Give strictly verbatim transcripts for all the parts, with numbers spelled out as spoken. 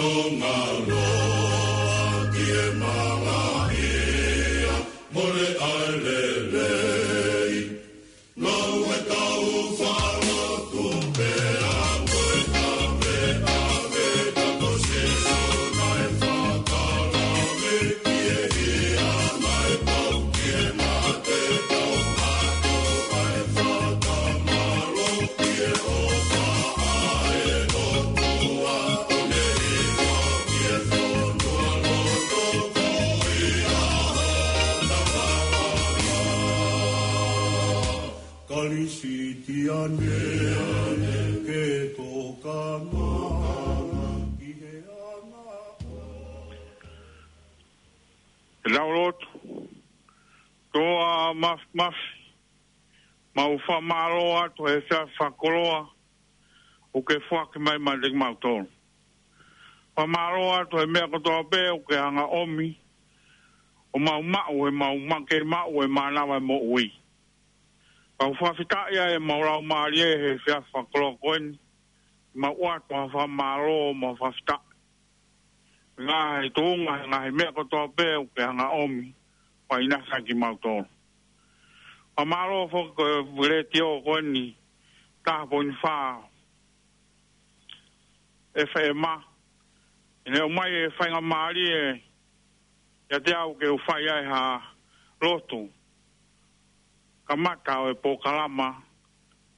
Tonga loa ki he malaʻia, mole ʻa e lelei. Ngāue tau fālotu pea mo e tame ʻave ta ko Sīsū naʻe fakalave ki he hia naʻe pau ki he mate tau ato ai fakamālō ki he ʻofa ʻa e ʻOtua ʻo ne hiva ki he fonua loto ko ia hona vavanga. Kalisitiane ke tokanga ki he anga. Lau lotu. Toa mafimafi, mau fakamālō atu he efiafi fakakoloa ʻoku ke foaki mai maʻa kimautolu. Fakamālō atu he meʻa kotoa pē ʻoku ke hanga ʻomi ʻo mau maʻu he mau ma-, ke maʻu e mānava e moʻui. Mau fakafetaʻi ai ʻemau laumālie he efiafi fakakoloa ko eni, mau ʻoatu ha fakamālō mo e fakafetaʻi. Ngaahi tuʻunga, ngaahi meʻa kotoa pē ʻoku ke hanga ʻomi, ʻo ʻinasi ai kimautolu. Fakamālō foki ko e letiō ko eni, taha poini fā F M. ʻI heʻene ʻomai e faingamālie ʻiate au ke u fai ai ha lotu kamata ʻo e polokalama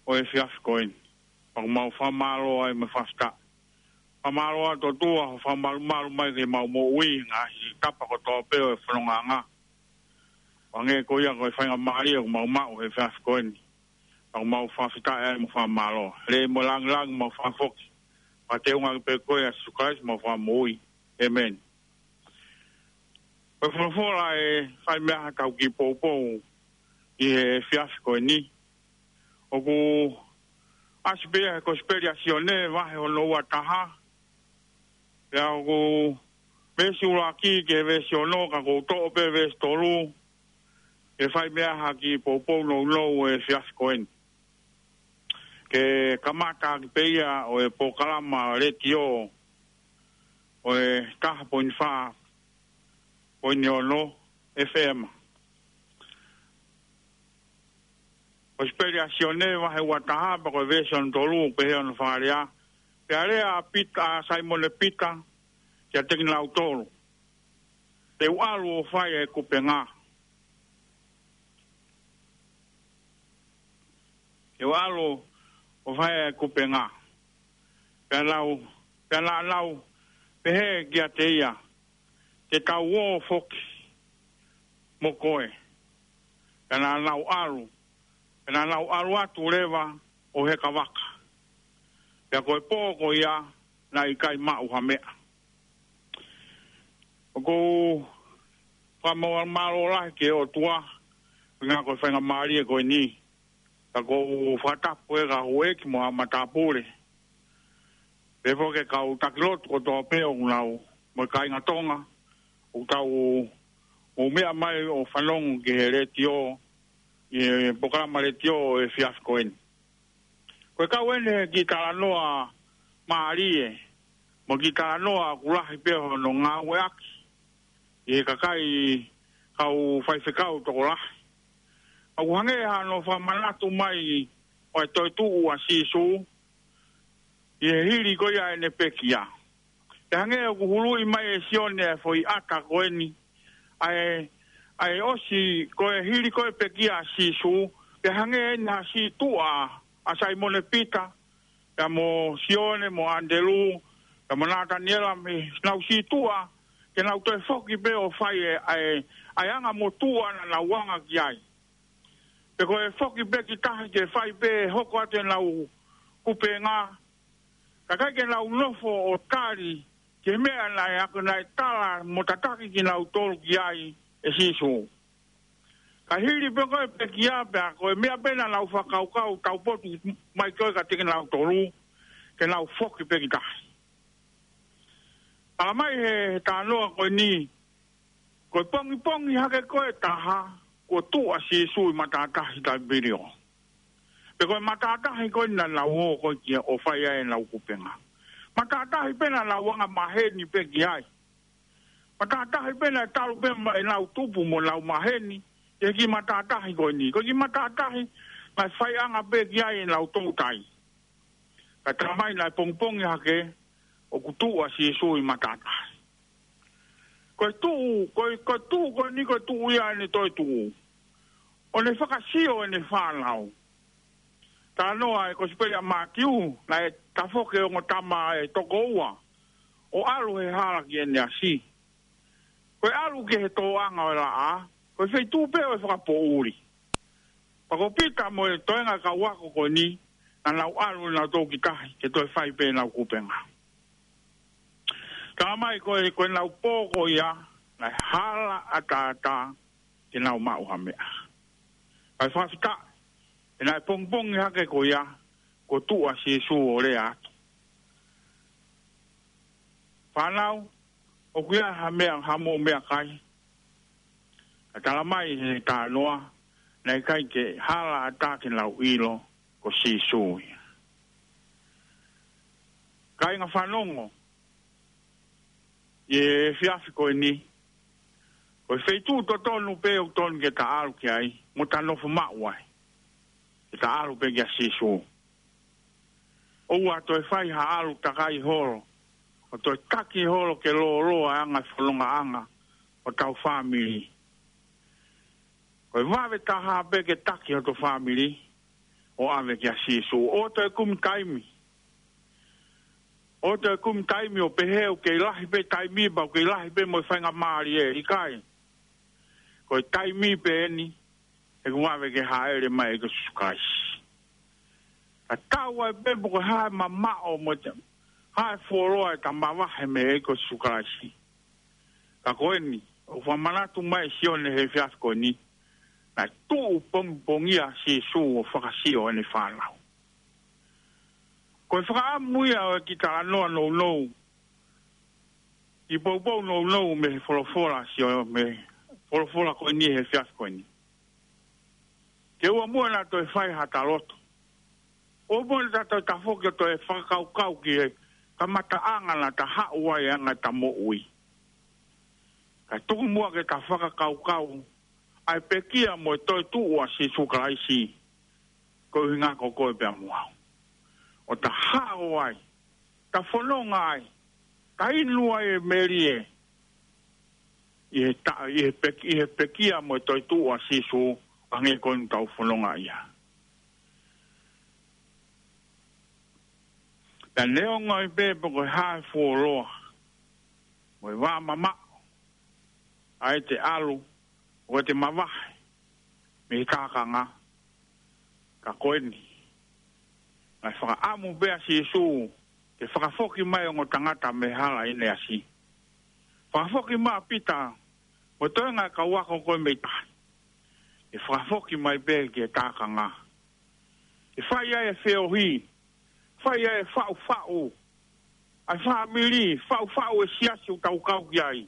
ʻo e efiafi ko eni. Pea ʻoku mau fakamālō ai mo e fakafetaʻi. Fakamālō atu ʻOtua hoʻo fakamalumalu mai ki heʻemau moʻui, ngaahi tapa kotoa pē ʻo e fonongaʻanga. Hangē ko ia ko e faingamālie ʻoku mau maʻu he efiafi ko eni. Pea ʻoku mau fakafetaʻi ai mo fakamālō. Lelei mo langilangi mau fakafoki. Pea teunga pē ko ia ʻa Sīsū Kalaisi homau Fakamoʻui. ʻĒmeni. Ko e folofola ʻe fai mei ai haʻatau kiʻi poupou ʻi he efiafi ko eni. ʻOku ʻasi pē ia he Kosipeli ʻa Sione vahe hono ua taha. Pea ʻoku veesi ʻuluaki ki he veesi ono, ka ʻoku ou toʻo pē veesi tolu. ʻE fai mei ai ha kiʻi poupou nounou ʻo e efiafi ko eni. Ke kamata ʻaki pē ia ʻo e polokalama letiō ʻo e taha poini fā poini ono F M. Kosipeli ʻa Sione vahe ua taha pea ko e veesi hono tolu, pehē hono fakalea. Pea lea ʻa Pita, ʻa Saimone Pita, kiate kinautolu. Te u ʻalu ʻo fai e kupenga. Te u ʻalu ʻo fai e kupenga. Pea nau, pea naʻa nau pehē kiate ia, te tau ō foki mo koe. Pea naʻa nau ʻalu, pea naʻa nau ʻalu atu leva ʻo heka vaka. Pea ko e pō ko ia naʻe ʻikai maʻu ha meʻa. ʻOku ou fakamālō lahi ki he ʻOtua, ʻuhinga ko e faingamālie ko eni. Ka ʻoku ou fakatapu ʻe ka houʻeiki mo haʻa matāpule. Pea foki ki he kau taki lotu kotoa pē ʻoku nau, mo e kāinga Tonga, ʻoku tau, ʻoku meʻa mai ʻo fanongo ki he letiō, ʻi he polokalama letiō ʻo e efiafi ko eni. Ko e kau eni he kiʻi talanoa mālie, mo e kiʻi talanoa ʻoku lahi pē hono ngāueʻaki ʻi he kakai kau faifekau tokolahi. ʻOku hangē hano fakamanatu mai ʻo e toetuʻu ʻa Sīsū, ʻi he hili ko ia ʻene pekia. Pea hangē ʻoku huluʻi mai ʻe Sione e foʻi ʻata ko eni, ʻa e, ʻa e ʻosi ko e hili ko e pekia ʻa Sīsū, pea hangē eni ha siʻi tuʻa ʻa Saimone Pita, pea mo Sione, mo ʻAnitelū, pea mo Nataniela, mei heʻenau siʻi tuʻa, ke nau toe foki pē ʻo fai e, ʻa e, ʻa e anga motuʻa naʻa nau anga ki ai. Pea ko e foki pē ki tahi ke fai pē hoko atu ʻenau kupenga, kae ʻikai ke nau nofo ʻo tali ki he meʻa naʻe ako naʻe tala mo tataki kinautolu ki ai ʻe Sīsū. Ka hili pē ko e pekia pea ko e meʻa pē naʻa nau fakakaukau taupotu mai ko ē kiate kinautolu, ke nau foki pē ki tahi. Tala mai he, he talanoa ko eni, ko e pongipongi hake ko ē taha, kuo tuʻu ʻa Sīsū ʻi matātahi Taipilio. Pea ko e matātahi ko ē naʻa nau ō ko ē ki ai ʻo fai ai ʻenau kupenga. Matātahi pē naʻa nau anga maheni pē ki ai. Matātahi pē naʻe talu pē mo ʻenau tupu mo ʻenau maheni, ʻi he kiʻi matātahi ko eni. Ko e kiʻi matātahi naʻe faiʻanga pē ki ai ʻenau toutai. Ka talamai naʻe pongipongi hake, ʻoku tuʻu ʻa Sīsū ʻi matātahi. Ko e tuʻu, ko e, ko e tuʻu ko eni ko e tuʻu ia ʻene toe tuʻu. ʻO ne fakasio ʻene fānau. Talanoa e Kosipeli ʻa Mātiu, naʻe tafoki e ongo tama ʻe toko ua ʻo ʻalu he hala ki ʻEneasi. Ko e ʻalu ki he tōʻanga ʻo e laʻā, ko e feituʻu pē ʻo e fakapoʻuli. Pea ko Pita mo e toenga kau ako ko eni, naʻa nau ʻalu nautolu ki tahi, ke toe fai pē ʻenau kupenga. Talamai ko e, ko ʻenau pō ko ia, naʻe hala ʻataʻatā ke nau maʻu ha meʻa. Kae fakafetaʻi, he naʻe pongipongi hake ko ia, kuo tuʻu ʻa Sīsū ʻo lea atu. Fānau, ʻoku ʻi ai ha meʻa, haʻamou meʻakai? Ka talamai he talanoa, naʻe ʻikai ke hala ʻatā ke nau ʻilo, ko Sīsū ia. Kāinga fanongo, ʻi he efiafi ko eni, ko e feituʻu totonu pē ʻoku totonu ke ta ʻalu ki ai, mo ta nofo maʻu ai. Ke ta ʻalu pē kia Sīsū. ʻOua toe fai ha ʻalu takai holo, ʻo toe taki holo ke lōloa e anga e fonongaʻanga ʻo hotau fāmili. Ko e vave taha pē ke taki hoto fāmili, ʻo ʻave kia Sīsū. ʻOua toe kumi taimi. ʻOua toe kumi taimi ʻo pehē ʻoku kei lahi pē taimi pea ʻoku kei lahi pē mo e faingamālie, ʻikai. Ko e taimi pē eni, he ʻoku vave ke hāʻele mai ʻa e ʻEiki ko Sīsū Kalaisi. Tatau ai pē pe ko e hā e mamaʻo mo e hā e fuoloa ʻe ta mavahe mei he ʻEiki ko Sīsū Kalaisi. Ka ko eni, ʻoku fakamanatu mai ʻe Sione he efiafi ko eni, naʻe tuʻu pongipongi ʻa Sīsū ʻo fakasio ʻene fānau. Ko e fakaʻamu ia ʻo e kiʻi talanoa nounou, kiʻi poupou nounou mei he folofola ʻa Sio-, mei he folofola ko eni he efiafi ko eni. Ke ʻoua muʻa naʻa toe fai hata loto. ʻOua muʻa naʻa toe tafoki ʻo toe fakakaukau ki he kamataʻanga naʻa ta haʻu ai ʻa e anga ʻeta moʻui. Kae tuku muʻa ke ta fakakaukau ʻa e pekia mo e toetuʻu ʻa Sīsū Kalaisi, ko e ʻuhinga ko koe pea mo au. ʻO ta hao ai, ta fononga ai, ta inu ai e melie, ʻi he ta-, ʻi he pek-, ʻi he pekia mo e toetuʻu ʻa Sīsū, ʻo hangē ko eni ʻoku tau fononga ia. Pea neongo ai pē pe ko e hā e fuoloa, mo e vā mamaʻo, ʻa ʻete ʻalu, ʻo ʻete mavahe mei he tākanga, ka ko eni, naʻe fakaʻamu pē ʻa Sīsū ke fakafoki mai ongo tangata mei he hala ʻi ʻEneasi. Fakafoki mai ʻa Pita mo e toenga e kau ako ko ē mei tahi. ʻE fakafoki mai pē ki he tākanga. ʻE fai ai e feohi, fai ai e faʻufaʻu ʻa e fāmili, faʻufaʻu e siasi ʻoku tau kau ki ai.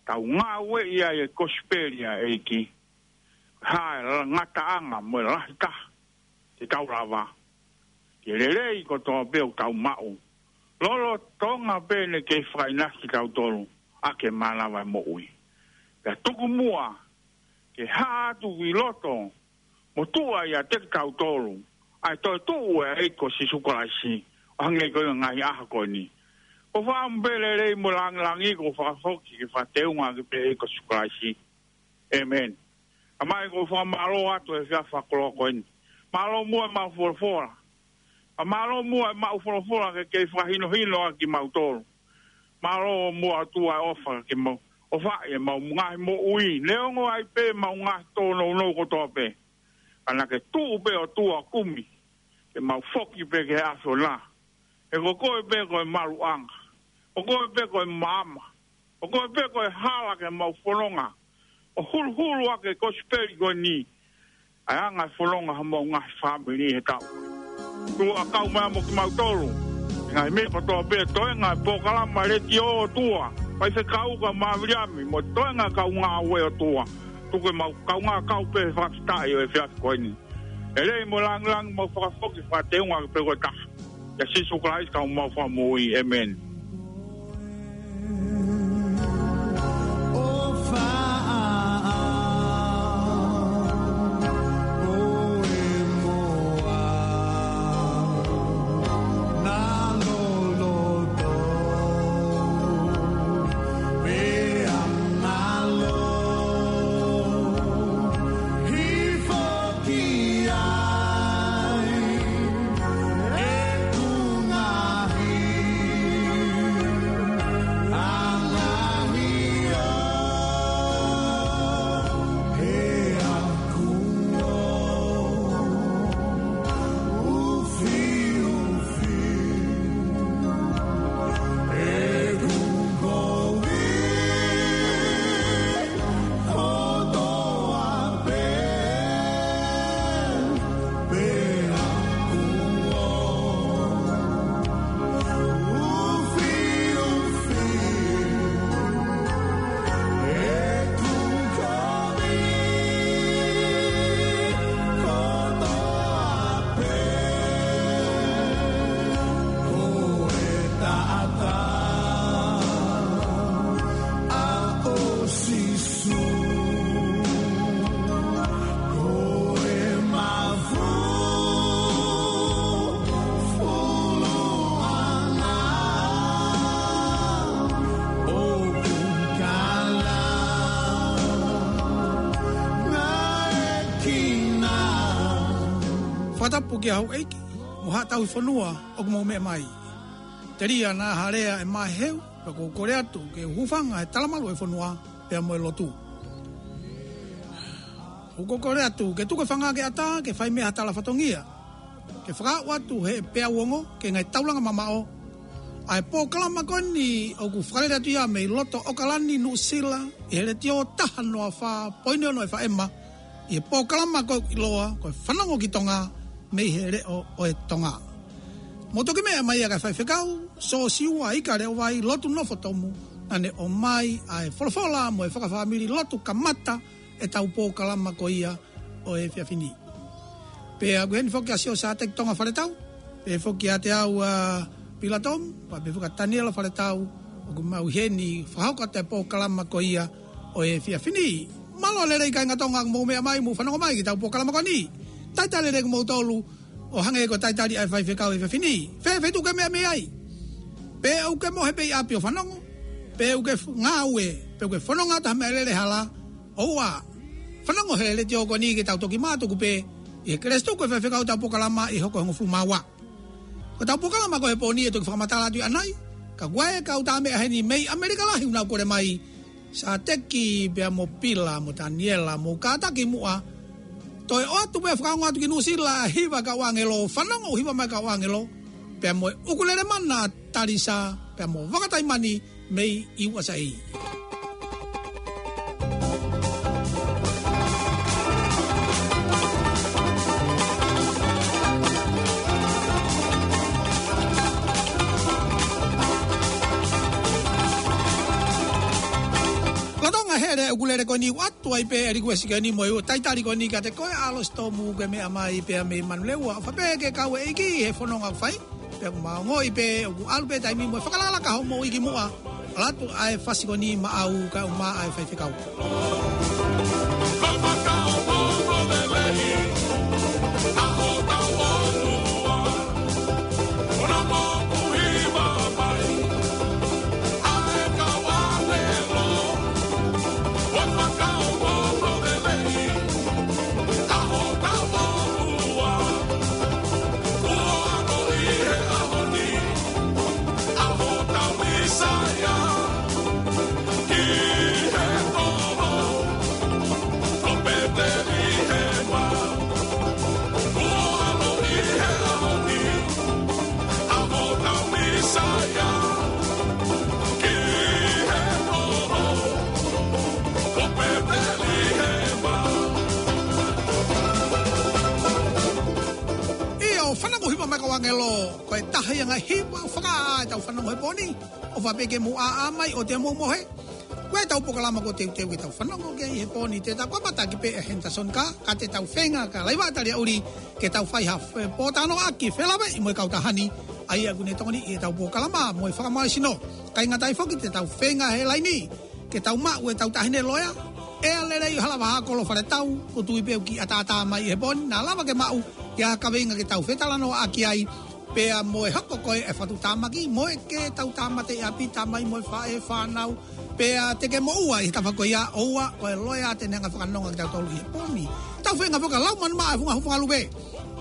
Tau ngāueʻi ai e kosipeli ʻa e ʻEiki. Hā e la-, ngataʻanga mo e lahi taha te tau lava, ke lelei kotoa pē ʻoku tau maʻu, lolotonga pē ʻene kei fakaʻinasi kitautolu ʻaki e mānava e moʻui. Pea tuku muʻa ke hā atu ʻi loto mo tuʻa ʻiate kitautolu ʻa e toetuʻu ʻa e ʻEiki ko Sīsū Kalaisi, ʻo hangē ko e ngaahi ʻaho ko eni. ʻOku ou fakaʻamu pē lelei mo langilangi kuo fakafoki ke fakateunga ʻaki pē ʻa e ʻEiki ko Sīsū Kalaisi. ʻĒmeni. Tamai, ʻoku ou fakamālō atu he efiafi fakakoloa ko eni. Mālō muʻa ʻemau folofola. Pea mālō muʻa ʻemau folofola ke kei fakahinohino ʻaki kimautolu. Mālō muʻa ʻOtua e ʻofa ke mau ʻofaʻi ʻemau ngaahi moʻui. Neongo ai pē ʻemau ngaahi tōnounou kotoa pē, ka naʻa ke tuʻu pē ʻOtua ʻo kumi ke mau foki pē ki he ʻAfiona. He ko koe pē ko e maluʻanga. Ko koe pē ko e maama. Ko koe pē ko e hala ke mau fononga ʻo huluhulu ʻaki e kosipeli ko eni, ʻa e anga e fononga homau ngaahi fāmili he taʻu. Tuku ʻa e kau mai mo kimautolu, ngaahi meʻa kotoa pē, toenga e polokalama letiō ʻOtua, faifekau kau Maviliami, mo e toenga e kau ngāue ʻOtua. Tuku ke mau kaungā kau pē he fakafetaʻi ʻo e efiafi ko eni. Lelei mo langilangi mau fakafoki fakateunga ʻaki pē koe taha. ʻIa Sīsū Kalaisi ko homau Fakamoʻui. ʻĒmeni. Fakatapu ki he houʻeiki mo haʻa tauhi fonua ʻoku mou meʻa mai. Telia naʻa ha lea ʻe maʻu he ʻaho, pea ʻoku ou kole atu ke hūfanga he talamalu ʻo e fonua pea mo e lotu. ʻOku ou kole atu ke tuku e fanga ke ʻatā ke fai mei ai ha tala fatongia, ke fakaaʻu atu he peau ongo ki he ngaahi taulanga mamaʻo ʻa e polokalama ko eni ʻoku fakalele atu ia mei loto ʻAokalani, Nuʻusila, ʻi he letiō taha noa fā poini ono F M, ʻi he polokalama ko ē ʻoku ʻiloa ko e Fanongo ki Tonga, mei he Leʻo ʻo e Tonga. Mou toki meʻa mai ʻa e kau faifekau, Siosiua Ikaleʻovai, Lotu Nofotomu, naʻa ne ʻomai ʻa e folofola mo e fakafāmili lotu kamata ʻetau polokalama ko ia ʻo e efiafi ni. Pea ʻoku ʻi heni foki ʻa Siosiua Sāteki Tonga Faletau, pea foki ʻa Teau ʻa Pilatom, pea pehē foki ʻa Taniela Faletau, ʻoku mau ʻi heni fakahoko atu e polokalama ko ia ʻo e efiafi ni. Mālō e lelei kāinga Tonga ʻoku mou meʻa mai, mou fanongo mai ki heʻetau polokalama ko eni. Talitali lelei kimoutolu, ʻo hangē ko e talitali ʻa e faifekau he efiafi ni. Fēfē tuku e meʻa mei ai? Pe ʻoku ke mohe pē ʻi ʻapi ʻo fanongo, pe ʻoku ke f-, ngāue, pe ʻoku ke fononga ʻi ha meʻalele hala, ʻoua, fanongo he letiō ko eni ke tau toki mātuku pē ʻi he kelesi tuku e faifekau ʻetau polokalama ʻi he hoko ʻe hongofulu mā ua. Ko ʻetau polokalama ko ē he pō ni ʻe toki fakamatala atu ʻanai, ka ʻoku ʻi ai e kau tā meʻa heni mei ʻAmelika lahi ʻoku nau kole mai, Sāteki pea mo Pila mo Taniela, mou kātaki muʻa. Toe ʻoatu pē fakaongo atu ki Nuʻusila ʻa e hiva kau ʻāngelo, fanongo hiva mai kau ʻāngelo, pea mo e ʻukulele mana Talisa, pea mo Vakataimani mei U S A. Lolotonga e hele ʻukulele ko eni, ʻoatu ai pē e likuesi ko eni mo e talitali ko eni kiate koe ʻAlosi Tomu, ke meʻa mai pea mei Manulewa, ʻofa pē ke kau e ʻEiki he fononga ʻoku fai. Pea ʻoku mau ongoʻi pē ʻoku ʻalu pē taimi mo e fakalakalaka homou iiki muʻa. ʻAlu atu ʻa e fasi ko eni maʻau kae ʻumaʻā e faifekau. ʻIo, fanongo hiva mai kau ʻāngelo, ko e taha ia e ngaahi hiva fakaʻā ʻetau fanongo he pō ni. ʻOfa pē ke mou ʻāʻā mai ʻoua te mou mohe. Ko ʻetau polokalama ko e teuteu ke tau fanongo ki ai he pō ni, te tau kamata ʻaki pē ʻe Henderson Ka, ka te tau feinga ka laiva tali a uli ke tau fai ha fe-, pōtalanoaʻaki felāveʻi mo e kautaha ni. ʻA ia ʻoku ne tokoni ʻi heʻetau polokalama mo e fakamālohisino. ʻIkai ngata ai foki te tau feinga he laini ke tau maʻu ʻetau taʻahine loea, ʻEa Lelei ʻo Halavahā Kolo Faletau, ʻoku ou tui pē ʻoku kiʻi ʻataʻatā mai he pō ni, naʻa lava ke maʻu ʻa e kaveinga ke tau fetalanoaʻaki ai, pea mo e hoko ko ē ʻa e fakatuʻutāmaki, mo e ke tau tāmate ʻi ʻapi, tamai mo e faʻē, fānau, pea te ke moʻua ʻi he tafaʻaki ko ia, ʻoua, ko e loea te ne hanga fakanonga kitautolu ʻi he pō ni. Tau feinga foki ʻa Laumanu Maʻa ʻa e Funga Hū Fakalupe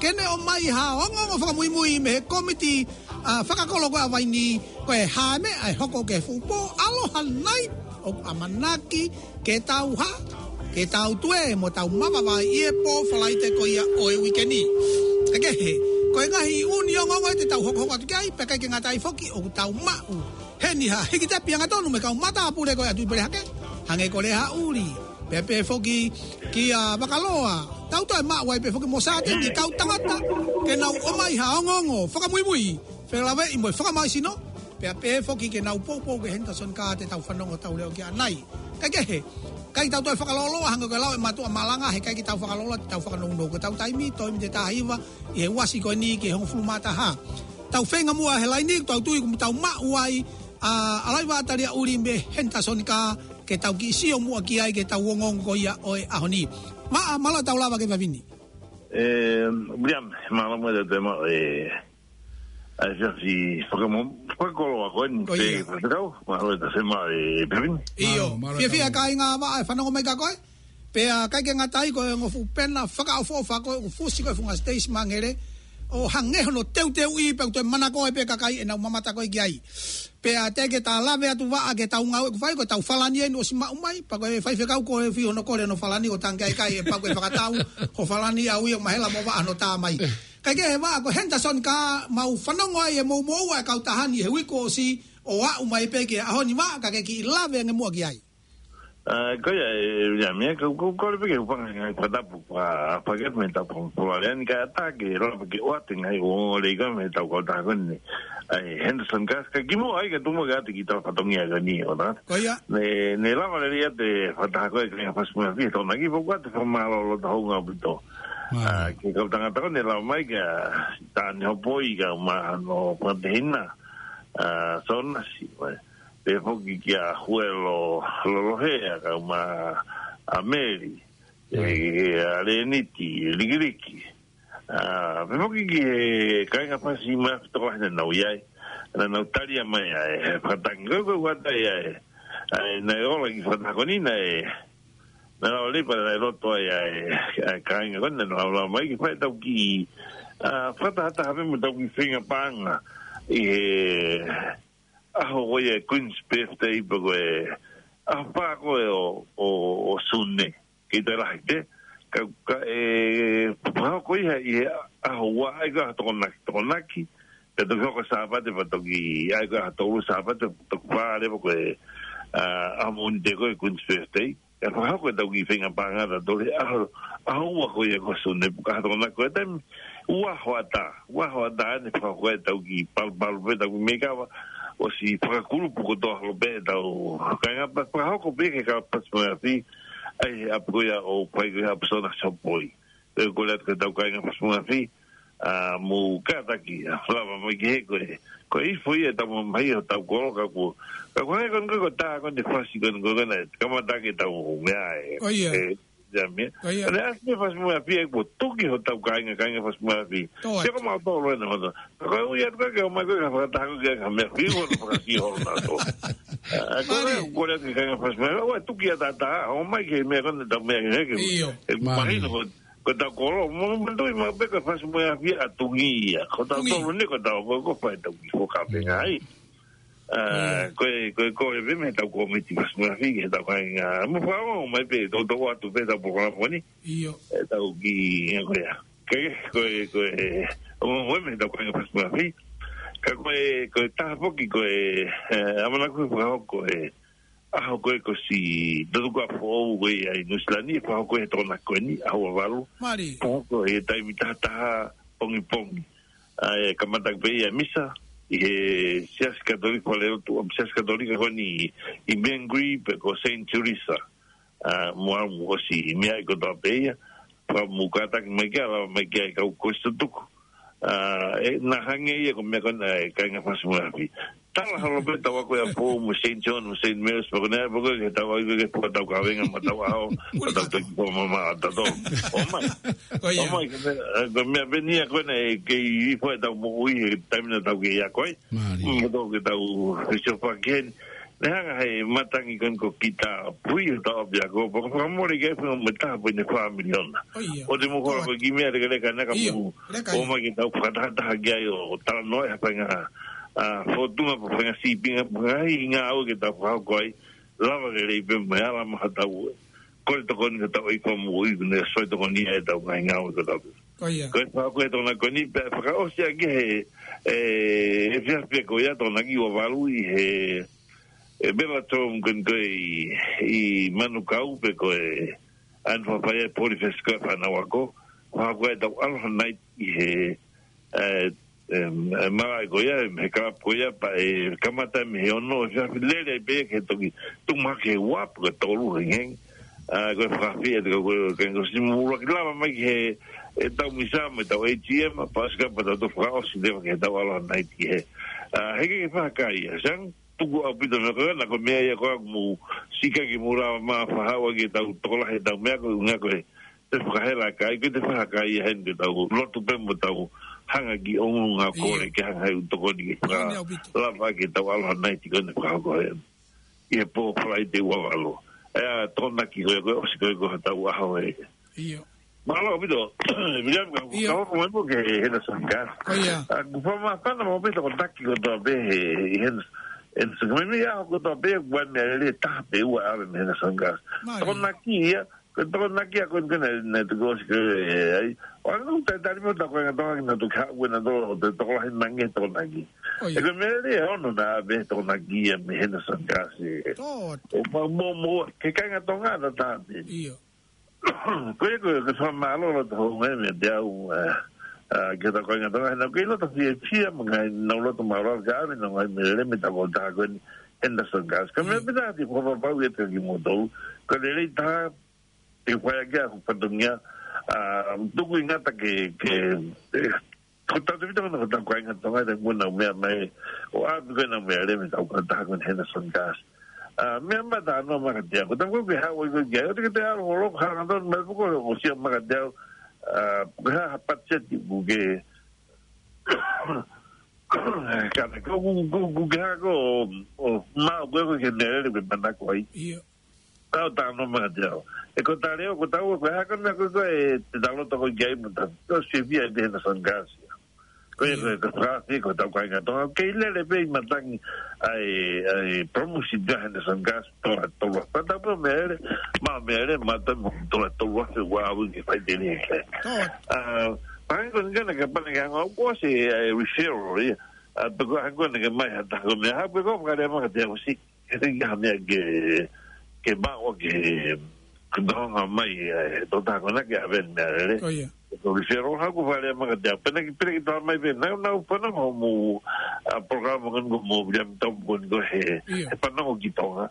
ke ne ʻomai ha ongoongo fakamuimui mei he kōmiti, ʻa, fakakolo ko ē ʻa Vainī, ko e hā e meʻa ʻe hoko ki he fuʻu pō Aloha Night ʻoku ʻamanaki ke tau hā, ke tau tue mo tau mavavaʻi ʻi he pō Falaite ko ia ʻo e uike ni. Kae kehe, ko e ngaahi ʻū ongoongo ē te tau hokohoko atu ki ai, pea ʻikai ke ngata ai foki ʻoku tau maʻu heni ha hiki tepi angatonu mei he kau matāpule ko ē ʻa Tuʻipelehake, hangē ko Lehaʻuli, pea pehē foki kia Vakaloa. Tau toe maʻu ai pē foki mo Sātini, kau tangata ke nau ʻomai ha ongoongo fakamuimui, felāveʻi mo e fakamālohisino, pea pehē foki ke nau poupou ki he Henderson Car te tau fanongo hotau leʻo ki ai ʻanai. Kae kehe, ʻikai ke tau toe fakalōloa, hangē ko e lau ʻa e mātuʻa malanga, he ʻikai ke tau fakalōloa, te tau fakanounou. Ko ʻetau taimi, toe ʻi he taha hiva ʻi he uasi ko eni ki he hongofulu mā taha. Tau feinga muʻa he laini, tau tui ʻoku tau maʻu ai ʻa ʻAlaiva ʻAtaliaʻuli mei he Henderson Car, ke tau kiʻi sio muʻa ki ai ki heʻetau ongoongo ko ia ʻo e ʻaho ni. Maʻa, mālō e tau lava ki he efiafi ni. ʻE, William, mālō muʻa e te mau, ʻe, ʻa e efiafi fakamo-, fakakoloa ko eni, ʻo ia, pē fakakau, mālō e te mau, ʻe, Pepin. ʻIo, mālō, mālō e fiefia tau kāinga Vaʻa ʻe fanongo mai kia koe. Pea ʻikai ke ngata ai ko e ongo fuʻu pena fakaʻofoʻofa ko ē ʻoku fusi ko ē he funga Stacy Mangere, ʻo hangē hono teuteuʻi pea ʻoku toe manako ai pē kakai ʻenau mamata ko ē ki ai. Pea teʻeki ke ta lave atu Vaʻa ki heʻetau ngāue ʻoku fai, ko ʻetau falani eni ʻosi maʻu mai, pea ko e faifekau ko ē fai hono kole hono falani, ko e tangi ʻikai, ʻe pau ke fakatau ho falani ʻa e ui ʻo mahela mo Vaʻa hono tā mai. Kae kehe Vaʻa, ko e Henderson Car mau fanongo ai ʻe moʻumoʻua e kautaha ni he uike ʻosi ʻo aʻu mai pē ki he ʻaho ni Vaʻa, ka ke kiʻi lave ange muʻa ki ai. ʻA, ko ia, ʻe, ia, meʻa, ko, ko, kole pē ke u hūfanga he ngaahi fakatapu fa-, fakatapu mei heʻetau fa-, fa-, lea ni kae ʻatā ke lava ke ʻoatu e ngaahi ongoongo lelei ko ē mei heʻetau kautaha ko eni. ʻA e Henderson Car, ka kimuʻa ai ka tuku muʻa ke ʻoatu e kiʻi tala fatongia ko eni, ʻo na. Ko ia. Ne, ne lava lelei ʻa e fakataha ko ē ki he Fasi Mo e Afi he Tokonaki, pea ʻoku ʻoatu e fakamālō loto houngaʻia ʻaupito. Mālō. ʻA, ki he kau tangata ko ē ne lava mai kia Tāne Hopoi, kau mahano fakatehina, ʻa, Sonasi, mai. Pehē foki kia Huelo Lolohea, kau mai ʻa Meli, ʻe, ʻa Leniti, Likiliki. ʻA, pehē foki ki he kāinga Fasi Mo e Afi tokolahi naʻa nau ʻi ai. Naʻa nau talia mai ʻa e fakatangi ko ē ʻoku ʻoatu ai ʻa e, ʻa e, naʻe ola e kiʻi fakataha ko eni naʻe, naʻe lava leva naʻe loto ai ʻa e, ʻa e kāinga ko ē naʻa nau lava mai ke fai ʻetau kiʻi, ʻa, fakatahataha pē mo ʻetau kiʻi feinga paʻanga ʻi he ʻaho ko ia e Queen's Birthday, pe ko e ʻaho fā ko ē ʻo, ʻo, ʻo Sune. Kei toe lahi pē. Ka, ka ʻe fakahoko ia ʻi he ʻaho ua, ʻai ko e ʻaho Tokonaki, Tokonaki. Pea toki hoko Sāpate, pea toki, ʻai ko e ʻaho tolu Sāpate, toki fā leva ko e, ʻa, ʻaho Mōnite ko e Queen's Birthday. ʻE fakahoko ʻetau kiʻi feinga paʻanga ʻatautolu he ʻaho, ʻaho ua ko ia ko Sune, pea ka ʻaho Tokonaki ko e taimi, ua hoʻatā, ua hoʻatā ʻene fakahoko ʻetau kiʻi palupalu pē ʻetau kiʻi meʻa kava, ʻosi fakakulupu kotoa holo pē ʻetau kāinga pea fakahoko pē ki he kau Fasi Mo e Afi, ʻa ia ʻa ia ko ia ʻoku fai ko ia ʻa Sonasi Hopoi. Pea kole atu ki heʻetau kāinga Fasi Mo e Afi, ʻa, mou kātaki, ʻa, lava mai ki he ko e, ko e ifo ia ʻetau mamahi ʻo hotau kolo ka ko, ka ko e hangē ko eni ko e tā ko eni e fasi ko eni ko eni, kamata ke tau meʻa ē. ʻO ia. ʻE, ia meʻa. ʻO ia. ʻA ia ʻosi e Fasi Mo e Afi ʻoku tuki hotau kāinga, kāinga Fasi Mo e Afi. Tō atu. Pea ko mautolu ena hotau. Ka ko e ui atu ka ke ʻomai ko e ka fakataha ko e ka meʻa fiu holo fakasi holo na tō. ʻA, ko e, mālie, kole atu ki he kāinga Fasi Mo e Afi, ʻoua tuki ʻataʻatā, ʻomai ki he meʻa ko eni ʻetau meʻa ki he ke. ʻIo. ʻE, mālie, mahino ko ko ʻetau kolo, mo, mo tui ma pe ko e Fasi Mo e Afi ʻa Tungi ia. Ko ʻetau Tungi. Tolu ni ko ʻetau, ko, ko fai ʻetau kiʻi fakapenga ai. ʻA, ʻIo. Ko e, ko e, ko e pē mei heʻetau kōmiti Fasi Mo e Afi, heʻetau kāinga, mo fakaongo mai pē, tau, tau ʻoatu pē ʻetau polokalama ni. ʻIo. ʻEtau kiʻi, ko ia. Ke, ko e, ko e, ʻo, ʻo mei heʻetau kāinga Fasi Mo e Afi. Ka ko e, ko e taha foki, ko e, ʻe, ʻamanaki ke fakahoko e, ʻaho ko ē ko ʻosi tutuku ʻa foʻou ko ia ʻi Nuʻusila ni, ʻe fakahoko he Tokonaki ko eni, ʻaho ua valu. Mālie. Fakahoko he taimi taha taha pongipongi. ʻA, ʻe kamata pē ia misa, ʻi he Siasi Katolika, fale lotu, ʻa Siasi Katolika ko eni ʻi, ʻi Mangere pe ko Saint Teresa. ʻA, mo au mo ʻosi meʻa ai kotoa pē ia, pea mou kātaki mai ke lava mai ke ʻai kau ko ʻosi tutuku. ʻA, ʻe, naʻe hangē ia ko e meʻa ko ena ʻa e kāinga Fasi mo e Afi. Tala holo pē ʻetau ako ʻi ʻApifoʻou mo Saint John mo Saint Mary's, pea ko ē naʻe pē ko ē ke tau ako ki he fuʻu tau kavenga mo tau ʻaho, mo tau toki pō mama ʻa tatou. ʻOmai. ʻOmai, ko e meʻa, ʻa, ko e meʻa pē eni ia ko ena ʻe kei hifo ʻetau moʻui he taimi naʻa tau kei ako ai. Mālie. Mo tau ke tau fisiofa ki heni. Naʻe hanga he matangi ko eni ko Kita Pui ʻo tau ʻapiako, pea ko e fakamole ke fai mo e taha poini fā miliona. ʻO te mo kora ko e kiʻi meʻa lekaleka naʻa ka mou ʻomai ke tau fakatahataha ki ai ʻo talanoa ʻi ha faʻahinga, ʻa, fōtunga pe faʻahinga sīpinga pe ngaahi ngāue ke tau fakahoko ai. Lava ke lei pē mo e ala maha tau ʻe kole tokoni ke tau ʻi ko mo ʻi ko ne soi tokoni ʻetau ngaahi ngāue ko tau. Ko e fakahoko ʻe Tokonaki ko eni pea fakaʻosi ʻaki he, ʻe, he efiafi ko ia Tokonaki ua valu ʻi he, ʻe, Bellator ko eni ko ē ʻi, ʻi Manukau pe ko e ʻaho ni fai ai e Poly Fest ko e fānau ako. Fakahoko ʻetau Aloha Night ʻi he, ʻe, ʻe, ʻe, malaʻe ko ia, he club ko ia, pea ʻe kamata mei he ono, ʻe efiafi lele ai pē ke toki tuʻu mahaki he ua pe ko e tolu hengihengī. ʻA, ko e fakafeʻiloaki ʻa e ko e, ko e, ko e simu ʻuluaki lava mai ki he, ʻetau misa mo ʻetau A T M, pea ʻosi ka pea tau fakaʻosi leva ki heʻetau Aloha Night ki he. ʻA, he ke ke fakaʻai ia, Sang, tuku ʻaupito meʻa ko ena, ko e meʻa ia ko ē ʻoku mou sika ke mou lava mai ʻo fakahā ki heʻetau tokolahi ʻetau meʻa ko e ʻuhinga ko e, te fakahela kae, ke te fakaʻai ia heni ke tau lotu pē mo tau hanga ki ʻolunga kole ke hanga he ʻū tokoni ke fakalava ke tau Aloha Night ko eni fakahoko heni. ʻI he pō Falaite ua valu. ʻA ia Tokonaki ko e, ko e ʻosi ko e ko ʻetau ʻaho ē. Mālō ʻaupito. Miriam, ka, ka hoko mai mo ke Henderson Gas. ʻA, ʻoku fakamāfana mo pē Tokonaki kotoa pē he, he Henderson, Henderson. Mei he ʻaho kotoa pē, ʻoku ʻi ai e meʻalele ʻe taha pe ua ʻave mei Henderson Gas. Tokonaki ia, ko Tokonaki ia ko eni ko ē naʻe, naʻe tuku ʻosi ko ē ai. ʻO ʻange ʻoku talitali mo ʻetau kāinga Tonga ke nau toki haʻu ʻo nau tokolahi ange Tokonaki. ʻE ko e meʻalele ʻe ono naʻe ʻave Tokonaki ia mei Henderson Gas. ʻO mo, mo, mo, ke kāinga Tonga ʻa taha pē. Ko ia ko e, ko e fakamālō loto houngaʻia meiate au, ʻa, ʻa, ki heʻetau kāinga Tonga, he naʻa ku kei loto fiefia mo ngaahi, naʻa ku loto mālōlō ka ʻave ʻenau ngaahi meʻalele mei he taʻu kautaha ko eni Henderson Gas. Ka meʻa pē naʻa te fakapapauʻi atu kimoutolu, ko e lelei taha, ʻe fai ʻaki ʻa hoku fatongia, ʻa, tuku ʻi ngata ke, ke, ʻe, ko tautefito ko ena ko ʻetau kāinga Tonga ʻi he taimi ko ē naʻa nau meʻa mai, ʻo ʻave ko ē ʻenau meʻalele mei he taʻu kautaha ko eni Henderson Gas. ʻA, meʻa mai talanoa mai kiate au. Ko e taimi ko ē ke haʻu ai ko ē ki ai, ʻoua te ke toe ʻalu holo, ko e hanga tonu mai pē ko ē ʻo sio mai kiate au, ʻa, ko e hā ha patiseti ʻoku ke, ka ne ko ʻoku, ʻoku, ʻoku ke hanga ko ē ʻo, ʻo maʻu ko ē ko e kiʻi meʻalele ʻoku ke manako ai. Tau talanoa mai kiate au. ʻE ko e tali ʻo ko e tau ko e hā ko e meʻa ko ē ʻoku te tau loto ko ē ki ai mo tau. Ko e sivi ai pē Henderson Gas. Ko e, ko e, ko e fakaafeʻi ko ʻetau kāinga Tonga. Kei lele pē ʻi matangi ʻa e, ʻa e promotion ʻa Henderson Gas, tola, tola. Pea tau pē meʻalele, maʻu meʻalele, maʻu tonu, tola, tola, se ua au ke fai teni e kai. ʻA, pea hangē ko eni ko ena ke pane ke hanga ʻo ko se, ʻa e referral, ia. ʻA, pe ko e hangē ko ena ke mai ha taha ko e meʻa, ha, pe ko e fakalea mai kiate au si. He te ke ha meʻa ke, ke maʻu ke, ke nonga mai, ʻe, tokotaha ko ena ke ʻave meʻalele. Ko e referral haʻaku fakalea mai kiate au. Pea naʻe ke pehē ke tala mai pē, naʻa, naʻa ku fanongo mo, ʻa, polokalama ko eni ko mo William Tom ko eni ko ē he, he fanongo ki Tonga.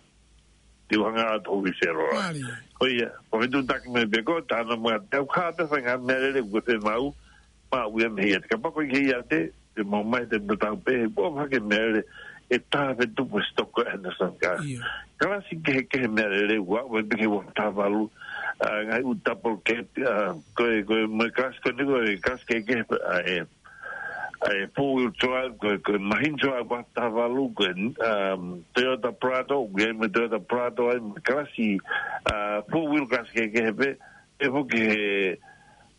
Te u hanga ʻo ʻoatu referral. Ko ia, ko e fetuʻutaki mai pē ko e talanoa mai kiate au, ka te faʻahinga meʻalele ʻoku ke fiemaʻu, maʻu ia mei he ʻiate. Kapau ko e ʻiate, te mau mai te mau tau pē, ʻoku ʻomai ha kiʻi meʻalele ʻe taha pē tupu he sitoa ʻa Henderson Gas. Kalasi kehekehe meʻalele ʻoku ʻomai pē ki he ua taha valu, ʻa, ngaahi ʻū double cab, ʻa, ko e, ko e mo e kalasi ko eni ko e kalasi kehekehe, ʻa, ʻe, ʻa, ʻe four wheel drive, ko e, ko e mahina drive ua taha valu, ko e, um, Toyota Prado, ʻoku ʻi ai mo e Toyota Prado ai, mo e kalasi, ʻa, four wheel kalasi kehekehe pē, ʻe foki he,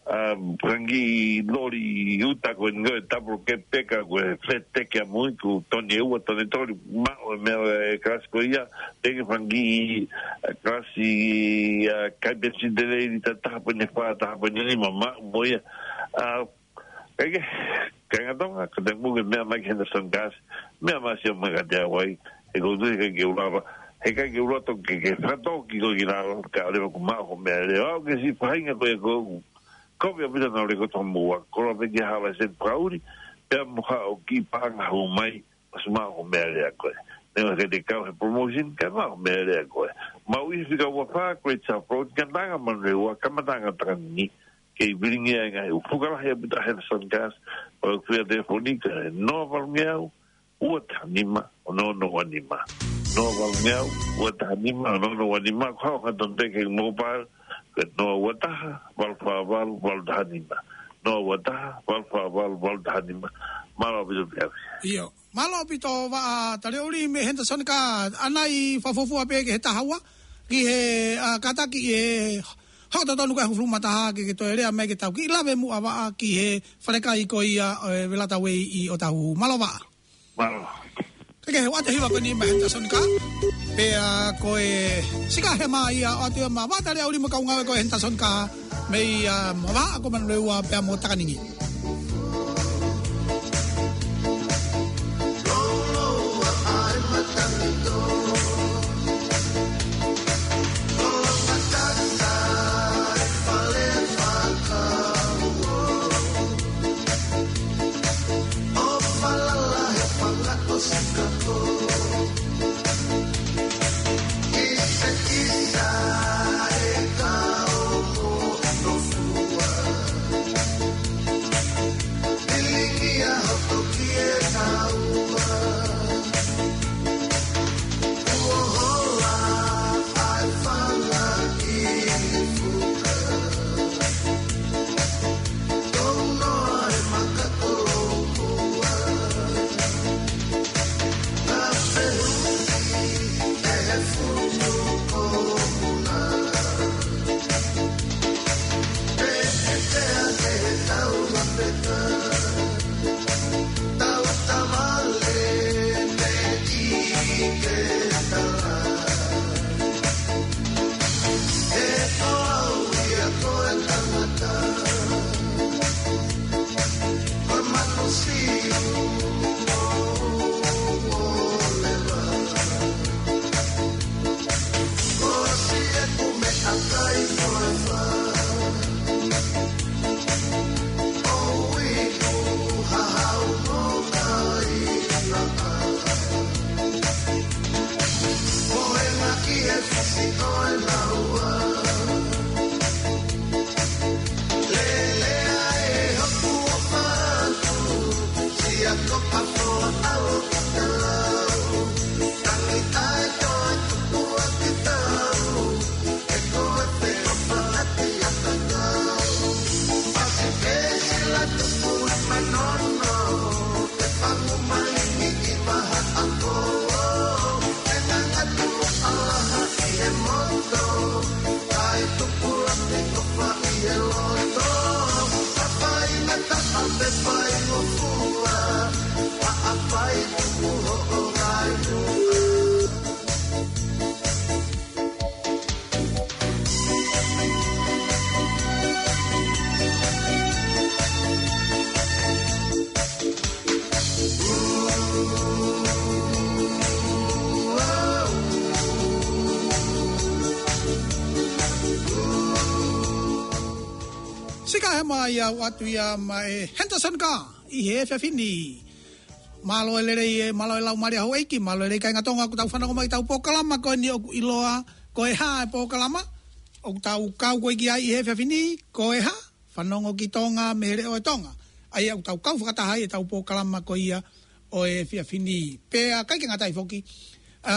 um, fanga kiʻi loli uta ko eni ko e double cab tanker ko e flat tanker ʻamui ʻoku toni ʻe ua, toni ʻe tolu, maʻu e meʻa ʻe kalasi ko ia, pea ki he fanga kiʻi, ʻa, kalasi, ʻa, kai penisini lelei lita taha poini fā, taha poini nima maʻu mo ia. ʻA, kae kehe, kāinga Tonga, ka te mou ke meʻa mai ki Henderson Gas, meʻa mai sio mai kiate au ai, he ʻoku ou tui heʻikai ke u lava, heʻikai ke u loto ke, ke fakatō ki ko ki lalo, kae ʻoua leva kuo maʻu hoʻo meʻalele. ʻOku ke siʻi faʻahinga ko ē ʻoku ou kovi ʻaupito ʻenau lēkooti hoʻomou ako, koloa pē ki ha laiseni fakaʻuli, pea mo haʻo kiʻi paʻanga hū mai, ʻosi maʻu hoʻo meʻalele ʻa koe. Neongo ʻikai te ke kau he promotion, kae maʻu hoʻo meʻalele ʻa koe. Maui fika ua fā, Great South Road, Kananga Manurewa, kamataʻanga ʻo Takanini, kei vilingia e ngaahi ʻū fuka lahi ʻa Pita Henderson Cars, ʻo e kuia telefoni ko e noa valu ngeau, ua taha nima, ono ono ua nima. Noa valu ngeau, ua taha nima, ono ono ua nima, ko e hā ha tonte ke mobile, ko e noa ua taha, valu fā valu, valu taha nima. Noa ua taha, valu fā valu, valu taha nima. Mālō ʻaupito Peavi. ʻIo. Mālō ʻaupito Vaʻa Taliaʻuli mei Henderson Cars, ʻanai fakafuofua pē ki he taha ua, ki he, ʻa, kātaki ʻe hoko totonu ko e hongofulu mā taha ke, ke toe lea mai ke tau kiʻi lave muʻa Vaʻa ki he falekai ko ia ʻo e Velata Way ʻi ʻŌtāhuhu. Mālō Vaʻa. Mālō. Kae kehe, ʻoatu e hiva ko eni mei Henderson Cars. Pea ko e Sika Hema ia ʻoatu ia maʻa Vaʻa Taliaʻuli mo e kau ngāue ko ē Henderson Cars. Mei, ʻa, Vavahaʻa ko Manurewa pea mo Takaningi. Sika Hema ia ʻoatu ia maʻa e Henderson Cars ʻi he efiafi ni. Mālō e lelei, ē, mālō e laumālie houʻeiki, mālō e lelei kāinga Tonga, ʻoku tau fanongo mai ki heʻetau polokalama ko eni ʻoku ʻiloa ko e hā e polokalama ʻoku tau kau ko ē ki ai ʻi he efiafi ni, ko e hā, fanongo ki Tonga mei he leʻo ʻo Tonga. ʻA ia ʻoku tau kau fakataha ai ʻetau polokalama ko ia ʻo e efiafi ni. Pea ʻikai ke ngata ai foki, ʻa,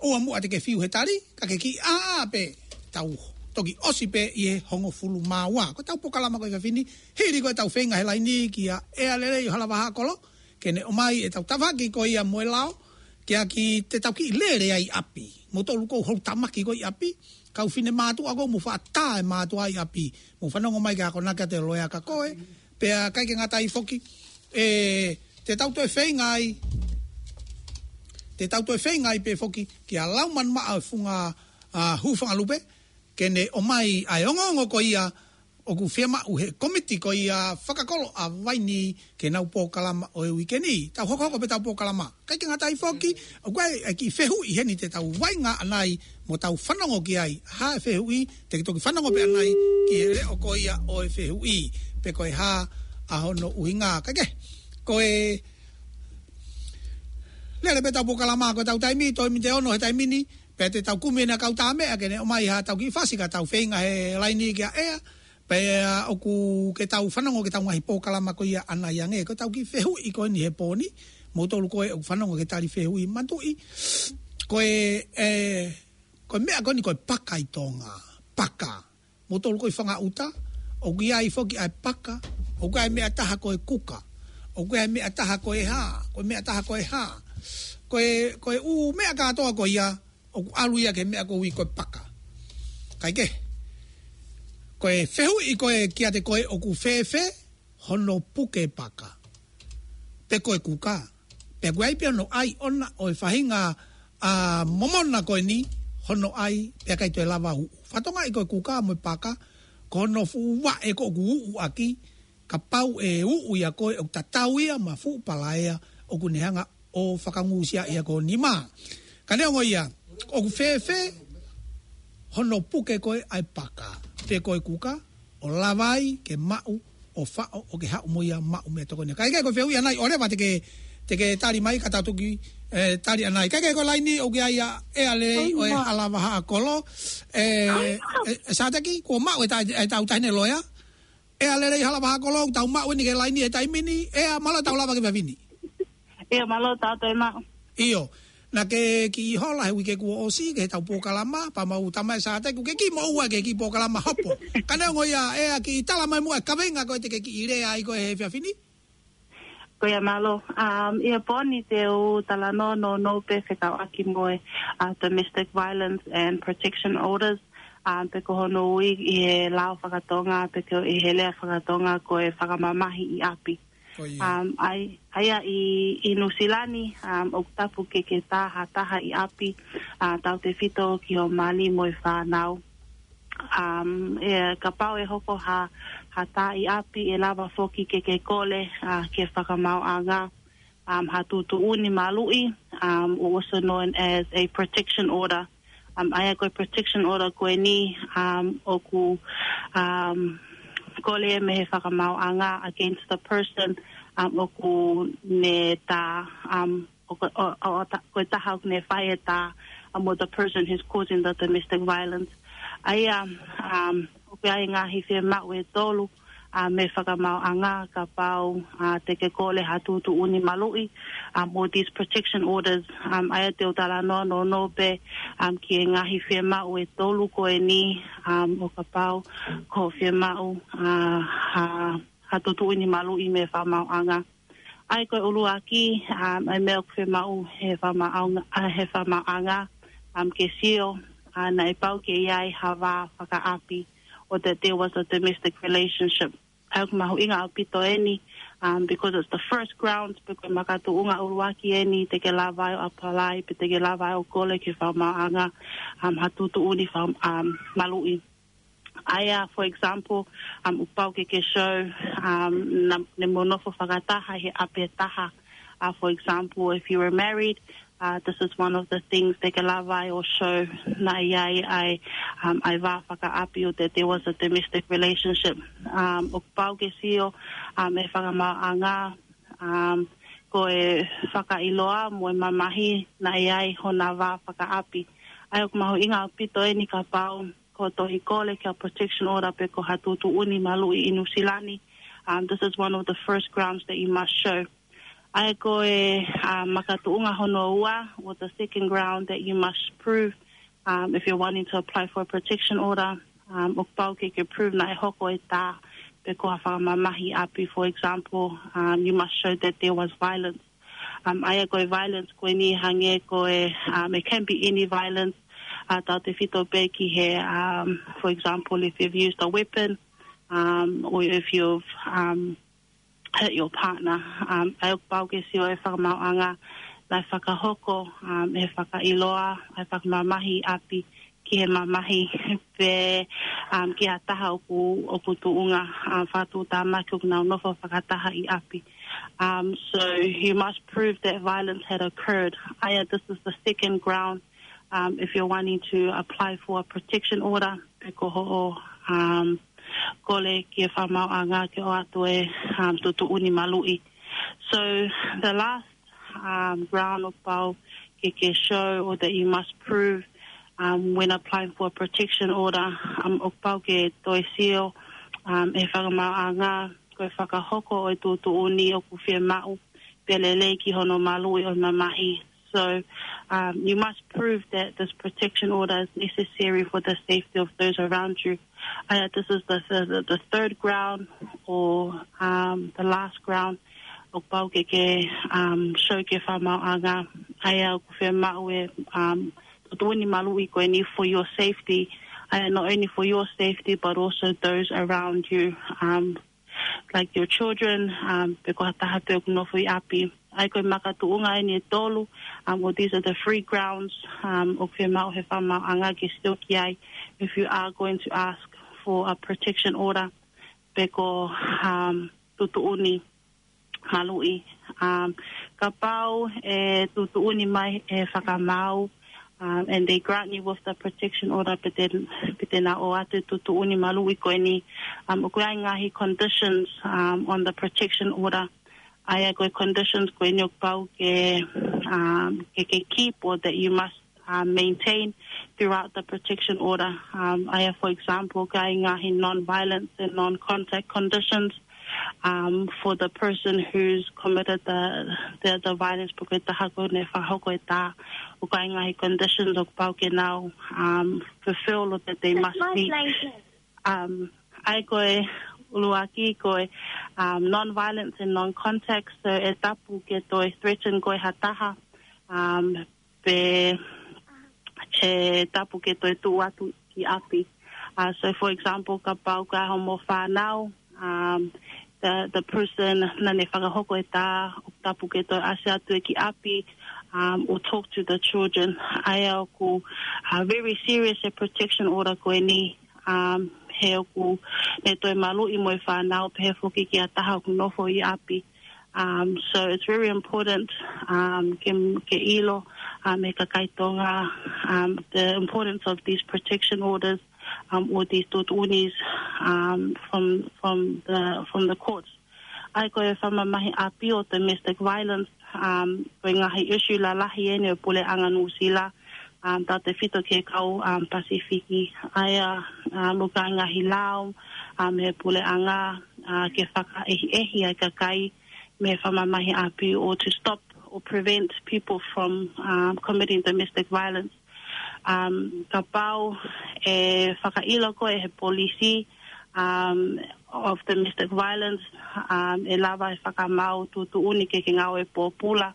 ʻoua muʻa te ke fiu he tali, ka ke kiʻi ʻā pē, tau toki ʻosi pē ʻi he hongofulu mā ua. Ko ʻetau polokalama ko e efiafi ni, hili ko ʻetau feinga he laini kia ʻEa Lelei ʻo Halavahaʻakolo, ke ne ʻomai ʻetau tafaʻaki ko ia mo e lao, ke ʻai ke tau kiʻi lele ai ʻapi. Mou tolu ʻoku houʻeiki tamaki ko ē ʻi ʻapi, kau fine mātuʻa ʻoku mou faʻa tā e mātuʻa ʻi ʻapi. Mou fanongo mai ke akonaki atu e loea kia koe, pea ʻikai ke ngata ai foki, ē, te tau toe feinga ai, te tau toe feinga ai pē foki kia Laumanu Maʻa ʻo e Funga, ʻa, Hūfangalupe, ke ne ʻomai ʻa e ongoongo ko ia ʻoku fiemaʻu he komiti ko ia fakakolo ʻa Vaini ki heʻenau polokalama ʻo e uike ni. Tau hokohoko pē ʻetau polokalama. ʻIkai ke ngata ai foki, ʻoku ʻi ai e kiʻi fehuʻi heni te tau vaʻinga ʻanai mo tau fanongo ki ai. Hā e fehuʻi, te ke toki fanongo pē ʻanai ki he leʻo ko ia ʻo e fehuʻi, pe ko e hā ʻa hono ʻuhinga. Kae kehe, ko e lele pē ʻetau polokalama, ko ʻetau taimi, toe miniti ʻe ono he taimi ni, pea te tau kumi ʻena kau tā meʻa ke ne ʻomai haʻatau kiʻi fasi ka tau feinga he laini kia ʻEa. Pea ʻoku ke tau fanongo ki heʻetau ngaahi polokalama ko ia ʻanai ange, ko ʻetau kiʻi fehuʻi ko eni he pō ni, moutolu ko ē ʻoku fanongo ki he tali fehuʻi, manatuʻi, ko e, ē, ko e meʻa ko eni ko e paka ʻi Tonga, paka. Moutolu ko ē ʻi fanga ʻuta, ʻoku ʻi ai foki ʻa e paka, ʻoku ʻi ai e meʻa ʻe taha ko e kuka, ʻoku ʻi ai e meʻa ʻe taha ko e hā, ko e meʻa ʻe taha ko e hā. Ko e, ko e ʻū meʻa kātoa ko ia, ʻoku ʻalu ia ki he meʻa ko ē ʻoku ui ko e paka. Kae kehe, ko e fehuʻi ko ē kiate koe, ʻoku fēfē hono puke paka, pe ko e kuka, pe ʻoku ʻi ai pē hono ʻai ʻona ʻo e faʻahinga ʻa e momona ko eni, hono ʻai, pea ʻikai toe lava ʻo uʻu. Fakatokangaʻi ko e kuka mo e paka, ko hono fuʻu vaʻe ko ē ʻoku uʻu ʻaki, kapau ʻe uʻu ia ko ē ʻoku tatau ia mo e fuʻu palaea ʻoku ne hanga ʻo fakangūsia ia ko e nima. Ka neongo ia, ʻoku fēfē hono puke ko ē ʻa e paka, pe ko e kuka, ʻo lava ai ke maʻu, ʻo faʻo, ʻo ke haʻu mo ia ʻo maʻu meʻatokoni. Kae kehe, ko e fehuʻi ʻanai, ʻoleva te ke, te ke tali mai ka tau toki, ē, tali ʻanai. Kae kehe, ko e laine ʻoku ʻi ai ʻa ʻEa Lelei ʻo e Halavahaʻakolo. Ē, ē, ē, Sāteki, kuo maʻu ʻe ta-, ʻe ʻetau taʻahine loea. ʻEa Lelei Halavahaʻakolo, tau maʻu eni ki he laine he taimi ni. ʻEa, mālō e tau lava ki he efiafi ni. ʻIo, mālō e tau toe maʻu. ʻIo, naʻa ke kiʻi hola he uike kuo ʻosi ki heʻetau polokalama, pea mau tala mai ʻe Sāteki, ʻoku ke kiʻi moʻua ki he kiʻi polokalama hopo. Ka neongo ia, ʻEa, kiʻi tala mai muʻa e kaveinga ko ē te ke kiʻi lea ai ko ē he efiafi ni. Ko ia, mālō. Um, ʻi he pō ni te u talanoa nounou pē fekauʻaki mo e, uh, domestic violence and protection orders, um, pe ko hono ui ʻi he lao fakatonga, pe ko ʻi he lea fakatonga ko e fakamamahi ʻi ʻapi. Ko ia. Um, ʻa ia, ʻa ia ʻi, ʻi Nuʻusila ni, um, ʻoku tapu ke ke tā ha taha ʻi ʻapi, uh, tautefito ki hoʻo mali mo e fānau. Um, ʻe, kapau ʻe hoko ha, ha tā ʻi ʻapi, ʻe lava foki ke ke kole, uh, ki he fakamaauʻanga, um, ha tuʻutuʻuni maluʻi, um, or also known as a protection order. Um, ʻa ia ko e protection order ko eni, um, ʻoku, um, kole mei he fakamaauʻanga against the person, um, ʻoku ne tā, um, ʻo ko, ʻo, ʻo, ʻo ta-, ko e taha ʻoku ne fai e tā, um, mo the person who's causing the domestic violence. ʻA ia, um, ʻoku ʻi ai e ngaahi fiemaʻu ʻe tolu, um, mei he fakamaauʻanga kapau, uh, te ke kole ha tuʻutuʻuni maluʻi, um, or these protection orders, um, ʻa ia te u talanoa nounou pē, um, ki he ngaahi fiemaʻu ʻe tolu ko eni, um, ʻo kapau ko e fiemaʻu, uh, ha, ha tuʻutuʻuni maluʻi mei he fakamaauʻanga. ʻA ia ko e ʻuluaki, um, ʻa e meʻa ʻoku fiemaʻu he fakamaauʻanga, uh, he fakamaauʻanga, um, ke sio, uh, naʻe pau ke ʻi ai ha vā fakaʻapi, or that there was a domestic relationship. ʻA ia ʻoku mahuʻinga ʻaupito eni, um, because it's the first grounds, pe ko e makatuʻunga ʻuluaki eni te ke lava ai ʻo apply, pe te ke lava ai ʻo kole ki he fakamaauʻanga, um, ha tuʻutuʻuni faka-, um, maluʻi. ʻA ia, for example, um, ʻoku pau ke ke show, um, naʻa, naʻa mo nofo fakataha he ʻapi ʻe taha. Uh, for example, if you were married, uh, this is one of the things te ke lava ai ʻo show naʻe ʻi ai ʻa e, um, ʻa e vā fakaʻapi, or that there was a domestic relationship. Um, ʻoku pau ke sio, um, ʻe he fakamaauʻanga, um, ko e fakailoa mo e mamahi naʻe ʻi ai hona vā fakaʻapi. ʻA ia ʻoku mahuʻinga ʻaupito eni kapau ko e tohi kole ki ha protection order pe ko ha tuʻutuʻuni maluʻi ʻi Nuʻusila ni. Um, this is one of the first grounds that you must show. ʻA ia ko e, uh, makatuʻunga hono ua, or the second ground that you must prove, um, if you're wanting to apply for a protection order, um, ʻoku pau ke ke prove naʻe hoko e tā pe ko ha fakamamahi ʻi ʻapi, for example, um, you must show that there was violence. Um, ʻa ia ko e violence ko eni hangē ko e, um, it can be any violence, uh, tautefito pē ki he, um, for example, if you've used a weapon, um, or if you've, um, hurt your partner. Um, ʻa ia ʻoku pau ke sio ʻe he fakamaauʻanga naʻe fakahoko, um, ʻe he fakailoa ʻa e fakamamahi ʻi ʻapi ki he mamahi pe, um, ki ha taha ʻoku, ʻoku tuʻunga, um, fakatuʻutāmaki ʻoku nau nofo fakataha ʻi ʻapi. Um, so you must prove that violence had occurred. ʻA ia, this is the second ground, um, if you're wanting to apply for a protection order, pe ko hoʻo, um, kole ki he fakamaauʻanga ke ʻoatu e, um, tuʻutuʻuni maluʻi. So the last, um, ground ʻoku pau ke ke show or that you must prove, um, when applying for a protection order, um, ʻoku pau ke toe sio, um, e fakamaauʻanga, ko e fakahoko ʻo e tuʻutuʻuni ʻoku fiemaʻu, pea lelei ki hono maluʻi ʻo e mamahi. So, um, you must prove that this protection order is necessary for the safety of those around you. ʻA ia, this is the, the, the third ground or, um, the last ground ʻoku pau ke ke, um, show ki he fakamaauʻanga. ʻA ia ʻoku fiemaʻu e, um, tuʻutuʻuni maluʻi ko eni for your safety. ʻA ia, not only for your safety, but also those around you, um, like your children, um, pe ko ha taha pē ʻoku nofo ʻi ʻapi. ʻA ia, ko e makatuʻunga eni ʻe tolu, um, or these are the three grounds, um, ʻoku fiemaʻu he fakamaauʻanga ke sio ki ai if you are going to ask for a protection order pe ko, um, tuʻutuʻuni maluʻi. Um, kapau ʻe tuʻutuʻuni mai e fakamaau, um, and they grant you with the protection order, pe te, pe te nau ʻoatu e tuʻutuʻuni maluʻi ko eni, um, ʻoku ʻi ai e ngaahi conditions, um, on the protection order. ʻA ia, ko e conditions ko eni ʻoku pau ke, um, ke, ke keep or that you must, um, maintain throughout the protection order. Um, ʻa ia, for example, ʻoku ʻi ai e ngaahi non-violence and non-contact conditions, um, for the person who's committed the, the, the violence, pe ko e taha ko ē naʻe fakahoko e tā. ʻOku ʻi ai e ngaahi conditions ʻoku pau ke nau, um, fulfill or that they must meet. Um, ʻa ia, ko e ʻuluaki ko e, um, non-violence and non-contact, so ʻe tapu ke toe threaten koe ha taha, um, pe ʻe tapu ke toe tuʻu atu ki ʻapi. Uh, so, for example, kapau ko hoʻomo fānau, um, the, the person naʻa ne fakahoko e tā, ʻoku tapu ke toe ʻasi atu ia ki ʻapi, um, or talk to the children. ʻA ia, ʻoku, uh, very serious e protection order ko eni, um, he ʻoku ne toe maluʻi mo e fānau, pehē foki ki ha taha ʻoku nofo ʻi ʻapi. Um, so it's very important, um, ke, ke ʻilo, um, he kakai Tonga, um, the importance of these protection orders, um, or these tuʻutuʻunis, um, from, from the, from the courts. ʻA ia, ko e fakamamahi ʻapi ʻo domestic violence, um, ko e ngaahi issue lalahi eni ʻo e puleʻanga Nuʻusila, um, tautefito ki he kau, um, Pasifiki. ʻA ia, um, ʻoku ʻi ai e ngaahi lao, um, he puleʻanga, uh, ke fakaʻehiʻehi ai e kakai mei he fakamamahi ʻapi, or to stop or prevent people from, um, committing domestic violence. Um, kapau ʻe fakaʻilo koe ʻe he polisi, um, of domestic violence, um, ʻe lava e fakamaau tuʻutuʻuni ke ke ngāue pōpula,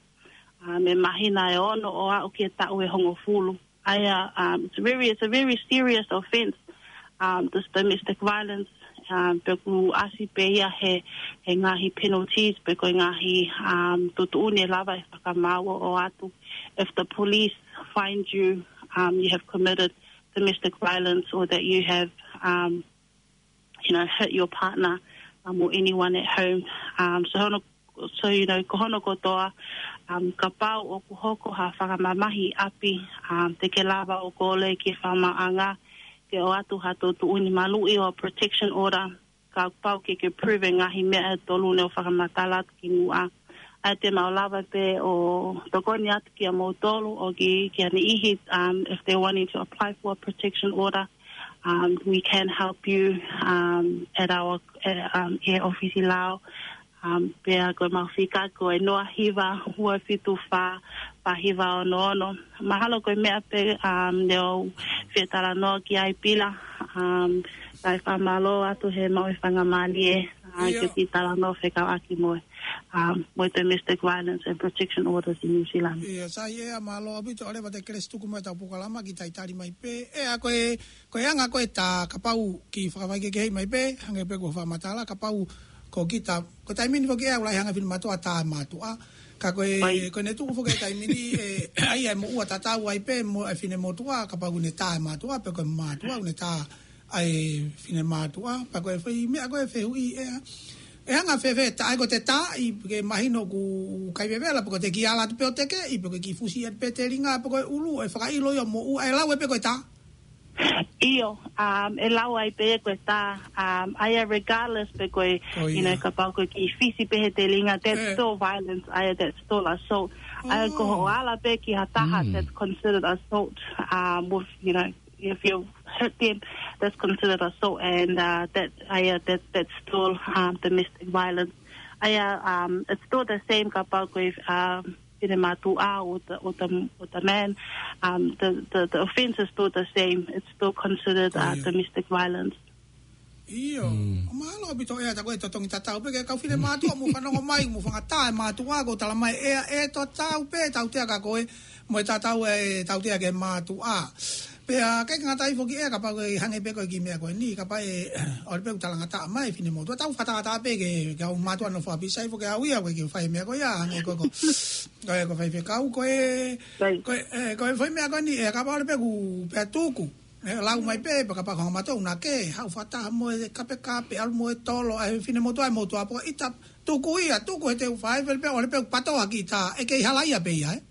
um, mei he māhina ʻe ono ʻo aʻu ki he taʻu ʻe hongofulu. ʻA ia, um, it's very, it's a very serious offence, um, this domestic violence, um, pea ʻoku ʻasi pē ia he, he ngaahi penalties, pe ko e ngaahi, um, tuʻutuʻuni ʻe lava e fakamaau ʻo ʻoatu. If the police find you, um, you have committed domestic violence or that you have, um, you know, hurt your partner, um, or anyone at home. Um, so hono, so, you know, ko hono kotoa, um, kapau ʻoku hoko ha fakamamahi ʻapi, um, te ke lava ʻo kole ki he fakamaauʻanga ke ʻoatu ha tuʻutuʻuni maluʻi or protection order, kapau ke ke prove e ngaahi meʻa ʻe tolu naʻa ku fakamatala atu kimuʻa. ʻA ia te mau lava pē ʻo tokoni atu kiate kimoutolu ʻo ki, ki ha niʻihi, um, if they're wanting to apply for a protection order, um, we can help you, um, at our, uh, um, ʻi he ʻōfisi lao. Um, pea ko ʻemau fika ko e noa hiva, ua fitu fā, fā hiva ono ono. Mahalo ko e meʻa pē, um, naʻa ku fie talanoa ki ai, Pila, um, kae fakamālō atu he maʻu e faingamālie, uh, ke u kiʻi talanoa fekauʻaki mo e, um, mo e domestic violence and protection orders ʻi New Zealand. ʻIo, sai ē, mālō ʻaupito. ʻOleva Tekelesi, tuku mai ʻetau polokalama ki he taimi ni mai pē. ʻE, ʻa ko e, ko e anga ko ē tā, kapau kiʻi fakavaʻe kehekehe mai pē, hangē pē ko e fakamatala, kapau ko kita, ko e taimi ni foki ʻe ʻalu ai hanga fine mātuʻa tā e mātuʻa. Ka ko e, ko ʻene tuʻu foki e taimi ni, ʻe, ʻa ia ʻe moʻua tatau ai pē mo e fine motuʻa, kapau ʻoku ne tā e mātuʻa, pe ko e mātuʻa ʻoku ne tā ʻa e fine mātuʻa, pea ko e foʻi meʻa ko e fehuʻi ʻe, ʻe hanga fēfē tā, ʻa ia ko e tā, ʻi he mahino ʻoku kai vevela, pe ko e kiʻi ala atu pē ʻo tekeʻi, pe ko e kiʻi fusi atu pē telinga, pe ko e ʻulu, ʻe fakaʻilo ia ʻo moʻua, ʻe lau ai pē ko e tā. ʻIo, um, ʻe lau ai pē ko e tā, um, ʻa ia regardless pe ko e, you know, kapau ko e kiʻi fisi pē he telinga, that's still violence, ʻa ia that's still assault. ʻA ia ko hoʻo ala pē ki ha taha, that's considered assault, um, with, you know, if you hit them, that's considered assault, and uh, that, uh, yeah, that that's still um, domestic violence. Uh, yeah, um, it's still the same kapau ko e, um, finemātuʻa or the, or the, or the man, um, the, the, the offense is still the same. It's still considered uh, domestic violence. ʻIo. Mm. ʻO mālō ʻaupito ʻEa, tā ko e totongi tatau pē ki he kau finemātuʻa, mou fanongo mai, mou fakatātā e mātuʻa, ʻoku tala mai ʻEa ʻe tatau pē tautea kia koe mo e tatau e tautea ki he mātuʻa. Pea ʻikai ke ngata ai foki ʻEa, kapau ʻe hangē pē ko e kiʻi meʻa ko eni, kapau ʻe, ʻoua pē ʻoku talangataʻa mai e finemotuʻa, tau fakatātā pē ki he, ki he kau mātuʻa nofo ʻapi sai foki au ia, ko e kiʻi fai meʻa ko ia, hangē ko e ko, ko e ko e faifekau, ko e, Sai. ko e, ʻe, ko e fai meʻa ko eni, ʻEa, kapau ʻoua pē ʻoku pea tuku. ʻE lau mai pē, pea kapau ko e hanga mātuʻa ʻoku na ke, haʻu fakataha mo e kapekape, ʻalu mo e tolo, ʻa e finemotuʻa, e motuʻa pō, ʻita, tuku ia, tuku he te u fai, fele pē, ʻoua pē ʻoku pato ʻaki ʻita, ʻe kei halaia pē ia, ē?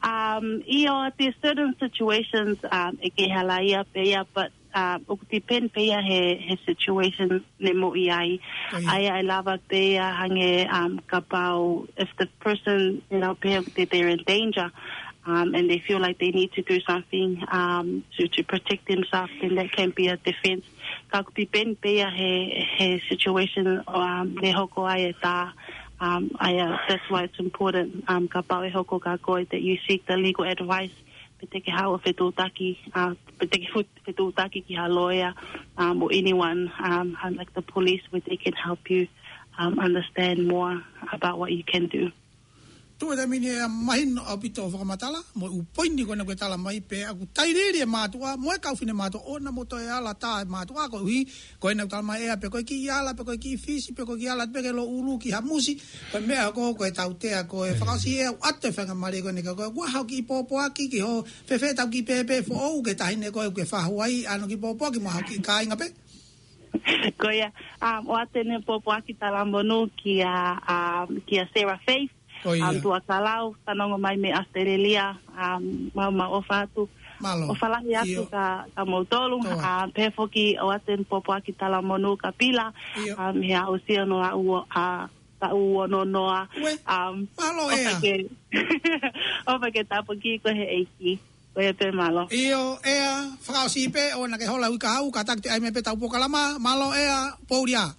Um, ʻio, there's certain situations, um, ʻe kei halaia pē ia, but, um, ʻoku depend pē ia he, he situation ne moʻui ai. ʻA ia. ʻA ia ʻe lava pē ia hangē, um, kapau, if the person, you know, pē, they, they're in danger, um, and they feel like they need to do something, um, to, to protect themselves, then that can be a defense. Ka ʻoku depend pē ia he, he situation, um, ne hoko ai e tā, um, ʻa ia, that's why it's important, um, kapau ʻe hoko kia koe that you seek the legal advice, pe te ke haʻu ʻo fetuʻutaki, uh, pe te ke fut-, fetuʻutaki ki ha lawyer, um, or anyone, um, uh, like the police, where they can help you, um, understand more about what you can do. Tuʻu he taimi ni ʻEa, mahino ʻaupito hoʻo fakamatala, mo e ʻū poini ko ena kuo ke tala mai pē, ʻoku tailiili e mātuʻa, mo e kau finemātuʻa ʻoua naʻa mou toe ala tā e mātuʻa koeʻuhi, ko ena ʻoku tala mai ʻEa pe ko e kiʻi ala, pe ko e kiʻi fisi, pe ko e kiʻi ala pē ke lōʻulu ki ha musi, ko e meʻa ko, ko e tautea ko e fakaʻosi ʻEa ʻoatu e faingamālie ko eni kia koe, ʻoua haʻo kiʻi pōpoaki ki hoʻo fēfē ʻetau kiʻi pēpē foʻou ki he taʻahine ko ē ʻoku ke fahu ai, ʻa hono kiʻi pōpoaki mo haʻo kiʻi kāinga pē. Ko ia, um, ʻoatu eni e pōpoaki talamonū kia, um, kia Sarah Faith, Ko ia. Um, tuʻa Kalau, fanongo mai mei ʻAositelēlia, um, mau, mau ʻofa atu. Mālō. ʻOfa lahi atu ʻIo. kia, kia moutolu, Toa. um, pehē foki ʻoatu eni e pōpoaki talamonū kia Pila, ʻIo. um, he aʻusia hono aʻu, uh, taʻu ono noa. Ue. Um, Mālō ʻofa ʻEa. ke, ʻofa ke tāpuakiʻi koe he ʻEiki. Ko ia pē, mālō. ʻIo, ʻEa, fakaʻosi pē, ʻoua naʻa ke hola ui ka hau, kātaki te ʻai mai pē ʻetau polokalama, mālō ʻEa, Poulia.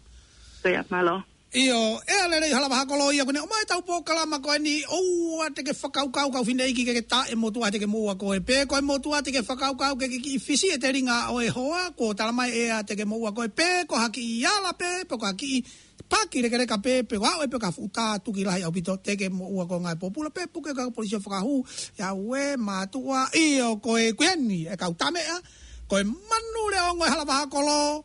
Ko ia, mālō. ʻIo, ʻEa lelei Halavahakolo ia, kuo ne ʻomai ʻetau polokalama ko eni, ʻoua te ke fakakaukau kau fineʻeiki ke ke tā e motuʻa te ke moʻua koe pē, ko e motuʻa te ke fakakaukau ke ke kiʻi fisi e telinga ʻo e hoa, kuo tala mai ʻEa te ke moʻua koe pē, ko ha kiʻi ala pē, pe ko ha kiʻi paki lekeleka pē, pe ʻoua ʻe pē ka futa tuki lahi ʻaupito te ke moʻua koe ngaahi pōpula pē, puke ka polisi ʻo fakahū, ʻe au e mātuʻa, ʻio ko e kueni, e kau tameʻa, ko e manu leʻo ongo ʻe Halavahakolo,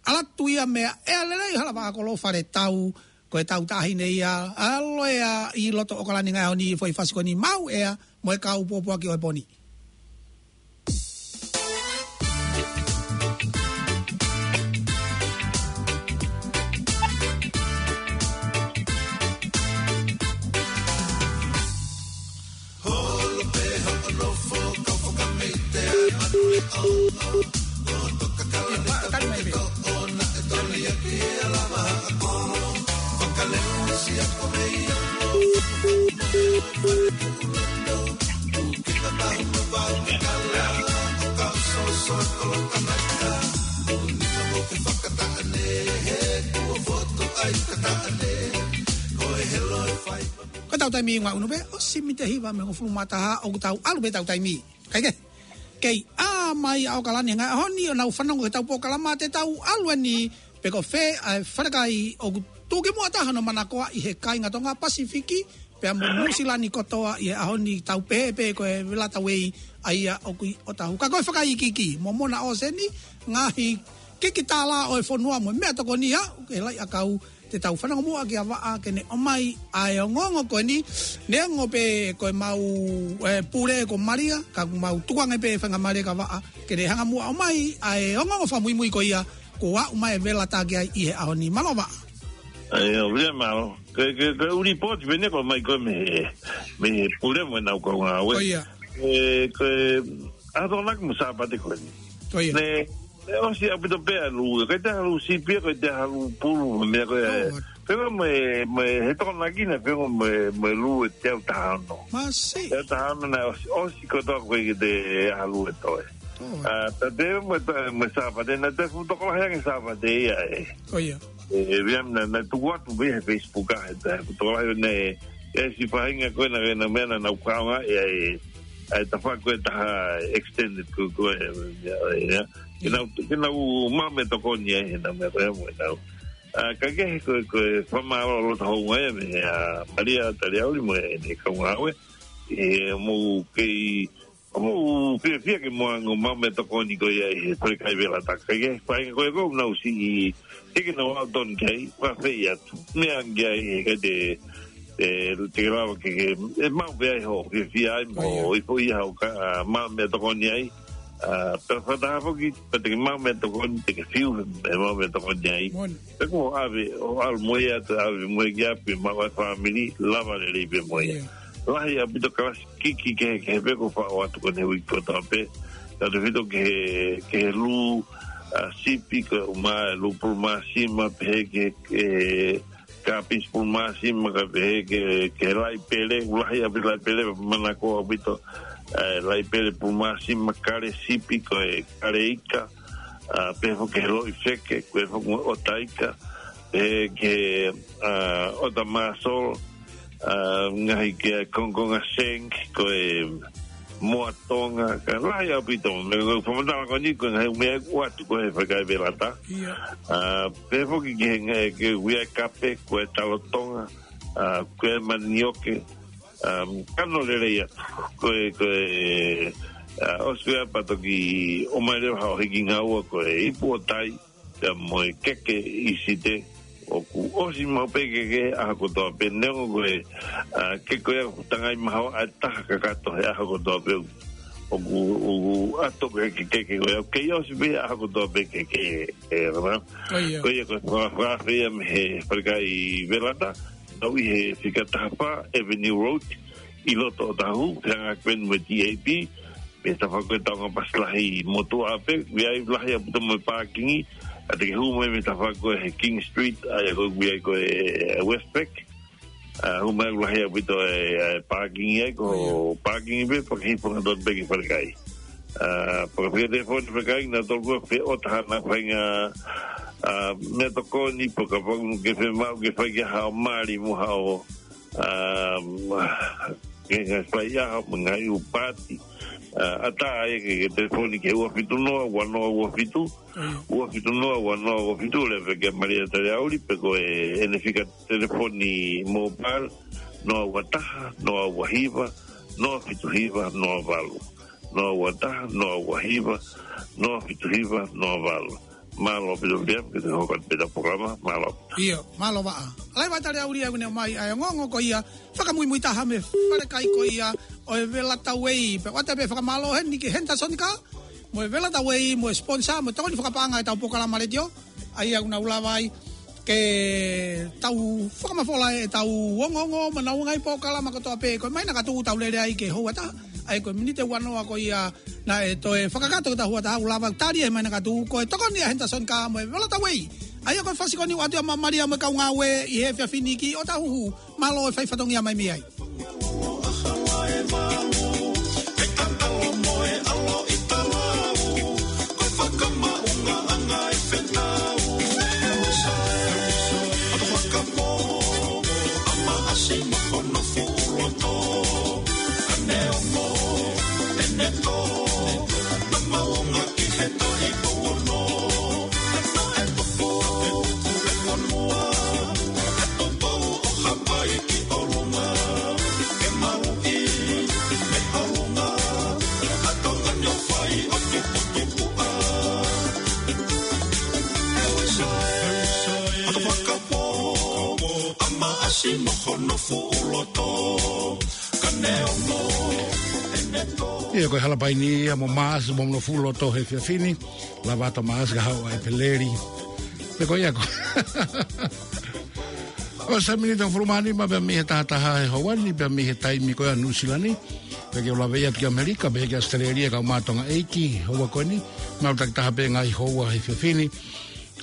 ʻalu atu ia mei ʻEa lelei Halavahakolo Faletau, ko e tau taʻahine ia, ʻalu ia ʻi loto ʻOkalani ngaahi ʻaho ni ʻi he foʻi fasi ko eni maʻu ʻEa, mo e kau pōpoaki ʻo e pō ni. Ko ʻetau taimi ʻi he ʻaho ni pē, ʻosi miniti ʻe hiva mei he hongofulu mā taha, ʻoku tau ʻalu pē ʻetau taimi. Kae kehe, kei ʻā mai ʻa ʻOkalani he ngaahi ʻaho ni ʻo nau fanongo ki heʻetau polokalama, te tau ʻalu eni pe ko fē ʻa e falekai ʻoku tuʻukimuʻa taha hono manakoa ʻi he kāinga Tonga, Pasifiki, pea mo Nuʻusila ni kotoa ʻi he ʻaho ni, tau pehē pē ko e vela tau ʻi ai ʻa ia ʻoku ʻi ʻOtahuhu. Ka ko e fakaikiiki, momona ʻōseni, ngaahi kiki tālā ʻo e fonua mo e meʻatokoni ʻoku ke laʻi ʻakau, te tau fanongo muʻa kia Vaʻa ke ne ʻomai ʻa e ongoongo ko eni, neongo pē ko e mau, e, pule ko Malia, ka mau tukuange pē faingamālie kia Vaʻa ke ne hanga muʻa ʻomai ʻa e ongoongo fakamuimui ko ia, kuo aʻu mai e vela tā ki ai ʻi he ʻaho ni. Mālō Vaʻa. ʻAi, ʻo vea mālō. Ke, ke, ke ʻuli pōti pē ne ko mai ko e mei, mei he pule mo ʻenau kaungāue. Ko ia. E, ko e, ʻa e Tokonaki mo Sāpate ko eni. Ko ia. Ne, ne ʻosi ʻaupito pē ʻalu, ʻikai te ʻalu sipi, ʻikai te ʻalu pulu, mo e meʻa ko ē. Ko ia. Pea mo e, mo e, he Tokonaki naʻe pea mo e, mo e lū ʻe teau taha ono. Masi. Teau taha ono naʻe ʻosi, ʻosi kotoa ko ē ke te ʻalu ʻe toe. ʻA, tā te mo e, mo e Sāpate, naʻe toe fuʻu tokolahi ange Sāpate ia ē. ʻIo. ʻE, ʻe, via na, naʻe tuku atu pē he Facebook ʻa e, tā fuʻu tokolahi ʻo ne, ʻe si faʻahinga ko ena, ko ena meʻa naʻa nau kaunga, ʻe, ʻe, ʻe tafa ko e taha extended ko, ko e, ʻe, ʻe, ʻe. Ke nau, ke nau maʻu meʻatokoni ai, he nau meʻa ko e mo e nau. ʻA, ka ke he ko, ko e fakamālō loto hounga ia mei, ʻa, Malia Taliauli mo ʻene kaungāue. ʻE, mou kei, mou fiefia ke mou hanga ʻo maʻu meʻatokoni ko ia ʻi he Falekai Velata. Ka ke, faʻahinga ko e ko nau si i, ke ke nau au ton kei, ua fei atu. Meʻa ange ai, he ka te, te, te ke lava ke, ke, ʻe maʻu pē ai hoʻo fiefia ai, mo ʻIo. ʻIo foʻi hau ka, ʻa, maʻu meʻatokoni ai. ʻA, pea fakataha foki, pea te ke maʻu meʻatokoni, te ke fiu he, he maʻu meʻatokoni ai. Moʻoni. Pea ko ʻave, ʻo ʻalu mo ia, te ʻave mo ia ki ʻapi, maʻu ai fāmili, lava lelei pē mo ia. ʻIo. Lahi ʻaupito kalasi kiki kehekehe pē ko e faʻo atu ko eni he uike kotoa pē. Tautefito ki he, ki he lū, ʻa, sipi, ko e ʻuma e lū pulu māsima, pehē ki he, ki he kāpisi pulu māsima, kae pehē ki he, ki he laipele, ʻoku lahi ʻaupito laipele, manako ʻaupito, ʻa e laipele pulu māsima, kale sipi, ko e kale ika, ʻa, pehē foki ki he loʻi feke, ko e foki mo e ʻota ika, pehē ki he, ʻa, ʻota māsolo, ʻa, ngaahi ki he kongokonga sink, ko e moa Tonga, ka lahi ʻaupito, mo e fakamatala ko eni, ko e ngaahi meʻa ʻoku ʻoatu ko ē he Falekai Velata. ʻIo. ʻA, pehē foki ki he ngaahi, ki he uia kape, ko e talo Tonga, ʻa, ko e manioke, ʻa, kano lelei atu, ko e, ko e, ʻa, ʻosi ko ia pea toki ʻomai leva haʻo hiki ngaua ko e ipu ʻo tai, pea mo e keke ʻi Site, ʻoku ʻosi maʻu pē keke he ʻaho kotoa pē neongo ko e, ʻa, keke ko ia ʻoku tangai mahaoa ʻe taha kakato he ʻaho kotoa pē ʻoku, ʻoku ʻato ko e keke ko ia, ʻoku kei ʻosi pē he ʻaho kotoa pē keke ē, ʻe, ʻa. ʻIo. Ko ia ko e faka-, fakafeʻao ia mei he Falekai Velata, nau ʻi he fika taha fā Avenue Road, ʻi loto ʻOtahuhu, feangaʻaki pē mo e T A P, mei he tafaʻaki ko e taonga pasi lahi motuʻa pē, ʻoku ʻi ai lahi ʻaupito mo e pākingi, ʻa te ke hū mai mei he tafaʻaki ko ē he King Street, ʻa ia ko ē ʻoku ʻi ai ko e Westpac, ʻa, hū mai ʻoku lahi ʻaupito e, e pākingi ai, ko e pākingi pē, pea ke hifo hangatonu pē ki Falekai. ʻA, pea ke fai telefoni Falekai, nautolu ko ē ʻoku feʻotaha ʻenau faʻahinga, ʻa, meʻatokoni, pea kapau ʻoku ke fiemaʻu ke fai ki ai haʻo mali mo haʻo, ʻa, ke ngaahi faiʻaho, mo e ngaahi ʻū paati. ʻA, ʻatā ai ke, ke telefoni ki he ua fitu noa, ua noa ua fitu, ua fitu noa, ua noa ua fitu, lea pē kia Malia Taliauli, pe ko e ʻene fika telefoni mobile, noa ua taha, noa ua hiva, noa fitu hiva, noa valu. Noa ua taha, noa ua hiva, noa fitu hiva, noa valu. Mālō ʻaupito Viliami, ke te hoko atu pē ʻetau polokalama, mālō ʻaupito. ʻIo, mālō Vaʻa. Lahi Vaʻa Taliauli ʻoku ne ʻomai ʻa e ongoongo ko ia, fakamuimui taha mei he Falekai ko ia ʻo e Velata Way. Pea ʻoatu pē fakamālō heni ki he Henderson Car, mo e Velata Way, mo e sponsor, mo e tokoni fakapaʻanga ʻetau polokalama letiō. ʻA ia ʻoku nau lava ai ke tau fakamafola ʻetau ongoongo mo ʻenau ngaahi polokalama kotoa pē. Ko e meʻa naʻa ka tuku ʻetau lele ai ki he houa ʻe taha. ʻA ia ko e miniti ʻe ua noa ko ia naʻe toe fakakakato ki he houa ʻe taha, ʻoku lava tali e meʻa naʻa ka tuku, ko e tokoni ʻa Henderson Car mo e Velata Way. ʻA ia ko e fasi ko eni ʻoku ʻoatu ʻe Malia mo e kaungāue ʻi he efiafi ni ki ʻOtahuhu. Mālō e fai fatongia mai mei ai. Ia, ko e Halapaini ia mo Maasi mo hono fuʻu loto he efiafi ni. Lava atu Maasi ka haʻu ʻa ʻEpeleli. Pe ko ia ko. ʻOsi e miniti ʻe hongofulu mā nima pea mei he taha taha he houa ni, pea mei he taimi ko ia ʻa Nuʻu Sila ni. Pea ke u lave atu ki ʻAmelika, pea ki ʻAositelēlia, kau mātuʻa ʻeiki, houa ko eni. Mau taki taha pē ngaahi houa he efiafi ni.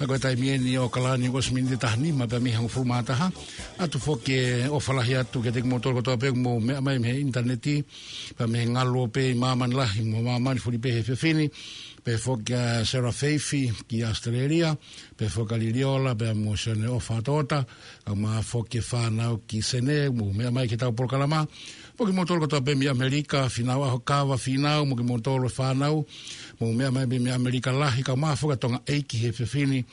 Ka ko e taimi ʻeni ʻi ʻAokalani ʻosi miniti taha nima pē mei he hongofulu mā taha. ʻOatu foki e ʻofa lahi atu kiate kimoutolu kotoa pē ʻoku mou meʻa mai mei he ʻinitaneti, pea mei he ngaluope ʻi māmani lahi mo māmani fuli pē he efiafi ni. Pehē foki kia Sarah Feifi ki ʻAositelēlia, pehē foki kia Liliola, pea mo Sione ʻOfa Toʻota, kae ʻumaʻā foki e fānau ki Senē, mou meʻa mai ki heʻetau polokalama. Foki kimoutolu kotoa pē mei ʻAmelika, Fīnau ʻAhokava, Fīnau, mo kimoutolu e fānau, mou meʻa mai mei ʻAmelika lahi, kae ʻumaʻā foki ʻa Tonga ʻEiki he efiafi ni,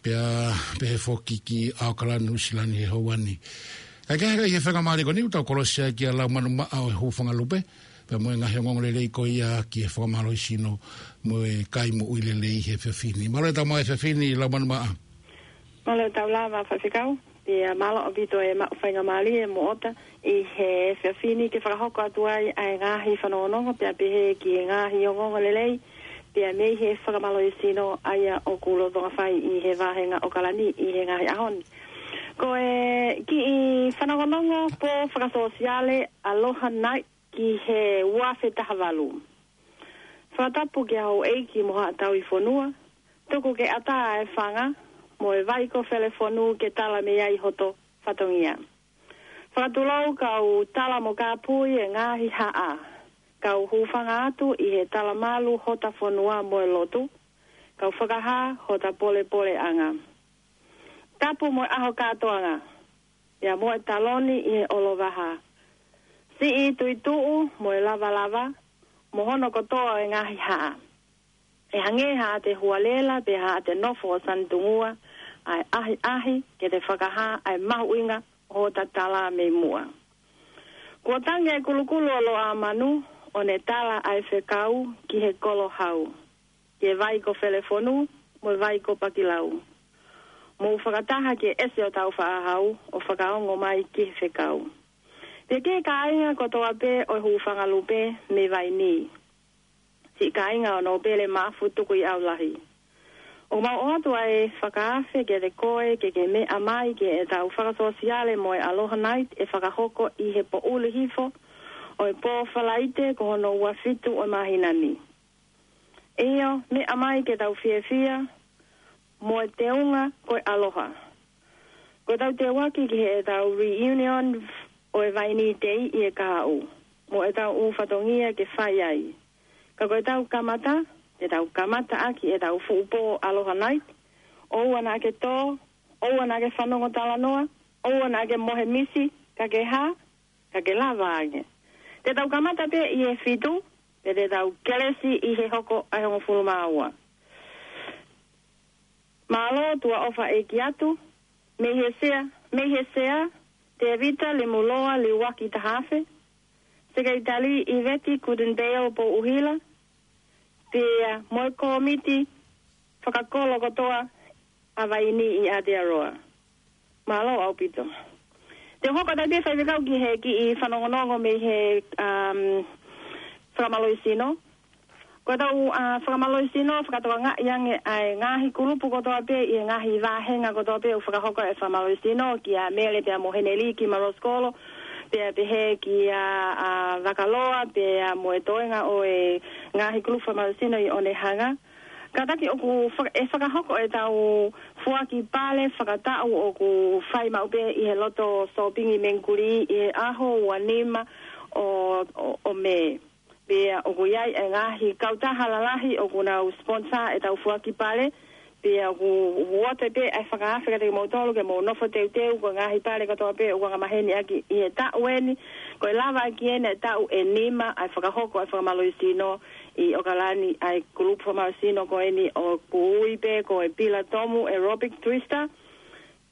pea pehē foki ki ʻAokalani, Nuʻusila ni he houa ni. Kae kehe, ʻi he faingamālie ko eni ʻoku tau kolosi ai ki he lau manumaʻa ʻo e hūfanga lupe, pea mo e ngaahi ongoongo lelei ko ia ki he fakamālohisino mo e kai moʻui lelei he efiafi ni. Mālō e tau maʻu e efiafi ni, lau manumaʻa. Mālō e tau lava, Faifekau. Pea mālō ʻaupito e maʻu faingamālie mo ʻOta ʻi he efiafi ni ke fakahoko atu ai ʻa e ngaahi fanongonongo, pea pehē ki he ngaahi ongoongo lelei, pea mei he fakamālohisino ʻa ia ʻoku lolotonga fai ʻi he vāhenga ʻAokalani ʻi he ngaahi ʻaho ni. Ko e kiʻi fanongonongo pō fakasōsiale Aloha Night ki he ua afe taha valu. Fakatapu ki he houʻeiki mo haʻa tauhi fonua, tuku ke ʻatā e fanga, mo e vai ko Felefonū ke tala mei ai hoto fatongia. Fakatulou kau tala mo kāpui e ngaahi haʻa, kau hūfanga atu ʻi he talamalu hota fonua mo e lotu, kau fakahā hota polepoleʻanga. Tapu mo e ʻaho kātoanga, pea mo e taloni ʻi he ʻolovaha. Siʻi tuituʻu mo e lavalava, mo hono kotoa e ngaahi haʻa. ʻE hangē haʻate hualela pe haʻate nofo ʻo sanitungua, ʻa e ʻahiʻahi ke te fakahā ʻa e mahuʻinga ʻo hota tala mei muʻa. Kuo tangi e kulukulu ʻo Loʻamanu, ʻo ne tala ʻa e fekau ki he kolo hau, ki he vai ko Felefonū mo e vai ko Pakilau. Mou fakataha ki he ʻese ʻo Tāufaʻāhau ʻo fakaongo mai ki he fekau. Pea ki he kāinga kotoa pē ʻo e hūfanga lupe mei Vainī, siʻi kāinga ʻo Nōpele Maʻafu Tukuʻiʻaulahi, ʻoku mau ʻoatu ʻa e fakaafe kiate koe ke ke meʻa mai ki heʻetau fakasōsiale mo e Aloha Night ʻe fakahoko ʻi he poʻuli hifo ʻo e pō Falaite ko hono ua fitu ʻo e māhina ni. ʻIo, meʻa mai ke tau fiefia, mo e teunga ko e ʻaloha. Ko ʻetau teuaki ki heʻetau reunion ʻo e Vainī Day ʻi he kahaʻu, mo ʻetau ʻū fatongia ke fai ai. Ka ko ʻetau kamata, te tau kamata ʻaki ʻetau fuʻu pō Aloha Night, ʻoua naʻa ke tō, ʻoua naʻa ke fanongo talanoa, ʻoua naʻa ke mohe misi, ka ke hā, ka ke lava ange. Te tau kamata pē ʻi he fitu, pea te tau kelesi ʻi he hoko ʻa e hongofulu mā ua. Mālō tuʻa ʻofa ʻeiki atu, mei he sea, mei he sea, Tēvita Lemuloa Liuaki Tahafe, Sekelitali ʻIveti Kutenbeio Pouʻuhila, pea mo e kōmiti fakakolo kotoa ʻa Vainī ʻi Aotearoa. Mālō ʻaupito. Te u hoko atu pē Faifekau ki he kiʻi fanongonongo mei he, um, fakamālohisino. Ko ʻetau, uh, fakamālohisino, fakatokangaʻi ange ʻa e ngaahi kulupu kotoa pē ʻi he ngaahi vāhenga kotoa pē ʻoku fakahoko e fakamālohisino, kia Mele pea mo Heneliki Maroskolo, pea pehē kia, uh, Vakaloa, pea mo e toenga ʻo e ngaahi kulupu fakamālohisino ʻi Onehunga. Kātaki ʻoku faka-, ʻe fakahoko ʻetau foaki pale fakataʻu ʻoku fai maʻu pē ʻi he loto sōpingi Mengkuli ʻi he ʻaho ua nima ʻo, ʻo, ʻo Mē. Pea ʻoku ʻi ai e ngaahi kautaha lalahi ʻoku nau sponsor ʻetau foaki pale. Pea ʻoku, ʻoku ʻoatu pē ʻa e fakaafe kiate kimoutolu ke mou nofo teuteu ko e ngaahi pale kotoa pē ʻoku angamaheni ʻaki ʻi he taʻu ʻeni. Ko e lava ʻaki ʻeni e taʻu ʻe nima ʻa e fakahoko ʻa e fakamālohisino ʻi ʻAokalani ʻa e kulupu fakamālohisino ko ʻeni ʻoku ui pē ko e Pila Tomu Aerobic Twister.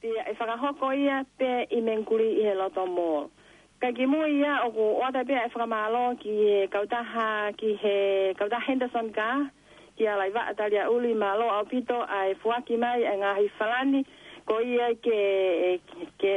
Pea ʻe fakahoko ia pē ʻi Mengkuli ʻi he Loto Mall. Kae kimui ia ʻoku ʻoatu pē ʻa e fakamālō ki he kautaha, ki he kautaha Henderson Car, kia Laivaʻa Taliaʻuli, mālō ʻaupito ʻa e foaki mai ʻa e ngaahi falani, ko ia ke, ke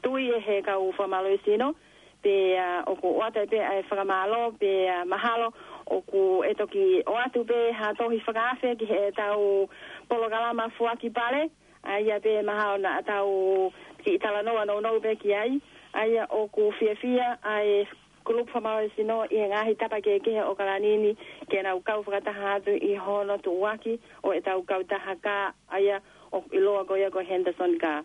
tui ʻe he kau fakamālohisino, pea ʻoku ʻoatu pē ʻa e fakamālō, pea mahalo ʻoku ʻe toki ʻoatu pē ha tohi fakaafe ki heʻetau polokalama foaki pale, ʻa ia pē mahalo naʻa tau kiʻi talanoa nounou pē ki ai, ʻa ia ʻoku fiefia ʻa e kulupu fakamālohisino ʻi he ngaahi tapa kehekehe ʻo ʻOkalani ni ke nau kau fakataha atu ʻi hono tuʻuaki ʻo ʻetau kautaha kā ʻa ia ʻoku ʻiloa ko ia ko e Henderson Car.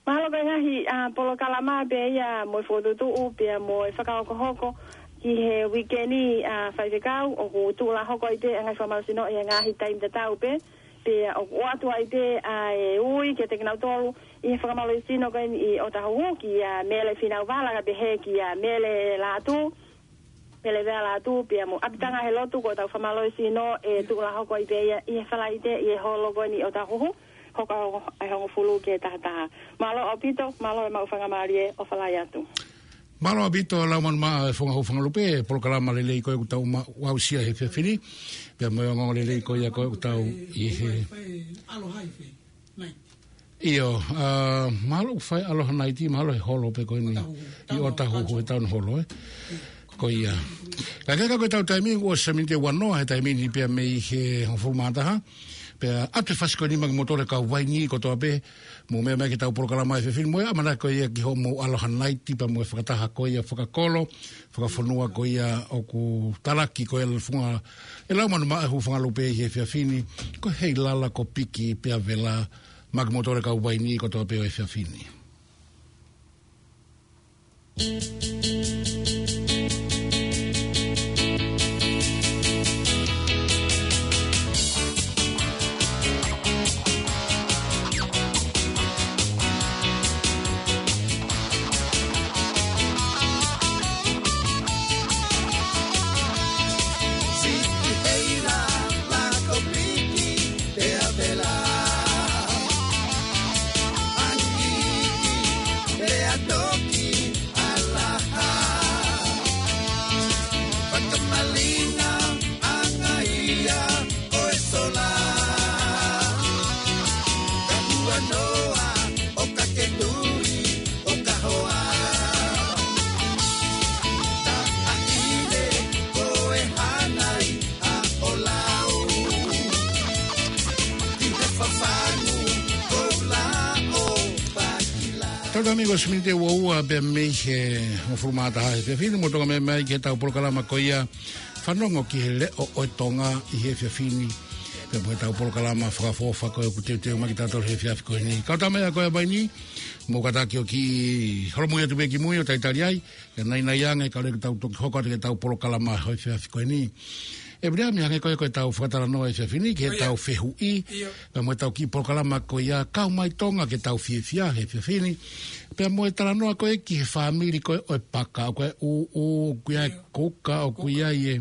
Mahalo ko e ngaahi, ʻa, polokalama pē ia mo e fokotuʻutuʻu pea mo e fakahokohoko ki he uike ni, ʻa, faifekau, ʻoku tuʻulahoko ai pē ʻa e ngaahi fakamālohisino ʻi he ngaahi taimi tatau pē, pea ʻoku ʻoatu ai pē ʻa e ui kiate kinautolu ʻi he fakamālohisino ko eni ʻi ʻŌtāhuhu kia Mele Finauvala kae pehē kia Mele Lātū, Mele Vea Lātū pea mo ʻApitanga he Lotu, ko ʻetau fakamālohisino ʻe tuʻulahoko ai pē ia ʻi he Falaite ʻi he holo ko eni ʻi ʻŌtāhuhu, hoka ʻe hongofulu ki he taha taha. Mālō ʻaupito, mālō e maʻu faingamālie ʻo fālahi atu. Mālō ʻaupito Laumanu Maʻa, e Fofonga Hū Fongalupe, polokalama lelei ko ē ʻoku tau ma-, aʻusia he efiafi ni, pea mo e ongoongo lelei ko ia ko ē ʻoku tau ʻi he. ʻIo, ʻa, mahalo ʻoku fai Aloha Night, mahalo he holo pē ko eni ʻi ʻŌtāhuhu he taʻu ni holo, ē. Ko ia. Ka ke ka ko ʻetau taimi ʻoku ʻosi miniti ʻe uanoa he taimi ni pea mei he hongofulu mā taha. Pea ʻoatu e fasi ko eni maʻa kimoutolu e kau vaini kotoa pē, mou meʻa mai ki heʻetau polokalama he efiafi ni, mo e ʻamanaki ko ia ki hoʻomou Aloha Night pea mo e fakataha ko ia fakakolo, fakafonua ko ia ʻoku talaki ko ia ʻe he Fofonga, ʻe Laumanu Maʻa, e Hū Fongalupe ʻi he efiafi ni, ko Heilala, ko Piki pea Vela, maʻa kimoutolu e kau vaini kotoa pē ʻo e efiafi ni. Tau tā amigo, ʻosi miniti ʻe uaua pē mei he hongofulu mā taha he efiafi ni, mou toki meʻa mai ki heʻetau polokalama ko ia Fanongo ki he Leʻo ʻo e Tonga ʻi he efiafi ni. Pea mo ʻetau polokalama fakaʻofoʻofa ko ē ʻoku teuteu mai kiate kitautolu he efiafi ko eni. Kau tā mai ʻa koe ʻa vaini, mou kātaki ʻo kiʻi holomui atu pē ki mui ʻo talitali ai, ke naʻinaʻi ange kae ʻoua ke tau toki hoko atu ki heʻetau polokalama he efiafi ko eni. ʻE Viliami, hangē ko ia ko ʻetau fakatalanoa he efiafi ni, ki heʻetau fehuʻi, pea mo ʻetau kiʻi polokalama ko ia Kau Mai Tonga ke tau fiefia he efiafi ni. Pea mo e talanoa ko ē ki he fāmili ko ē ʻo e paka, ʻoku ʻi ai e ʻūʻū, ʻoku ʻi ai e kuka, ʻoku ʻi ai e,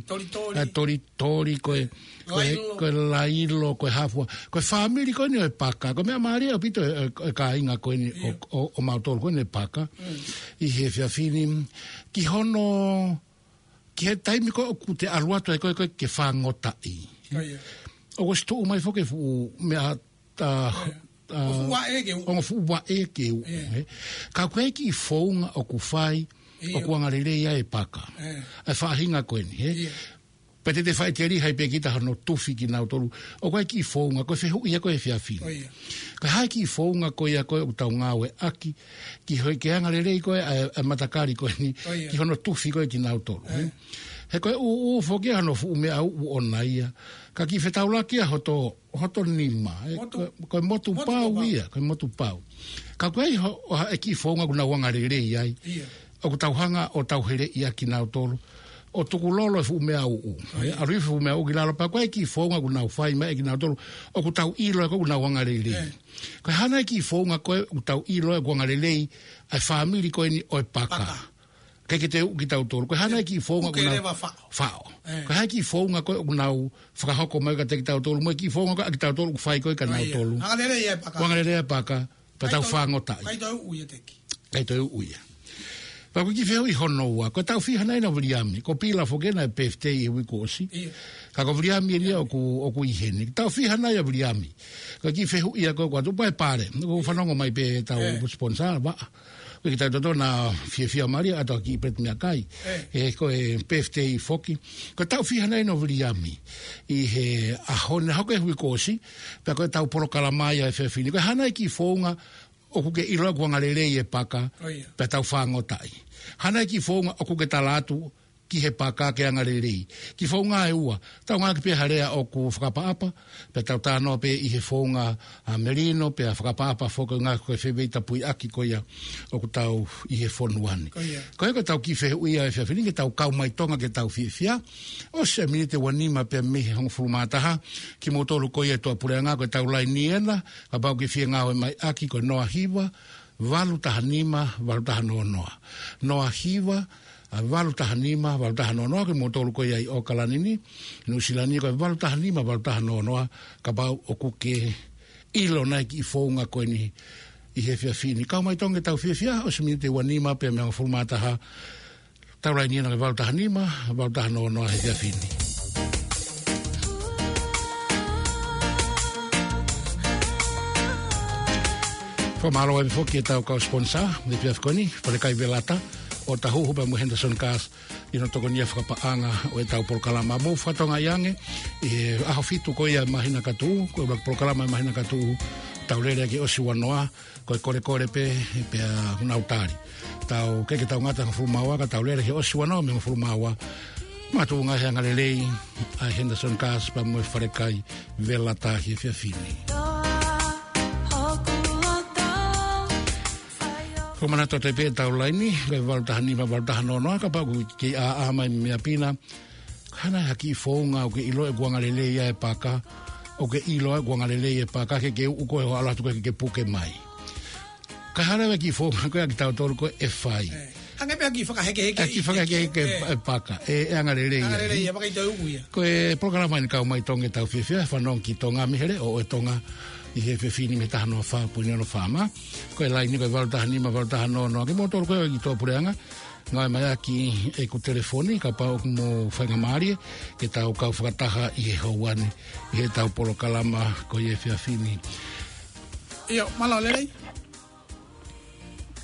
e tolitoli, ko e, ko e lailo, ko e hafua. Ko e fāmili ko eni ʻo e paka, ko e meʻa mālie ʻaupito e, e, e kāinga ko eni ʻo, ʻo, ʻo mautolu ko eni e paka. ʻI he efiafi ni, ki hono, ki he taimi ko ē ʻoku te ʻalu atu ai ko ē, ko ē ke fāngotaʻi. ʻOku ʻosi tuʻu mai foki e fuʻu meʻa, ʻa, ʻa, ongo fuʻu vaʻe ke uʻu, ē. Ka ʻoku ʻi ai e kiʻi founga ʻoku fai, ʻoku angalelei ai e paka. ʻA e faʻahinga ko eni, ē. Pea te te faʻiteliha ai pē kita hono tufi kinautolu. ʻOku ʻi ai e kiʻi founga, ko e fehuʻi ia ko ē he efiafi ni. Ko e hā e kiʻi founga ko ia ko ē ʻoku tau ngāueʻaki, ki hono, ke angalelei ko ē ʻa e, ʻa e matakali ko eni, ki hono tufi ko ē kinautolu, ē. He ko e ʻūʻū foki ia hono fuʻu meʻa uʻu ʻona ia. Ka kiʻi fetaulaki ia hoto, hoto nima, ē, ko, ko e motu pau ia, ko e motu pau. Ka ʻoku ʻi ai ho-, ʻo ha, e kiʻi founga ʻoku nau angalelei ai. ʻOku tau hanga ʻo tau heleʻi ʻa kinautolu. ʻO tukulolo e fuʻu meʻa uʻu. ʻAlu hifo e fuʻu meʻa uʻu ki lalo pea ʻoku ʻi ai e kiʻi founga ʻoku nau fai mai ʻe kinautolu. ʻOku tau ʻilo ʻoku nau angalelei. Ko e hā nai e kiʻi founga ko ē ʻoku tau ʻilo ʻoku angalelei ʻa e fāmili ko eni ʻo e paka. Ke ke te uʻu kitautolu. Ko e hā nai e kiʻi founga ʻoku nau faʻo. Ko e hā e kiʻi founga ko ē ʻoku nau fakahoko mai kiate kitautolu. Mo e kiʻi founga ko ē ʻa kitautolu ʻoku fai ko ē kia nautolu. ʻOku angalelei e paka. Pea tau fāngotaʻi. ʻIkai toe uʻu ia teki. ʻIkai toe uʻu ia. Pea ko e kiʻi fehuʻi hono ua. Ko e taʻu fiha nai ʻa Viliami. Ko Pila foki ʻena birthday he uike kuo ʻosi. Ka ko Viliami eni ia ʻoku, ʻoku ʻi heni. Taʻu fiha nai ʻa Viliami. Ko e kiʻi fehuʻi ia ko ē ʻoku ʻoatu pē ʻe Pale. ʻOku fanongo mai pē ʻetau sponsor, vaʻa. Ko e kiʻi taʻu toto naʻa fiefia mālie ʻa e kiʻi peti meʻakai. ʻE, ko e birthday foki. Ko e taʻu fiha nai ʻa Viliami. ʻI he ʻaho ni, hoko he uike kuo ʻosi. Pea ko ʻetau polokalama ia he efiafi ni. Ko e hā nai e kiʻi founga ʻoku ke ʻilo ʻoku angalelei e paka, ʻo ia, pea tau fāngotaʻi. Hangē ko e kiʻi founga ʻoku ke tala atu ki he paka ke angalelei. Kiʻi founga ʻe ua, tau ngāueʻaki pē ha lea ʻoku fakaʻapaʻapa, pea tau talanoa pē ʻi he founga ʻa melino, pea fakaʻapaʻapa foki, ngāueʻaki ko e fefeita puiʻaki ko ia ʻoku tau ʻi he fonua ni. ʻO ia. Ko ia ko ʻetau kiʻi fehuʻi ʻa e efiafi ni, ke tau kau mai Tonga ke tau fiefia. ʻOsi e miniti ʻe uanima pē mei he hongofulu mā taha, kimoutolu ko ia ʻi tuʻapuleʻanga, ko ʻetau laini ena, kapau ʻoku ke fie ngāueʻaki, ko e noa hiva, valu taha nima, valu taha noa noa. Noa hiva, ʻa, valu taha nima, valu taha noa noa, kimoutolu ko ia ʻi ʻAokalani ni, Nuʻusila ni, ko e valu taha nima, valu taha noa noa, kapau ʻoku ke ʻilo nai e kiʻi founga ko eni ʻi he efiafi ni. Kau mai Tonga ke tau fiefia, ʻosi e miniti ʻe uanima pē mei he hongofulu mā taha, ʻetau laini ena ko e valu taha nima, valu taha noa noa he efiafi ni. Fakamālō ai foki ki heʻetau kau sponsor, he efiafi ko eni, Falekai Velata, ʻo Tahuhu pea mo Henderson Cars, ʻi hono tokonia fakapaʻanga ʻo ʻetau polokalama. Mou fakatokangaʻi ange, ʻi he ʻaho fitu ko ia ʻo e māhina ka tuʻu, ko e ʻuluaki polokalama ʻo e māhina ka tuʻu, tau lele ki he ʻosi ua noa, ko e kolekole pē, pea nau tali. Tau, ʻikai ke tau ngata hongofulu mā ua, ka tau lele ki he ʻosi ua noa mei he hongofulu mā ua. Makatuʻunga he angalelei ʻa e Henderson Cars pea mo e Falekai Velata he efiafi ni. Ko e manatu atu pē ʻetau laini, ko e valu taha nima, valu taha noa noa, kapau ʻoku ke ʻā mai mei ʻapi na, hangē ha kiʻi founga ʻoku ke ʻilo ʻoku angalelei ai e paka, ʻoku ke ʻilo ʻoku angalelei e paka, ke ke uʻu koe ʻo ʻalu atu koe ke ke puke mai. Ka hangē ha kiʻi founga ko ia kitautolu ko ē ʻe fai. ʻE, hangē pē ha kiʻi fakahekeheke. Ha kiʻi fakahekeheke ʻe, e paka, ʻe, ʻe angalelei ai. Angalelei ai, paka ʻi toe uʻu ia. Ko e polokalama eni Kau Mai Tonga ke tau fiefia, fanongo ki Tonga mei he leʻo ʻo e Tonga ʻi he efiafi ni mei he taha noa fā poini ono FM. Ko e laini ko e valu taha nima, valu taha noa noa. Kimoutolu ko ē ʻi tuʻapuleʻanga, ngāueʻaki ʻeku telefoni, kapau ʻoku mou faingamālie ke tau kau fakataha ʻi he houa ni, ʻi heʻetau polokalama ko ia he efiafi ni. ʻIo, mālō e lelei.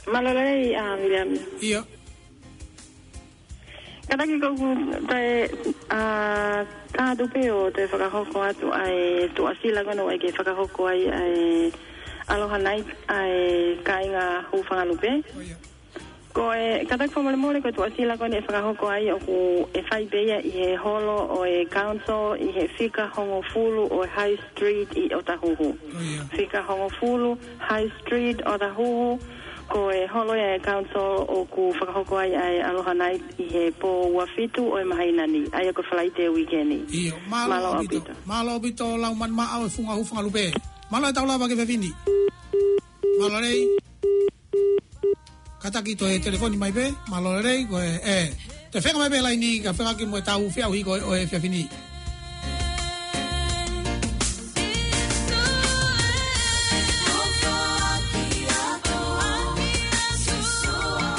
Mālō e lelei, ʻa, Viliami. ʻIo. Kātaki ʻoku ou toe, ʻa, tā atu pē ʻo toe fakahoko atu ʻa e tuʻasila ko ena ʻoku ʻai ke fakahoko ai ʻa e Aloha Night, ʻa e kāinga Hūfangalupe. ʻO ia. Ko e, kātaki fakamolemole, ko e tuʻasila ko ena ʻe fakahoko ai ʻoku ʻe fai pē ia ʻi he holo ʻo e council ʻi he fika hongofulu ʻo e High Street ʻi ʻOtahuhu. ʻO ia. Fika hongofulu High Street ʻOtahuhu, ko e holo ia ʻo e council ʻoku fakahoko ai ʻa e Aloha Night ʻi he pō ua fitu ʻo e māhina ni, ʻa ia ko e Falaite uike ni. ʻIo, mālō ʻaupito. Mālō ʻaupito. Mālō ʻaupito Laumani Maʻau e Funga Hūfangalupe. Mālō e tau lava ki he efiafi ni. Mālō e lelei. Kātaki toe telefoni mai pē, mālō e lelei, ko e, ʻe, toe feinga mai pē laini ka feinga ki mo e tau feʻauhi ko ē ʻo e efiafi ni.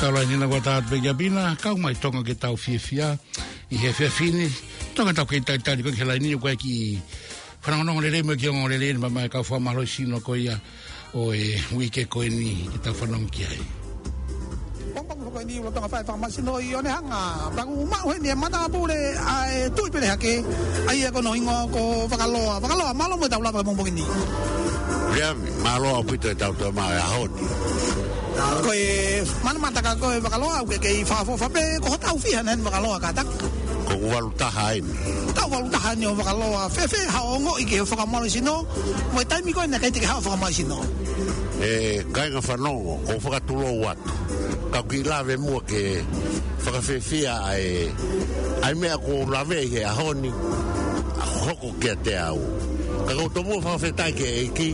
Tau laini na kuo tā atu pē ki ʻapi na, Kau Mai Tonga ke tau fiefia ʻi he efiafi ni. Tonga tau kei talitali ko ē ki he laini, ʻoku ʻai ke fanongonongo lelei mo e kiʻi ongoongolelei ʻeni mai mei he kau fakamālohisino ko ia ʻo e uike ko eni ke tau fanongo ki ai. Pongipongi ko eni ʻoku lolotonga fai e fakamalosino ʻi ʻOnehanga. Pea ʻoku maʻu heni e matāpule ʻa e Tuʻi Pele Hake, ʻa ia ko hono hingoa ko Vakaloa. Vakaloa, mālō mo e tau lava ki he pongipongi ni. Viliami, mālō ʻaupito e tau toe maʻu he ʻaho ni. Ko e manamanaka ko ē Vakaloa, ʻoku ke kei fakaʻofoʻofa pē, ko hotau fiha ʻeni Vakaloa kātaki? Ko e valu taha ʻeni. Tau valu taha ʻeni ʻo Vakaloa, fēfē haʻo ongoʻi ki he fakamalosino, mo e taimi ko ē naʻe ʻikai te ke haʻu ʻo fakamalosino? ʻE, kāinga fanongo, ʻoku ou fakatulou atu. Ka u kiʻi lave muʻa ke fakafiefia ʻa e, ʻa e meʻa kuo u lavea ʻi he ʻaho ni, ʻa hoko kiate au. Ka ʻoku ou tomuʻa fakafetaʻi ki he ʻEiki,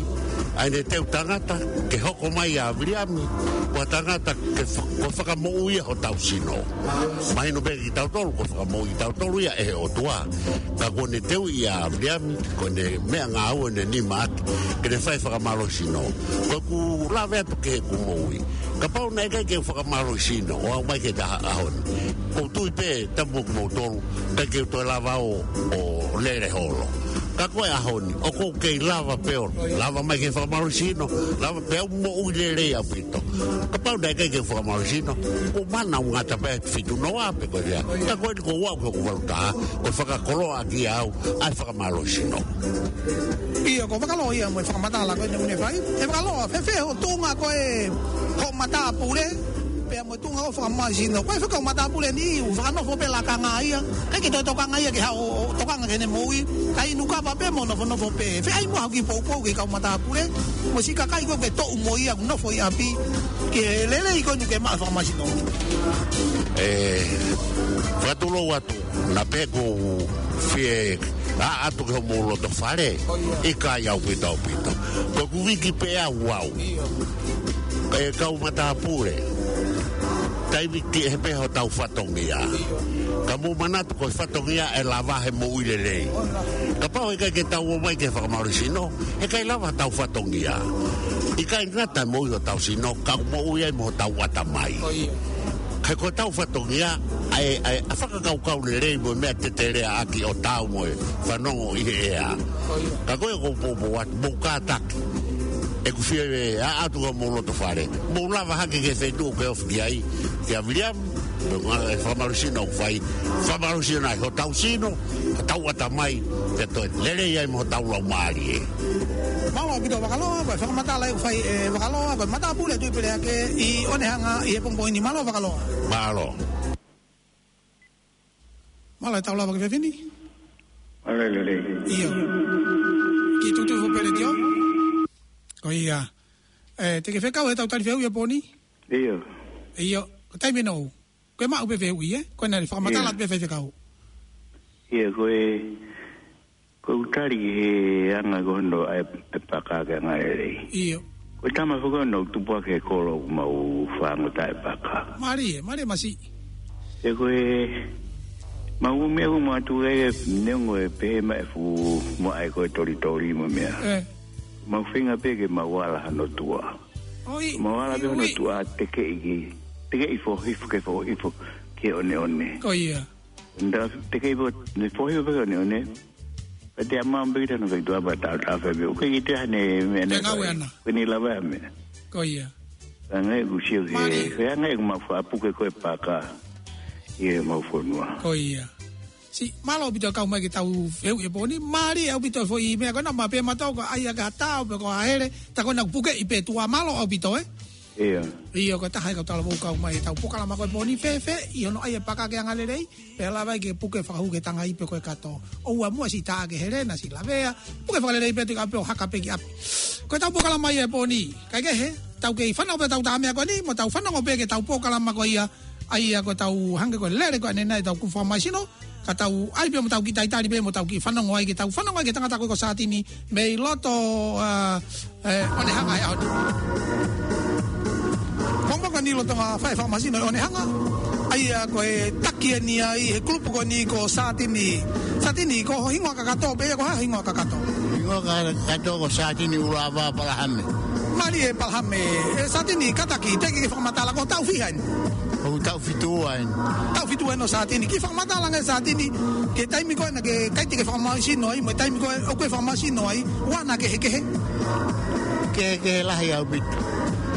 ʻa ʻene teu tangata, ke hoko mai ʻa Viliami, ko ha tangata ke fa-, ko e fakamoʻui ia hotau sino. Mahino pē kiate kitautolu, ko e fakamoʻui kitautolu ia ʻe he ʻOtua. Ka kuo ne teuʻi ʻa Viliami, ko ʻene meʻangāue ʻene nima ʻaki, ke ne fai e fakamalosino. Ko ʻeku lave atu ki heʻeku moʻui. Kapau naʻe ʻikai ke u fakamalosino, ʻo aʻu mai ki he ʻaho ni, ʻoku ou tui pē, tapu mo kimoutolu, ʻikai ke u toe lava ʻo, ʻo lele holo. Ka ko e ʻaho ni, ʻoku ou kei lava pē ʻo lava mai ke fakamālohisino, lava pē ʻoku moʻui lelei ʻaupito. Kapau naʻe ʻikai ke fakamālohisino, ʻoku mana ʻo ngata pē fitu noa pē ko ia. Ka ko eni ʻoku ou aʻu ki hoku valu taha, ʻoku fakakoloa ʻaki au ʻa e fakamālohisino. ʻIo, ko e fakalō ia mo e fakamatala ko eni ʻoku ne fai. ʻE fakalō, fēfē hoʻo tuʻunga ko e, hoʻo matāpule, pea mo e tuʻunga ʻo e fakamālohisino. Ko e fekau matāpule ni, ʻoku fakanofo pē lakanga ia. ʻIkai ke toe tokanga ia ke haʻu ʻo tokanga ki heʻene moʻui. Ka inu kava pē mo nofonofo pē. Fēfē ai mo haʻo kiʻi poupou ki he kau matāpule, mo e siʻi kakai ko ē ʻoku ke toʻu mo ia ʻoku nofo ʻi ʻapi, ki he lelei ko eni ʻoku ke maʻu he fakamālohisino? ʻE, fakatulou atu, naʻa pē ʻoku ou fie ʻaʻatu ki homou loto fale, ʻikai ʻaupito ʻaupito. Ko ʻeku viki pē au au. ʻE kau matāpule, taimi kehe pē hotau fatongia. Ka mou manatu ko e fatongia ʻe lava he moʻui lelei. Kapau ʻe ʻikai ke tau ō mai ki he fakamālohisino, heʻikai lava hotau fatongia. ʻIkai ngata he moʻui hotau sino, ka ʻoku moʻui ai mo hotau ʻatamai. He ko hotau fatongia, ʻa e, ʻa e, ʻa e fakakaukau lelei mo e meʻa teteleaʻaki ʻo taau mo e fanongo ʻi he ʻea. Ka ko e ʻoku ou poupou atu, mou kātaki. ʻEku fie ʻaʻatu ki homou loto fale. Mou lava hake ki he feituʻu ʻoku ke ofi ki ai, kia Viliami, mo e ngaahi fakamālohisino ʻoku fai, fakamālohisino ai hotau sino, hotau ʻatamai, pea toe lelei ai mo hotau laumālie. Mālō ʻaupito Vakaloa, ko e fakamatala ʻoku fai ʻe Vakaloa, ko e matāpule Tuʻipelehake ʻi ʻOnehanga ʻi he pongipongi ni. Mālō Vakaloa. Mālō. Mālō e tau lava ki he efiafi ni. Mālō e lelei. ʻIo. Kiʻi tuʻutuʻu foʻi pē letiō. Ko ia. ʻE, te ke fekau he tau tali fehuʻi ʻa e pō ni? ʻIo. ʻIo. Ko e taimi ʻe nounou. Ko e maʻu pē fehuʻi, ē? Ko e naʻe fakamatala atu pē faifekau. ʻIo, ko e, ko ʻeku tali ki he anga ko hono ʻai e paka ke anga lelei. ʻIo. Ko e tama foki ʻoku nau tupu hake he kolo ʻoku mau fānau taʻepaka. Mālie, mālie masiʻi. ʻE ko e, mau meʻa ʻoku mau ʻatu ai e neongo e pehē mai e fuʻu maʻa e ko e tolitoli mo e meʻa. ʻE. Mau feinga pē ke mau ala hano tuʻa. ʻOi, mau ala pē hano tuʻa tekeʻi ki, tekeʻi foʻi hifo ke foʻi hifo ke ʻoneʻone. Ko ia. Nda tekeʻi foʻi, ne foʻi hifo ke ʻoneʻone. Pea te ama mbeki tano ke tuʻa pea tau tau fai pē. ʻOku ʻikai ke toe ʻi ai hano meʻa. Te ngāue ʻana. Ko eni lava e meʻa. Ko ia. Hangē ʻoku sio ke, mālie. Ko e hangē ʻoku mau fakapuke ko e paka. ʻI he mau fonua. Ko ia. Siʻi, mālō ʻaupito kau mai ke tau fehuʻi e pō ni, mālie ʻaupito foʻi meʻa ko ena, ma pē matau ko ai aka tau, pe ko a hele, ta ko ena pukeʻi pē tuʻa, mālō ʻaupito, ē? ʻIo. ʻIo, ko e taha e kau talavou kau mai, tau polokalama ko e pō ni fēfē, ʻi hono ʻai e paka ke anga lelei, pea lava ke puke fakahū ki he tangai pe ko e kato. ʻOua muʻa siʻi tā ke helena, siʻi lavea, puke fakalelei pē tika pē ʻo haka pē ki ʻapi. Ko e tau polokalama ia e pō ni, kae kehe, tau kei fanongo pē tau tā meʻa ko eni, mo tau fanongo pē ki he tau polokalama ko ia, ʻa ia ko e tau hangē ko e lele ko eni naʻe tau kufua mai sino, ka tau ʻai pē mo tau kiʻi talitali pē mo tau kiʻi fanongo ai ke tau fanongo ai ki he tangata ko ē ko Sātini mei loto, ā, ē, ʻOnehanga he ʻaho ni. Ko e meʻa ko eni lolotonga fai e fakamālohisino ʻi ʻOnehanga, ʻa ia ko e taki eni ai he kulupu ko eni ko Sātini. Sātini, ko ho hingoa kakato pē ia, ko e hā ho hingoa kakato? Hingoa kakato ko Sātini ʻUluʻava Palahame. Mālie Palahame, ē Sātini, kātaki, teʻeki ke fakamatala ko e taʻu fiha eni? ʻOku taʻu fitu ua eni. Taʻu fitu ua eni ʻo Sātini. Kiʻi fakamatala ange Sātini, ki he taimi ko ē naʻe ʻikai te ke fakamālohisino ai, mo e taimi ko ē ʻoku ke fakamālohisino ai, ʻoku ʻi ai hano kehekehe? Kehekehe lahi ʻaupito.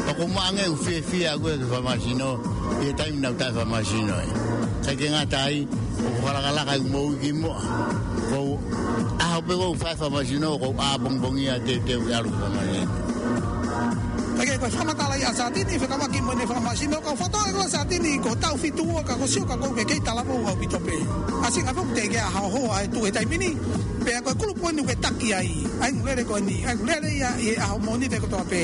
Pea ko e meʻa ange ʻoku fiefia au ko ē ke fakamālohisino, ʻi he taimi naʻa ku taʻefakamālohisino ai. ʻIkai ke ngata ai, ʻoku fakalakalaka ʻeku moʻui kimuʻa. Ko e ʻaho pē ʻoku ou fai e fakamālohisino, ko e ʻapongipongi ia te u, te u ʻalu ki he fakamālohisino. Kae kehe ko e fakamatala ia ʻa Sātini, fekauʻaki mo ʻene fakamālohisino, ka u fakatokangaʻi ko Sātini, ko e taʻu fitu ua ka ko e sio ka ko e kei talavou ʻaupito pē. ʻAsi ngā fau te ke ʻaho hoa e tuʻu he taimi ni, pea ko e kulupu eni ʻoku ke taki ai, ʻa e ʻū lele ko eni, ʻa e ʻū lele ia ʻi he ʻaho Mōnite kotoa pē.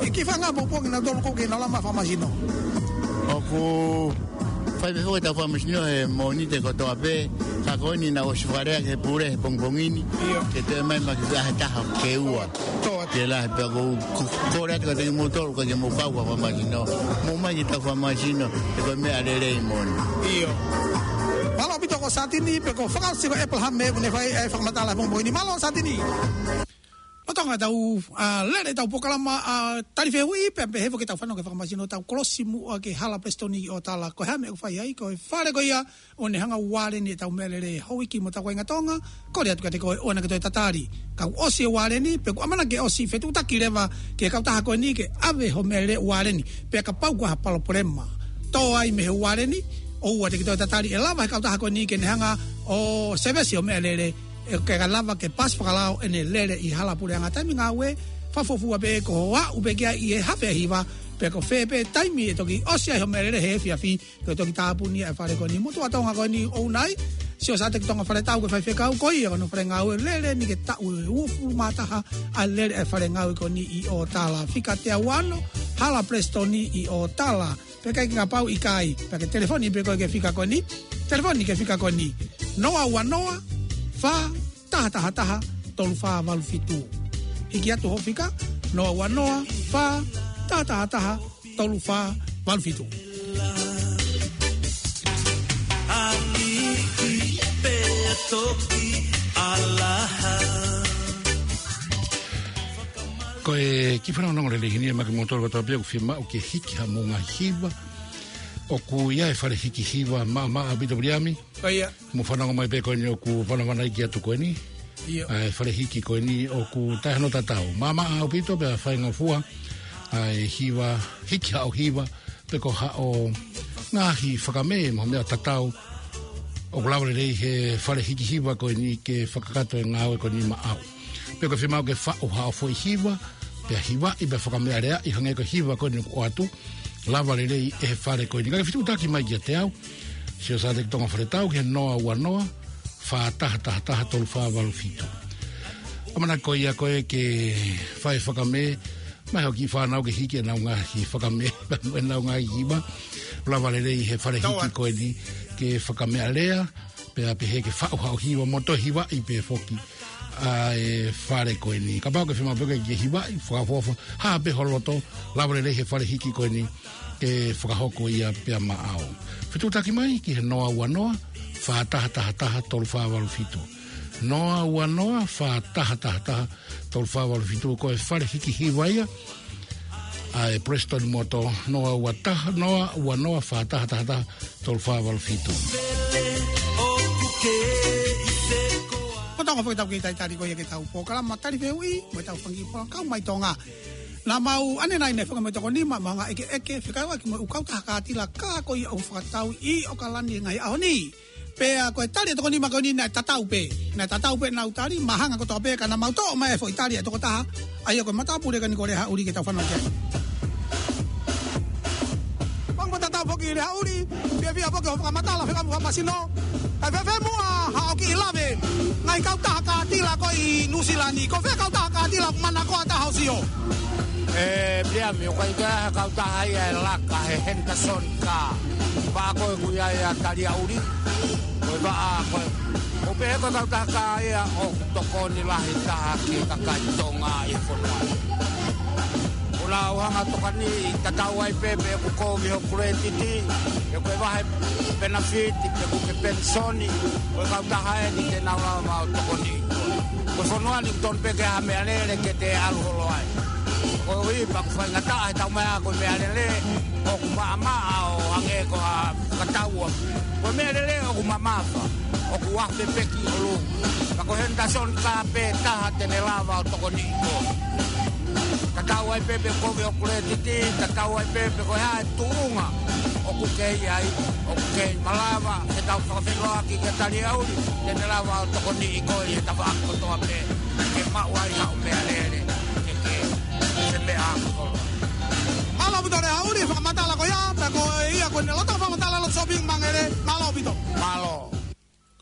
ʻE kiʻi fanga poupou kinautolu ko ē ke nau lava mai e fakamālohisino. ʻOku fai pē foki ʻetau fakamālohisino he Mōnite kotoa pē, ka ko eni naʻe ʻosi fakalea ki he pule he pongipongi ni. ʻIo. Ke toe mai ma ki he taha ke ua. Toa. Ke lahi pea ko, ko, kole atu kiate kimoutolu ka ke mou kau ki he fakamālohisino. Mou mai ki heʻetau fakamālohisino, he ko e meʻa lelei moʻoni. ʻIo. Mālō ʻaupito ko Sātini, pea ko e fakaʻosi ko Epalahame ʻoku ne fai e fakamatala he pongipongi ni. Mālō Sātini. Lolotonga ʻetau, ʻa, lele ʻetau polokalama, ʻa, Tali Fehuʻi, pea pehē foki ʻetau fanongo ki he fakamaisino, tau kolosi muʻa ki he Hala Prestoni ʻi ʻOtala. Ko e hā e meʻa ʻoku fai ai? Ko e fale ko ia ʻoku ne hanga ʻo ualeni ʻetau meʻalele he uike mo e taʻu kāinga Tonga, kole atu kiate koe ʻoua naʻá ke toe tatali. Ka kuo ʻosi e ualeni, pe kuo ʻamanaki ke ʻosi, fetuʻutaki leva ki he kautaha ko eni ke ʻave hoʻo meʻalele ualeni. Pea kapau kuo ʻi ai ha palopalema, tō ai mei he ualeni, ʻoua te ke toe tatali, ʻe lava ʻe he kautaha ko eni ke ne hanga ʻo sēvesi hoʻo meʻalele, ʻe, ke lava ke paasi fakalao ʻene lele ʻi he hala puleʻanga. Taimi ngāue, fakafuofua pē ko hoʻo aʻu pē ki ai ʻi he hafe ʻa e hiva, pe ko fē pē taimi ʻe toki ʻosi ai hoʻo meʻalele he efiafi, ke toki tāpuni ʻa e fale ko eni. Motuʻa Tonga ko eni ʻoku nai, Siosateki Tonga Faletau ko e faifekau, ko ia ko hono fale ngāue, lele eni ke taʻu ʻe uofulu mā taha ʻa e lele ʻa e fale ngāue ko eni ʻi ʻOtala. Fika teau ono, Hala Prestoni ʻi ʻOtala. Pea kapau ʻikai, pea ke telefoni pē koe ki he fika ko eni. Telefoni ki he fika ko eni: noa ua noa, fā taha taha taha, tolu fā valu fitu. Hiki atu hoʻo fika, noa ua noa, fā taha taha taha, tolu fā valu fitu. Ko e kiʻi fanongonongo lelei eni ia maʻa kimoutolu kotoa pē ʻoku fiemaʻu ke hiki haʻamou ngaahi hiva. ʻOku ʻi ai e fale hiki hiva maʻamaʻa ʻaupito, Viliami. Ko ia. Mou fanongo mai pē ko eni ʻoku vanavanaiki atu ko eni. ʻIo. ʻA e fale hiki ko eni ʻoku taʻe hano tatau. Maʻamaʻa ʻaupito pea faingofua ʻa e hiva, hiki haʻo hiva, pe ko haʻo ngaahi fakamē mo e meʻa tatau ʻoku lava lelei he fale hiki hiva ko eni ke fakakakato e ngāue ko eni maʻau. Pe ko e fiemaʻu ke faʻu haʻo foʻi hiva, pea hivaʻi, pea fakameʻaleaʻi, hangē ko e hiva ko eni ʻoku ʻoatu, lava lelei ʻe he fale ko eni. Ka ke fetuʻutaki mai kiate au, Siosateki Tonga Faletau, ki he noa ua noa, fā taha taha taha, tolu fā valu fitu. ʻAmanaki ko ia koe ke fai fakamē, mai hoʻo kiʻi fānau ke hiki ʻenau ngaahi fakamē, mo ʻenau ngaahi hiva. Lava lelei he fale hiki ko eni ke fakameʻalea, pea pehē ke faʻu haʻo hiva mo toe hivaʻi pē foki ʻa e fale ko eni. Kapau ʻoku ke fiemaʻu pē ke hivaʻi, fakaʻofoʻofa, hā pē ho loto, lava lelei he fale hiki ko eni ke fakahoko ia pea maʻau. Fetuʻutaki mai ki he noa ua noa, fā taha taha taha, tolu fā valu fitu. Noa ua noa, fā taha taha taha, tolu fā valu fitu, ko e fale hiki hiva ia ʻa e Prestoni Motor, noa ua taha, noa ua noa, fā taha taha taha, tolu fā valu fitu. Ko e taʻu foki ʻetau kiʻi talitali ko ia ki heʻetau polokalama Tali Fehuʻi, mo ʻetau fanga kiʻi polokalama kau mai Tonga. Naʻa mau ʻanenai ʻanenai foki mo e tokoni, maʻu ha ngaahi ʻekeʻeke fekauʻaki mo e ʻū kautaha kātila kā ko ia ʻoku fakatau ʻi ʻAokalani he ngaahi ʻaho ni. Pea ko e tali ʻa e tokoni maʻa ko eni naʻe tatau pē. Naʻe tatau pē ʻenau tali, mahanga kotoa pē, ka naʻa mau toʻo mai e foʻi tali ʻa e tokotaha, ʻa ia ko e matāpule ko eni ko Lehaʻuli, ke tau fanongo ki ai. Pea mo e tatau foki Lehaʻuli, fiefia foki hoʻo fakamatala, fekau mo e fakamasino. Kae fēfē muʻa haʻo kiʻi lave, ngaahi kautaha kātila ko ē ʻi Nuʻusila ni, ko fē kautaha kātila ʻoku manakoa taha ʻo sio? ʻE, Viliami, ʻoku ʻikai ha kautaha ia ʻe laka he Henderson kā. Vaʻa ko ē ʻoku ʻi ai ʻa Taliaʻuli, ko e vaʻa ko ē. ʻOku pehē ko e kautaha kā ia ʻoku tokoni lahi taha ki he kakai Tonga ʻi he fonua. ʻOku nau hanga ʻo tokoniʻi, tatau ai pē pe ʻoku kovi hoʻo kuletiti, pe ko e vahe penafiti, pe ko e penisoni, ko e kautaha eni te nau lava ʻo tokoniʻi. Ko e fonua ni ʻoku tonu pē ke ʻi ai ha meʻalele ke te ʻalu holo ai. Koeʻuhi pea ʻoku faingataʻa he taumaiā ko e meʻalele ʻoku maʻamaʻa ʻo hangē ko ha fakataua. Ko e meʻalele ʻoku mamafa, ʻoku afe pē ki ʻolunga. Ka ko e Henderson kā pē taha te ne lava ʻo tokoniʻi koe. Tatau ai pē pe ʻoku kovi hoʻo kuletiti, tatau ai pē pe ko e hā e tuʻunga ʻoku ke ʻi ai, ʻoku ke malava ke tau fakafeʻiloaki kia Taliaʻuli, te ne lava ʻo tokoniʻi koe ʻi he tafaʻaki kotoa pē ke maʻu ai haʻo meʻalele, ke ke femeʻaʻaki holo. Mālō ʻaupito Lehaʻuli, fakamatala ko ia, pea ko ia ko eni lolotonga fakamatala ʻa e Lotu Sōpingi Māngere, mālō ʻaupito. Mālō.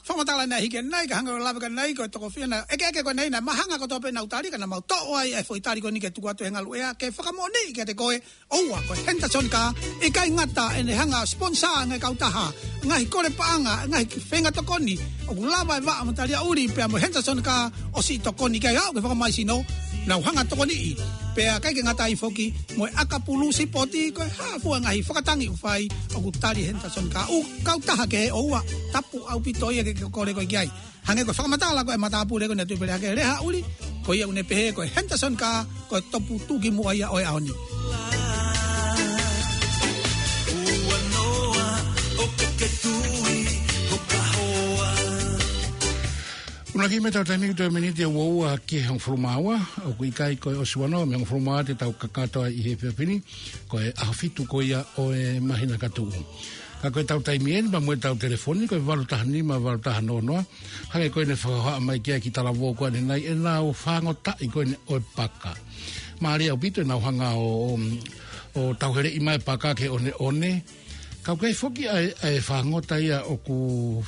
Fakamatala naʻe hiki ʻanenai, ka hangē ko e lave ko eni ko e tokofiha naʻe ʻekeʻeke ko eni naʻe mahanga kotoa pē ʻenau tali, ka naʻa mau toʻo ai e foʻi tali ko eni ke tuku atu he ngaluʻea, ke fakamoʻoniʻi kiate koe, ʻoua, ko e Henderson kā, ʻikai ngata ʻene hanga ʻo sponsor ngaahi kautaha, ngaahi kole paʻanga, ngaahi feinga tokoni, ʻoku lava e vaʻa mo Taliaʻuli pea mo e Henderson kā ʻo siʻi tokoni ki ai, aʻu ki he fakamaisino, nau hanga ʻo tokoniʻi. Pea ʻikai ke ngata ai foki, mo e ʻakapulu sipoti, ko e hā fua ngaahi fakatangi ʻoku fai, ʻoku tali ʻe he Henderson kā. ʻŪ kautaha kehe, ʻoua, tapu ʻaupito ia ke ke kole koe ki ai. Hangē ko e fakamatala ko ē ʻa e matāpule ko eni ʻa Tuʻipelehake, Lehaʻuli, Ko ia ʻoku ne pehē ko e Henderson Kaa, ko e toputuki muʻa ia ʻo e ʻaho ni. Una ki me tau taimi ki toe miniti ʻe ua ua ki he hongofulu mā ua, ʻoku ʻikai ko e ʻosi ua noa mei he hongofulu mā ua te tau kakato ai ʻi he efiafi ni, ko e ʻaho fitu ko ia ʻo e māhina ka tuʻu. Ka ko e tau taimi eni, pea mo e tau telefoni, ko e valu taha nima, valu taha noa noa, hangē ko ʻene fakahohaʻa mai ki ai ki talavou ko ʻanenai, ʻe nau fāngotaʻi ko ʻene ʻo e paka. Mālie ʻaupito ʻenau hanga ʻo, ʻo, ʻo tauheleʻi mai paka ke ʻoneʻone. Ka ʻoku ʻi ai foki ʻa e, ʻa e fāngota ia ʻoku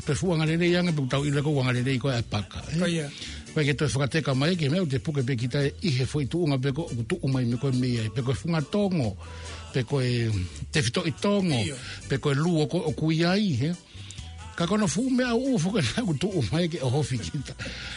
toe fuʻu angalelei ange pe ʻoku tau ʻilo ko e angalelei ko ē ʻa e paka, ē? Ko ia. Ko e ke toe fakateka mai ki he meʻa ʻoku te puke pē kita ʻi he foʻi tuʻunga pe ko ē ʻoku tuʻu mai mei ko ē mei ai, pe ko e funga tongo, pe ko e tefitoʻi tongo, ʻio, pe ko e luo ko ē ʻoku ʻi ai, ē? Ka ko hono fuʻu meʻa ʻuʻu foki naʻa ʻoku tuʻu mai ke ʻohofi kita.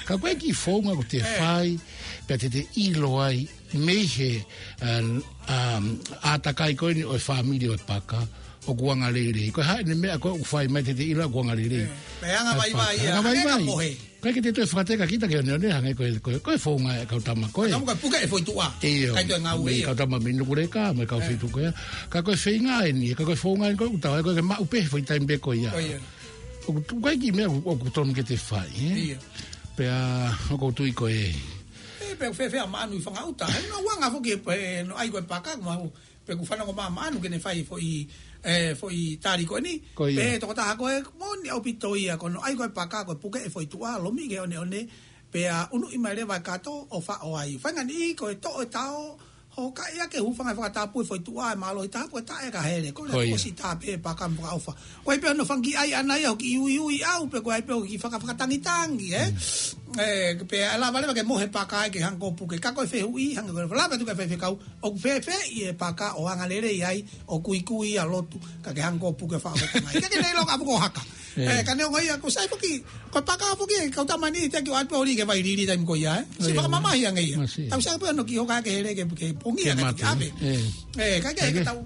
Ka ko e kiʻi founga ʻoku te, ē, fai, pea te te ʻilo ai mei he, um, um, ʻātakai ko eni ʻo e fāmili ʻo e paka, ʻoku angalelei. Ko e hā ʻene meʻa ko ē ʻoku fai mai te te ʻilo ʻoku angalelei. Ē, meʻa anga, ʻa e vaivai paka. Ia, anga, anga vaivai. Ka mohe. Ka ʻoku ʻikai ke te toe fakateka kita ke ʻoneʻone hangē ko e, ko e, ko e founga ʻa e kau tama ko ē. Ka tau mo ka puke e foʻi tuʻa. ʻIo, ʻikai toe ngāue, mei he, ʻio, kau tama mei Nukuleka, mo e kau, ē, feituʻu ko ia. Ka ko e feinga eni, ka ko e founga eni ko ē ʻoku tau, ʻa e ko e ke maʻu pē he foʻi taimi pē ko ia. Ko ia. ʻOku tu-, ʻikai ke meʻa ʻoku, ʻoku tonu ke te fai, ē? ʻIo. Pea, ʻoku ou tui ko e. Ē, pea fēfē ʻa Maʻanu ʻi Fangaʻuta. He naʻa ku anga foki ē, ē, naʻe ʻai ko e paka, ʻoku mau, pea ʻoku fanongo mai ʻa Maʻanu ke ne fai foʻi, ē, foʻi tali ko eni. Ko ia. Pea tokotaha ko ē, moʻoni ʻaupito ia, ko hono ʻai ko e paka, ko e puke e foʻi tuʻa, lomi ke ʻoneʻone, pea unuʻi mai leva e kato ʻo faʻo ai. Faingataʻa ko e toʻo e tao, hokaʻi ʻaki e hūfanga he fakatapu e foʻi tuʻa, ʻe mālohi taha, ko e taʻe ka hele. Ko e, ko ia, ʻosi tā pē paka mo fakaʻofa. Ko e ʻai pē hono fanga kiʻi ʻai ʻana ia, hoʻo kiʻi uiui ʻau, pe ko e ʻai pē hoʻo kiʻi faka-, fakatangitangi, ē? Mm. Ē, pea ʻe lava leva ke mohe paka ke hanga ʻo puke. Ka ko e fehuʻi, hangē ko e lave atu ki he faifekau, ʻoku fēfē ʻi he paka ʻo angalelei ai, ʻo kuikui ʻa lotu, ka ke hanga ʻo puke faʻo ko e tangai. Ka ke nei loka ʻapu ko haka. Ē. Ē, ka neongo ia, ʻoku sai foki, ko e paka foki, kau tama ni, te ke ʻoatu pē ʻo lī ke vai lili taimi ko ia, ē? Siʻi, ʻio, fakamamahi ange ia. Masiʻi. Tau sio pē hono kiʻi hoka ke hele ke, ke pongia, ke mate, ka ke ʻave. Ē. Ē, ka ke, ka ke, ke tau,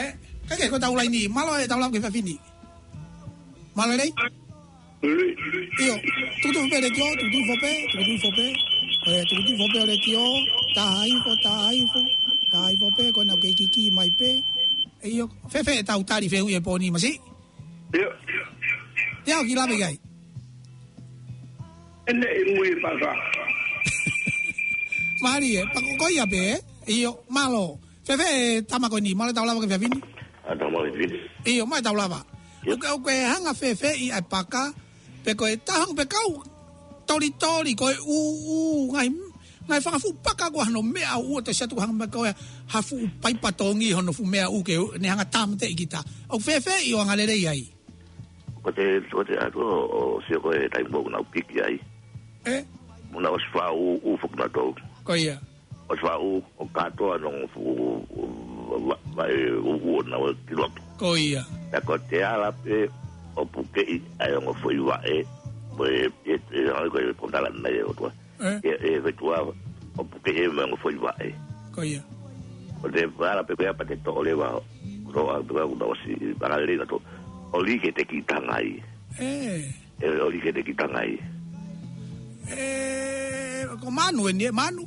ē, ka ke ko e tau laini, mālō e tau lava ki he efiafi ni. Mālō lelei? ʻIo, tukutuku pē letiō, tukutuku hifo pē, tukutuku hifo pē. Ē, tukutuku hifo pē letiō, taha hifo, taha hifo, taha hifo pē, ko ena ke kiki mai pē. ʻIo, fēfē ʻetau tali fehuʻi he pō ni, Masiʻi? ʻIo. ʻIo, kiʻi lave ki ai. ʻEne ʻi mui e paka. Mālie, paka ko ia pē, ē? ʻIo, mālō. Fēfē e tama ko eni, mālō e tau lava ki he efiafi ni? ʻA, tau mālō e efiafi ni. ʻIo, mālō e tau lava. ʻIo. ʻOku ke, ʻoku ke hanga fēfē ʻi ai e paka, pe ko e taha hangē pē kau tolitoli, ko e ʻūʻū, ngaahi, ngaahi fanga fuʻu paka ko hono meʻa ʻoku ʻoatu ʻe siʻi atu hangē pē ko e ha fuʻu paipa tongi hono fuʻu meʻa ʻoku ke ne hanga tāmateʻi kita. ʻOku fēfē ʻi hoʻo angalelei ai? Ko te, ko te atu ʻo, ʻo sio ko e taimi ʻoku nau piki ai. Ē? Mo nau ʻosi fā ʻūʻū foki nautolu. Ko ia. ʻOsi fā ʻūʻū, ʻo kātoa ʻenau fuʻu, ʻū, va-, vaʻe ʻūʻū ʻo nau ki loto. Ko ia. Pea ko te ala pē ʻo pukeʻi ʻa e ongo foʻi vaʻe, mo e, e, e, ʻa e ko e potala nai e ʻOtua. Ē? E, e fetua ʻo pukeʻi e mo e ongo foʻi vaʻe. Ko ia. Ko te ala pē ko ia pea te toʻo leva, toʻo ʻa pē ko ia kuo nau ʻosi, angalelei nautolu. ʻO lī ki he kiʻi tangai. Ē. ʻE, ʻo lī ki he kiʻi tangai. Ē, ko Maʻanu eni, ē, Maʻanu?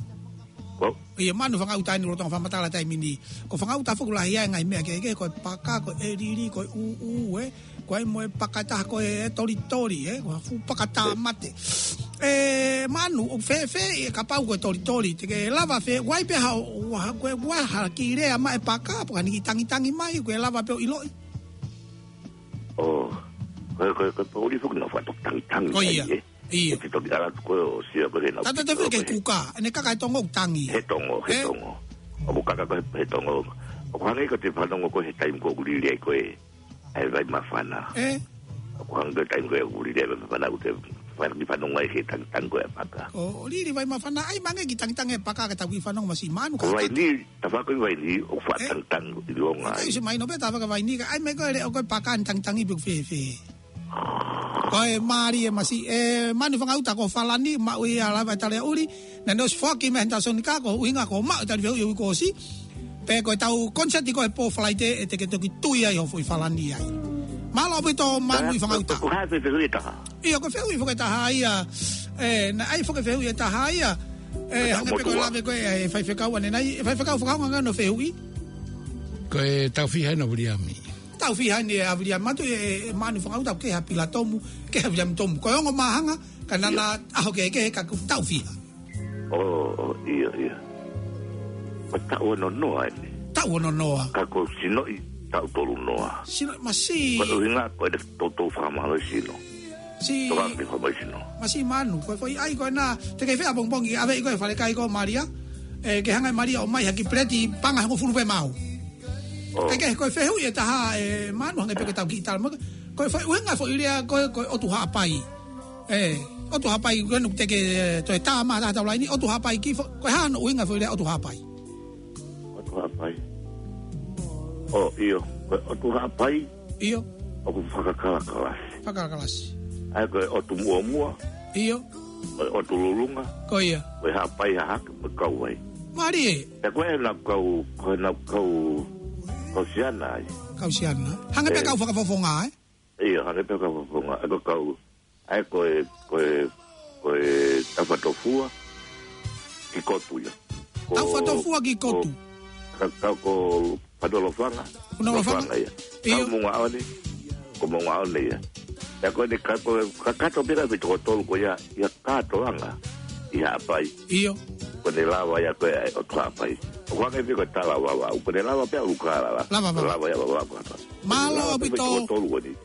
Ko? ʻIo, Maʻanu Fangaʻuta eni, lolotonga fakamatala taimi ni. Ko Fangaʻuta foki ʻoku lahi ai e ngaahi meʻa kehekehe, ko e paka, ko e lili, ko e ʻūʻū, ē. Ko e mo e paka ʻe taha ko e tolitoli, ē. Ko e fuʻu paka tāmate. Ē, Maʻanu, ʻoku fēfē ʻi he kapau ko e tolitoli, te ke lava fē, ʻoku ʻi ai pē ha, ha, ko e, ko e ha kiʻi lea mai e paka, pe ko ha kiʻi tangitangi mai, ʻoku ke lava pē ʻo ʻiloʻi? ʻO, ko e, ko e, ko e poʻuli foki naʻa nau fakatoki tangitangi. Ko ia. Ai, ē. ʻIo. Te toki ala atu ko ē ʻo sio ko ē naʻa nau. Tata te fika ko e kuka, ʻene kaka he tongo ʻoku tangi. He tongo, he, ē? Tongo. ʻOku kaka ko ē he tongo. ʻOku hangē ko te fanongo ko ē he taimi ko ē ʻoku lili ai ko ē ʻa e vai māfana. Ē? ʻOku hangē ko e taimi ko ē ʻoku lili ai vai māfana, ʻoku te fai e kiʻi fanongo ai ki he tangitangi ko ē ʻa e paka. ʻO, ʻo lili vai māfana, ʻai mai ange e kiʻi tangitangi e paka ke tau kiʻi fanongo Masiʻi Maʻanu ka. Ko e vaini, tafaʻaki vaini, ʻoku faʻa, ē? Tangitangi ʻi longa ai. Ka ʻosi mahino pē tafaʻaki vaini, ka ʻai mai ko e leʻo ko e paka ʻene tangitangi pe ʻoku fēfē. Ko e mālie Masiʻi, ē, Maʻanu Fangaʻuta ko Falani, maʻu ia lava e tali ʻuli, naʻa ne ʻosi foaki mei he Henderson Kaa, ko e ʻuhinga ko e maʻu e tali fehuʻi ʻo e uike kuo ʻosi, pe ko e tau koniseti ko ē he pō Falaite, ʻe te ke toki tui ai hoʻo foʻi Falani ai. Mālō ʻaupito Maʻanu Fangaʻuta. Ko, ko, ko e hā e fehuʻi ʻe taha? ʻIo, ko e fehuʻi foki ʻe taha ia, ē, naʻe ʻai foki e fehuʻi ʻe taha ia, ʻE, hangē pē ko e lave ko ē ʻa e faifekau ʻanenai, ʻe faifekau fakaongo ange ʻo fehuʻi. Ko e taʻu fiha ʻena ʻa Viliami? Taʻu fiha ʻeni ʻa Viliami, mātuʻa ʻe, ʻe Manu Fangauta, ke ha Pila Tomu, ke ha Viliami Tomu. Ko e ongo māhanga, ka naʻa na ʻaho kehekehe ka ko e taʻu fiha. ʻIo, ʻio, ʻio. Ko e taʻu ono noa ʻeni. Taʻu ono noa. Ka ko e sinoʻi taʻu tolu noa. Sinoʻi, masiʻi. Ko e ʻuhinga ko e toutou fakamālohisino. Siʻi. Tokanga ke fakamālohisino. Masiʻi Manu, ko e foʻi ʻai ko ena, te ke fea pongipongi, ʻave ʻi ko e falekai ko Malia. ʻE, ke hanga ʻe Malia ʻo ʻomai ha kiʻi peleti paʻanga ʻe hongofulu pē maʻau. ʻO. Ke, ke, ko e fehuʻi ʻe taha ʻe Manu, hangē pē ko e tau kiʻi tala mo. Ko e foʻi ʻuhinga foʻi lea ko e, ko e ʻOtu Haʻapai. ʻE, ʻOtu Haʻapai, ko ena te ke, ʻe, toe tā mai ha taha ʻi he taʻu laini, ʻOtu Haʻapai ki fo-, ko e hā hono ʻuhinga foʻi lea ʻOtu Haʻapai? ʻOtu Haʻapai. ʻO, ʻio, ko e ʻOtu Haʻapai. ʻIo. ʻOku fakakalakalasi. Fakakalakalasi. ʻA ia ko e ʻOtu Muʻomuʻa. ʻIo. Ko e ʻOtu Lulunga. Ko ia. Ko e Haʻapai Hahake mo e Kauai. Mālie. ʻE ko ena kau, ko ena kau, kau Siana ai. Kau Siana. Hangē pē ʻe. Kau fakafofonga, ē? ʻIo, hangē pē kau fakafofonga. ʻE ko kau, ʻa ia ko e, ko e, ko e Taufatofua ki Kotu ia. Ko, Taufatofua ki ko, Kotu. Ka, ka ko Fatonofanga. Fatonofanga. Fatonofanga ia. ʻIo. Ka Moʻungaʻone, ko Moʻungaʻone ia. ʻE ko eni ka ko, kakato pē ka ʻi toko tolu ko ia, ia kātoanga ʻi Haʻapai. ʻIo. Ko ʻene lava ia ko e ʻOtu Haʻapai. ʻOku hangē pē ko e tala Vavaʻu. Ko ʻene lava pē ʻa Lukalala. Lava Vavaʻu. Lava ia Vavaʻu kātoa. Mālō ʻaupito.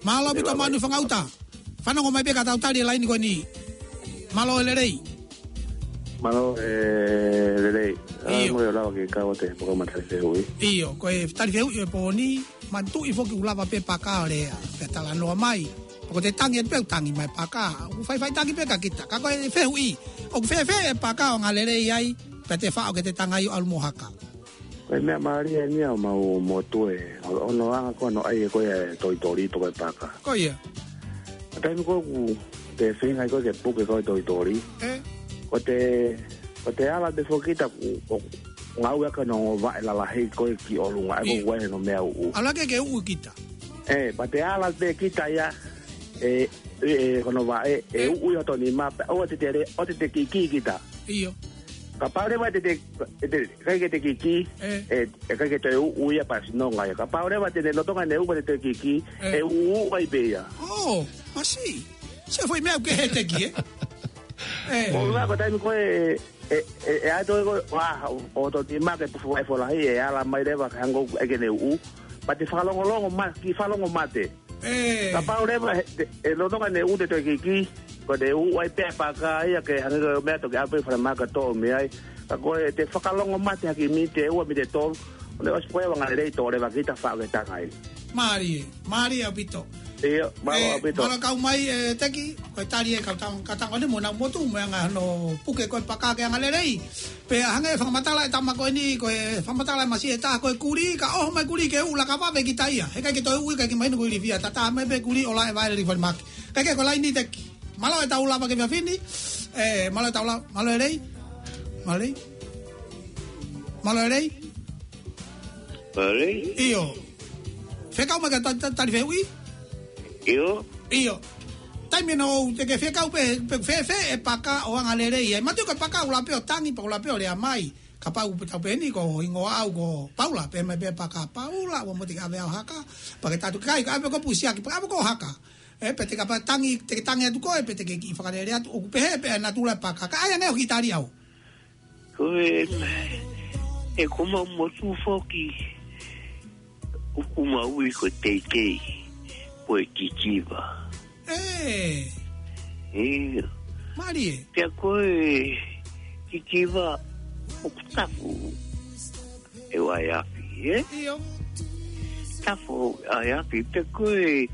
Mālō ʻaupito Manu Fangauta. Fanongo mai pē ka tau tali e laini ko eni. Mālō e lelei. Mālō e lelei. ʻIo. Mo e lava ke kau atu e polokalama tali fehuʻi. ʻIo, ko e tali fehuʻi e pō ni, manatuʻi foki ʻoku lava pē paka ʻo lea. Pea talanoa mai. Pea ko ʻete tangi atu pē ʻoku tangi mai paka. ʻOku faifai tangi pē ka kita. Ka ko e fehuʻi. ʻOku fēfē e paka ʻo angalelei ai. Pea te faʻo ke te tangai ʻo ʻalu mo haka. Ko e meʻa mālie ʻeni ʻoku mau motu e, ʻo, ʻo hono anga ko hono ʻai ʻe koe e toitoli pe ko e paka. Ko ia. Ko e taimi ko ē ʻoku te feinga ai koe ke puke ko e toitoli. ʻE. Ko ʻete, ko ʻete ala pē foki kita ʻoku, ʻo, ngāue ʻaki hono ongo vaʻe lalahi ko ē ki ʻolunga, ʻa ia ko ē ʻoku ʻi ai hono meʻa uʻu. Ala ke ke uʻu kita. ʻE, pea te ala pē kita ia, ʻe, ʻe, ʻe, hono vaʻe, ʻe, ʻe. Uʻu ʻi hoto nima, pea ʻoua te te lea, ʻoua te te kiki kita. ʻIo. Kapau leva te te, te, te, ʻikai ke te kiki, ʻe. ʻE, ʻe ʻikai ke te uʻu ia pea sinonga ia. Kapau leva te ne lolotonga ʻene uʻu pea te te kiki, ʻe. ʻE uʻu ai pē ia. ʻO, masiʻi. Se foʻi meʻa ʻoku kehe ʻete ki, ē? ʻE. Ko e ʻuhinga ko e taimi ko ē, ʻe, ʻe, ʻe ʻai atu ko ē, ʻo, ʻo hoto nima ke pufu ai folahi, ʻe ala mai leva ka hangē ʻoku ʻikai ke ne uʻu. Pea te fakalongolongo ma-, kiʻi fakalongo mate. ʻE. Kapau leva he, te, ʻe lolotonga ʻene uʻu te toe kiki, ko ʻene uʻu ai pē paka ia ke hangē ko e meʻa toki ʻalu pē falemahaki toʻo mei ai. Ka ko ʻete fakalongo mate ha kiʻi miniti ʻe ua miniti ʻe tolu, ʻo ne ʻosi ko ē ʻo angalelei tō leva kita faʻo ke tangai. Mālie, mālie ʻaupito. ʻIo, mālō ʻaupito. Mālō kau mai, ʻe, Teki, ko e tali e kau tau, ka tango ni mo nau motu, mo e anga hono puke ko e paka ke angalelei. Pea hangē fakamatala e tama ko eni, ko e fakamatala e masiʻi ʻe taha ko e kulī, ka ʻoho mai kulī ke uʻu laka vave kita ia. He ʻikai ke toe uʻu ia, ʻikai ke mahino ko e ilifia. Tata mai pē kulī ʻo laʻe vaele li falemahaki. Kae kehe ko e laini Teki. Mālō e tau lava ki he efiafi ni. ʻE, mālō e tau lava, mālō e lelei. Mālō e lelei. Mālō e lelei. Mālō e lelei. ʻIo. Fekau mai ka ta-, ta-, tali fehuʻi? ʻIo. ʻIo. Taimi ʻe ʻoua te ke fekau pē, pe fēfē e paka ʻo angalelei ai. Mātuʻa ko e paka ʻoku lava pē ʻo tangi, pea ʻoku lava pē ʻo lea mai. Kapau pē tau pehē ni ko hingoa au ko Paula, pehē mai pē paka Paula, ʻoua mo te ke ʻave au haka, pea ke tatu kai, ka ʻave ko pusiaki, pea ʻave ko haka. ʻE, pea te kapau tangi, te ke tangi atu koe, pea te ke kiʻi fakalele atu, ʻoku pehē pē ʻa e natula e paka, ka ʻai ange ʻo kiʻi tali au. Ko e, ʻe ko mau motu foki, ʻoku mau ui ko e teitei, ko e kikiva. ʻE. ʻIo. Mālie. Pea ko e kikiva ʻoku tapu ʻe ʻai afi, ē? ʻIo. Tapu ʻai afi, pea ko e,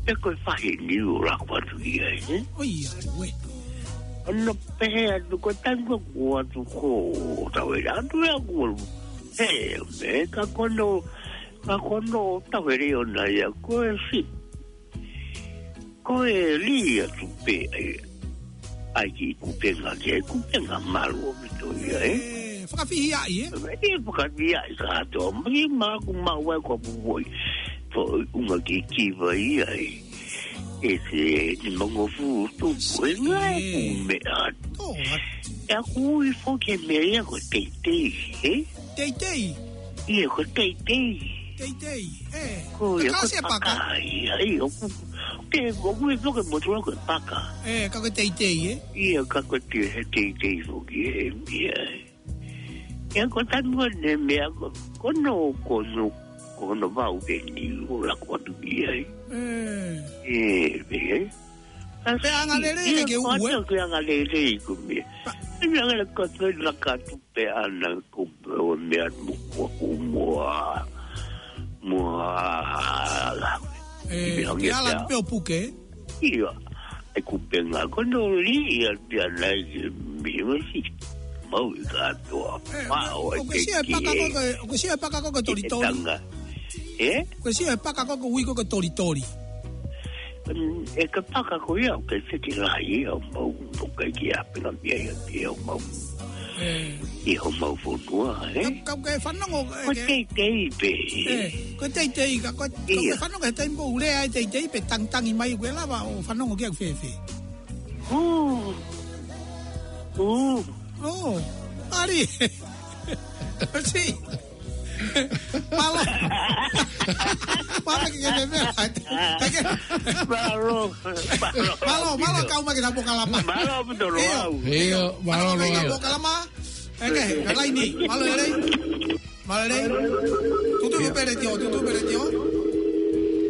pea ko e faʻahi ni ʻoku laku atu ia, ē? ʻOiauē. ʻOku pehē atu ko e taimi ko ē ʻoku ʻoatu ko e tauhele atu ia ʻoku ʻalu. He, me ka ko hono, ka ko hono tauhele ʻona ia ko e si. Ko e lī atu pē ʻa e, ʻa e kiʻi kupenga, kiʻi kupenga malu ʻaupito ia, ē? ʻE, fakafihiaʻi, ē? ʻE, fakafihiaʻi kātoa. Mai maku mau ai ko pupuʻi. Ko e ʻuhinga kikiva ia, ē? ʻEse ni mangofulu tupu, ʻe ngā e kume atu. Tō atu. ʻE aku ui foki e meʻa ia ko e teitei, ē? Teitei? ʻIa, ko e teitei. Teitei, ē. Ko ia, ko e paka. Ia, ʻio, ʻoku, ke, ʻoku ui foki e motuʻa ko e paka. Ē, ka ko e teitei, ē? ʻIa, ka ko e te-, he teitei foki, ē, ia. ʻIa ko e tanu ʻa e meʻa ko, ko hono, ko hono, ko hono vau ke ni o la ko atu ki ai. Mm. ʻE, ʻe. Pe anga lelei ke ue. Ko atu ke anga lelei ko meʻa. ʻE meʻa ngala ko atu la ka tu pe ana ko o meʻa mo ko mua. Mua. ʻE, ke ala pe o puke. ʻIa, e kupenga ko no li ia pia nai ke mi masi. Mau i katoa. ʻE, pao ʻoku ke sio e paka ko ke, ʻoku ke sio e paka ko ke tolitoli. Ē? ʻOku ke sio e paka ko ke ui ko ke tolitoli. Mm, ʻe ka paka ko ia, ʻoku ke seti lahi ia, ʻo mau, ʻoku ke kia pena mia ia, ia ʻo mau. ʻE. ʻI homau fonua, ē? Ka, ka ke fanongo, ʻe, ko ke teitei pē. ʻE, ko teitei, ka ko, ka ke fanongo he taimi ʻoku lea ai teitei pē tangtangi mai ʻoku ke lava ʻo fanongo ki ai ʻoku fēfē. Ū. Ū. Ū. ʻAli. ʻOsi. Mālō. Mālō ki he meʻa. Mālō. Mālō, mālō kau mai ki he polokalama. Mālō ʻaupito. ʻIo. ʻIo, mālō. Mālō ki he polokalama. ʻEke, ka laini. Mālō lelei. Mālō lelei. Tutu hifo pē letiō, tutu hifo pē letiō.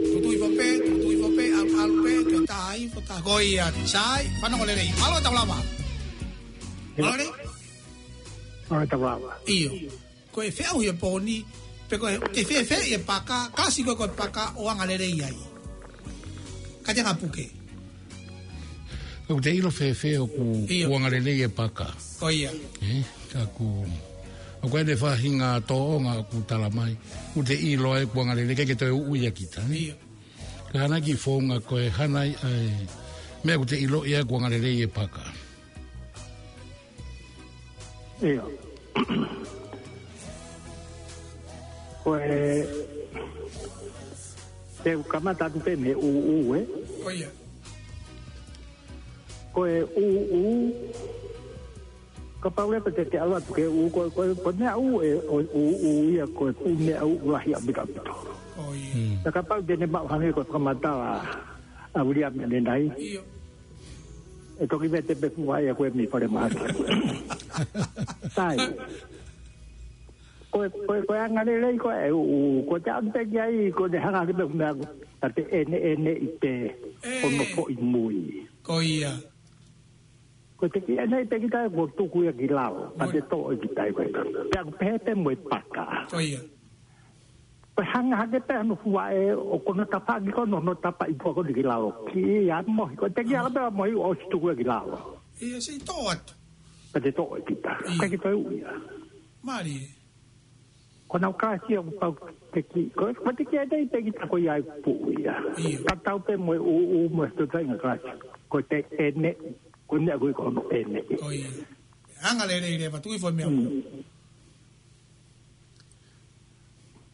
Tutu hifo pē, tutu hifo pē, ʻalu, ʻalu pē, ke tai, fo ta, ko ia, sai, fanongo lelei. Mālō e tau lava. Mālō lelei. Mālō e tau lava. ʻIo. Ko e feʻauhi e pō ni, pe ko e, ke fēfē e paka, kalasi ko e ko e paka ʻo anga lelei ai. Ka te anga puke. ʻOku te ʻilo fēfē ʻoku, ʻio, ʻoku anga lelei e paka. Ko ia. Ē, ka ʻoku, ʻoku ʻi ai e faʻahinga tōʻonga ʻoku tala mai. ʻOku te ʻilo ai ʻoku anga lelei, ʻikai ke toe uʻu ia kita, ē? ʻIo. Ka hana ki founga ko e hana ai, ʻa e meʻa ʻoku te ʻilo ia ʻoku anga lelei e paka. ʻIo. Ko e, te u kamata atu pē mei he ʻūʻū, ē? Ko ia. Ko e ʻūʻū, kapau leva te te ʻalu atu ki he ʻū, ko, ko, ko e meʻa ʻū ē, ʻo e ʻūʻū ia, ko e fuʻu meʻa ʻū lahi ʻaupito ʻaupito. Ko ia. Mm. Ka kapau te ne maʻu hangē ko e fakamatala ʻa Viliami ʻanenai. ʻIo. ʻE toki vete pē fua ia ko e mei fale mahaki. Sai. Ko e, ko e, ko e anga lelei ko e ʻūʻū, ko e te ʻalu pē ki ai, ko e te hanga ke pē meʻa, ka te ʻeneʻeneʻi pē, ē, hono foʻi mui. Ko ia. Ko e te kiʻi ʻeneʻi pē kita ko e tuku ia ki lalo, ka te toʻo ʻe kita ia ko e. Pea ʻoku pehē pē mo e paka. Ko ia. Ko e hanga hake pē hono fua ē, ʻo ko hono tapaʻaki ko hono, hono tapa ʻi pua ko ni ki lalo. Ki ia mohi, ko e te kiʻi ala pē mohi ʻo ʻosi tuku ia ki lalo. ʻIo, ʻosi toʻo atu. Ka te toʻo ʻe kita. ʻIo. Ka ke toe ui ia. Mālie. Ko nau kalasi ʻoku pau te kiʻi, ko, ko te kiʻi ʻeneʻi pē kita ko ia ʻi puʻu ia. ʻIo. Ka tau pē mo e ʻūʻū mo e totainga kalasi. Ko e te ʻeneʻi, ko e meʻa ko ē ko hono ʻeneʻi. Ko ia. Anga lelei leva, tuku hifo e meʻa. Mm.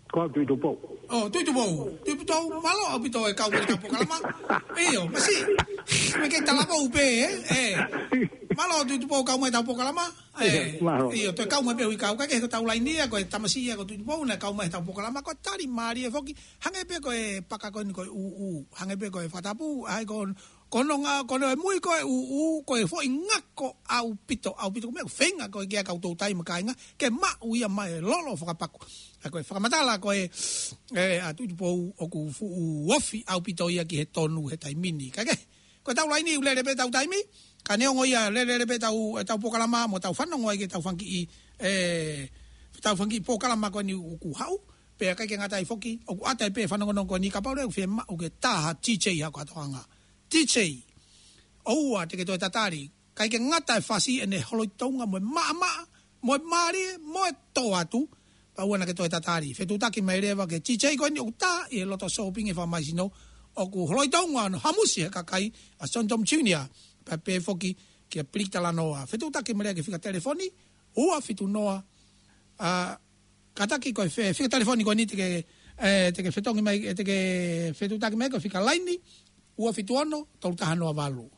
Ko au Tuʻitupou. ʻŌ, Tuʻitupou. Tuʻitupou, mālō ʻaupito e kau mai he tau polokalama. ʻIo, masiʻi. Mei he talavou pē, ē? Ē. Mālō Tuʻitupou kau mai he tau polokalama. Ē. ʻIo, mālō. ʻIo, toe kau mai pē hui kau. Ka ke he ko e tau laini ia, ko e tamasiʻi ia ko Tuʻitupou naʻe kau mai he tau polokalama. Ko e tali mālie foki. Hangē pē ko e paka ko eni ko e ʻūʻū. Hangē pē ko e fakatapu. ʻAi ko Ko hono ngā, ko hono mui ko e ʻūʻū, ko e foʻi ngako ʻaupito, ʻaupito, ko e meʻa ʻoku feinga ko e ke ʻai kau toutai mo e kāinga, ke maʻu ia mai e lolo fakapaku. ʻA ko e fakamatala ko e, ē, ʻa Tuʻitupou ʻoku fuʻu ofi ʻaupito ia ki he tonu he taimi ni. Ka ke, ko e tau laini ʻoku lele pē tau taimi, ka neongo ia lele pē tau, e tau polokalama, mo tau fanongo ai ki he tau fanga kiʻi, ē, tau fanga kiʻi polokalama ko eni ʻoku haʻu, pea ʻikai ke ngata ai foki, ʻoku ʻata ai pē fanongonongo ko eni kapau leva ʻoku fiemaʻu ke tā ha D J ha ko atoʻanga. D J, ʻoua te ke toe tatali, ʻikai ke ngata e fasi ʻene holoʻi tounga mo e maʻamaʻa, mo e mālie, mo e tō atu, pea ʻoua naʻa ke toe tatali. Fetuʻutaki mai leva ki he D J ko eni ʻoku tā ʻi he loto sōpingi fakamaisino, ʻoku holoʻi tounga hono hamusi he kakai, ʻa John Tom Junior, pea pehē foki kia Pilita Lanoa. Fetuʻutaki mai leva ki he fika telefoni, ua fitu noa, ʻa, kātaki ko e fe-, fika telefoni ko eni te ke, ē, te ke fetongi mai, ē, te ke fetuʻutaki mai ko e fika laini, ua fitu ono, tolu taha noa valu.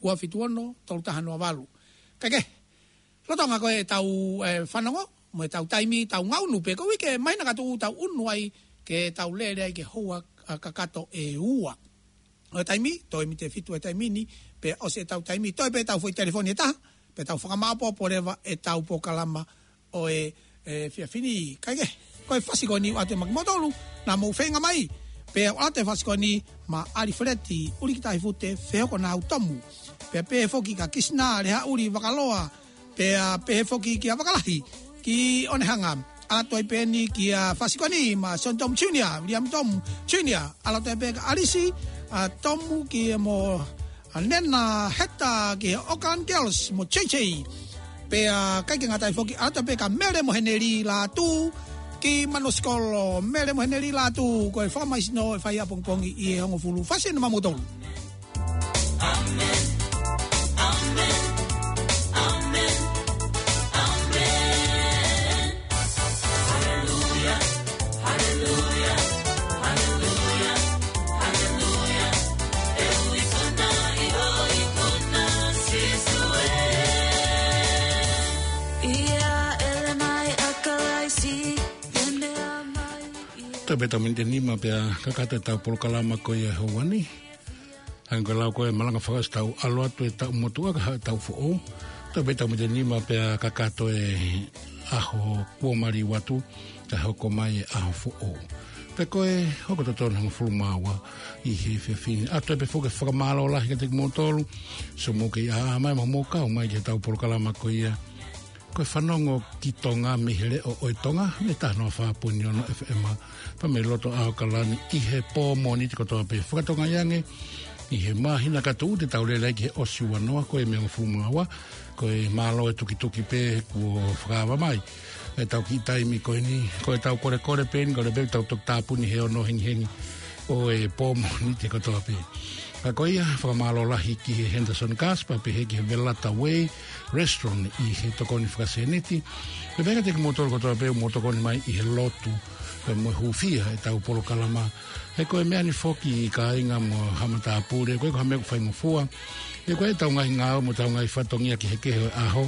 Ua fitu ono, tolu taha noa valu. Kae kehe, lolotonga ko ē ʻetau, ē, fanongo, mo ʻetau taimi, tau ngaʻunu pē, ko e uike māhina kātoa ʻoku tau unu ai, ke tau lele ai ki he houa, ā, kakato ʻe ua. ʻO e taimi, toe miniti ʻe fitu ʻe taimi ni, pea ʻosi ʻetau taimi, toe pē ʻetau foʻi telefoni ʻe taha, pea tau fakamāʻopoʻopo leva ʻetau polokalama ʻo e, ē, efiafi ni. Kae kehe, ko e fasi ko eni ʻoatu maʻa kimoutolu, naʻa mou feinga mai, pea ʻoatu e fasi ko eni maʻa ʻAlifeleti ʻUlikitahifute Fehokonau Tomu. Pea pehē foki kia Kisina Lehaʻuli Vakaloa, pea pehē foki kia Vakalahi ki ʻOnehanga. ʻAlu atu ai pē eni kia fasi ko eni maʻa Sione Tomu Junior, Viliami Tomu Junior. ʻAlu atu ai pē kia ʻAlisi, ā, Tomu ki mo ʻa Nena Heta ki he Auckland Girls mo J J. Pea ʻikai ke ngata ai foki, ʻalu atu pē kia Mele mo Heneli Lātū ki Manuʻa Sikolo. Mele mo Heneli Lātū, ko e fakamaisino ʻe fai ʻapongipongi ʻi he hongofulu. Fasi eni maʻa moutolu. Toe pē ʻetau miniti ʻe nima pea kakato ʻetau polokalama ko ia he houa ni. Hangē ko e lau ko ē malanga fakaʻosi, tau ʻalu atu e taʻu motuʻa kae haʻu e taʻu foʻou. Toe pē ʻetau miniti ʻe nima pea kakato e ʻaho kuo maliu atu, kae hoko mai e ʻaho foʻou. Pea ko e hoko totonu hongofulu mā ua ʻi he efiafi ni. ʻAlu atu pē foki e fakamālō lahi kiate kimoutolu, so mou kei ʻaʻahi mai mo mou kau mai ki heʻetau polokalama ko ia ko e Fanongo ki Tonga mei he Leʻo ʻo e Tonga, mei he taha noa fā poini ono F M, pea mei loto ʻAokalani ʻi he pō Mōnite kotoa pē. Fakatokangaʻi ange ʻi he māhina kātoa te tau lele ai ki he ʻosi ua noa, ko e mei he hongofulu mā ua, ko e mālō e tukituki pē kuo fakaava mai ʻetau kiʻi taimi ko eni, ko ʻetau kolekole pē eni, kole pē tau toki tāpuni he ono hengihengi ʻo e pō Mōnite kotoa pē. Ka ko ia, fakamālō lahi ki he Henderson Gas, pea pehē ki he Velata Way Restaurant ʻi he tokoni fakasēniti. Pea pehē kiate kimoutolu kotoa pē ʻoku mou tokoni mai ʻi he lotu, pea mo e hūfia ʻetau polokalama. He ko e meʻa ni foki kāinga mo haʻa matāpule, ʻoku ʻikai ko ha meʻa ʻoku faingofua. He ko ʻetau ngaahi ngāue mo ʻetau ngaahi fatongia kehekehe ʻo e ʻaho,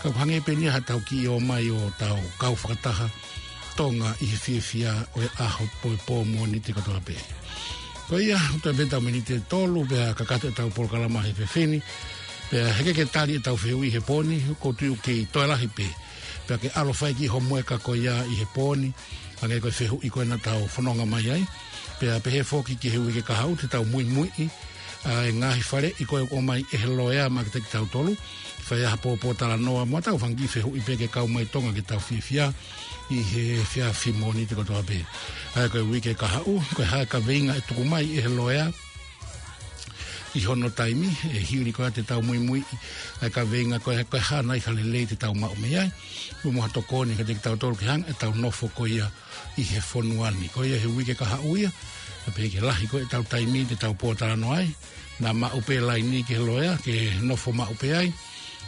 ka ʻoku hangē pē eni ia haʻatau kiʻi ō mai ʻo tau kau fakataha Tonga ʻi he fiefia ʻo e ʻaho pō, pō Mōnite kotoa pē. Ko ia, toe pē ʻetau miniti ʻe tolu pea kakato ʻetau polokalama he efiafi ni. Pea heʻikai ke tali ʻetau fehuʻi he pō ni, ʻoku ou tui ʻoku kei toe lahi pē. Pea ke ʻalu ʻo fai e kiʻi homework ko ia ʻi he pō ni, hangē ko e fehuʻi ko ē naʻa tau fononga mai ai. Pea pehē foki ki he uike kahaʻu te tau muimuiʻi ʻa e ngaahi faleʻi ko ē ʻoku ʻomai ʻe he loea maʻa kitautolu, fai ai ha pōtalanoa mo ʻetau fanga kiʻi fehuʻi pē ke kau mai Tonga ke tau fiefia ʻi he efiafi Mōnite kotoa pē. ʻA ia ko e uike kahaʻu, ko e hā e kaveinga ʻe tuku mai ʻe he loea ʻi hono taimi, ʻe hili ko ia te tau muimuiʻi ʻa e kaveinga ko ē, ko e hā nai ha lelei te tau maʻu mei ai, mo ha tokoni kiate kitautolu ke hanga ʻetau nofo ko ia ʻi he fonua ni. Ko ia he uike kahaʻu ia, pea pehē ki he lahi ko ē ʻetau taimi te tau pōtalanoa ai, naʻa maʻu pē laini ki he loea, ke nofo maʻu pē ai,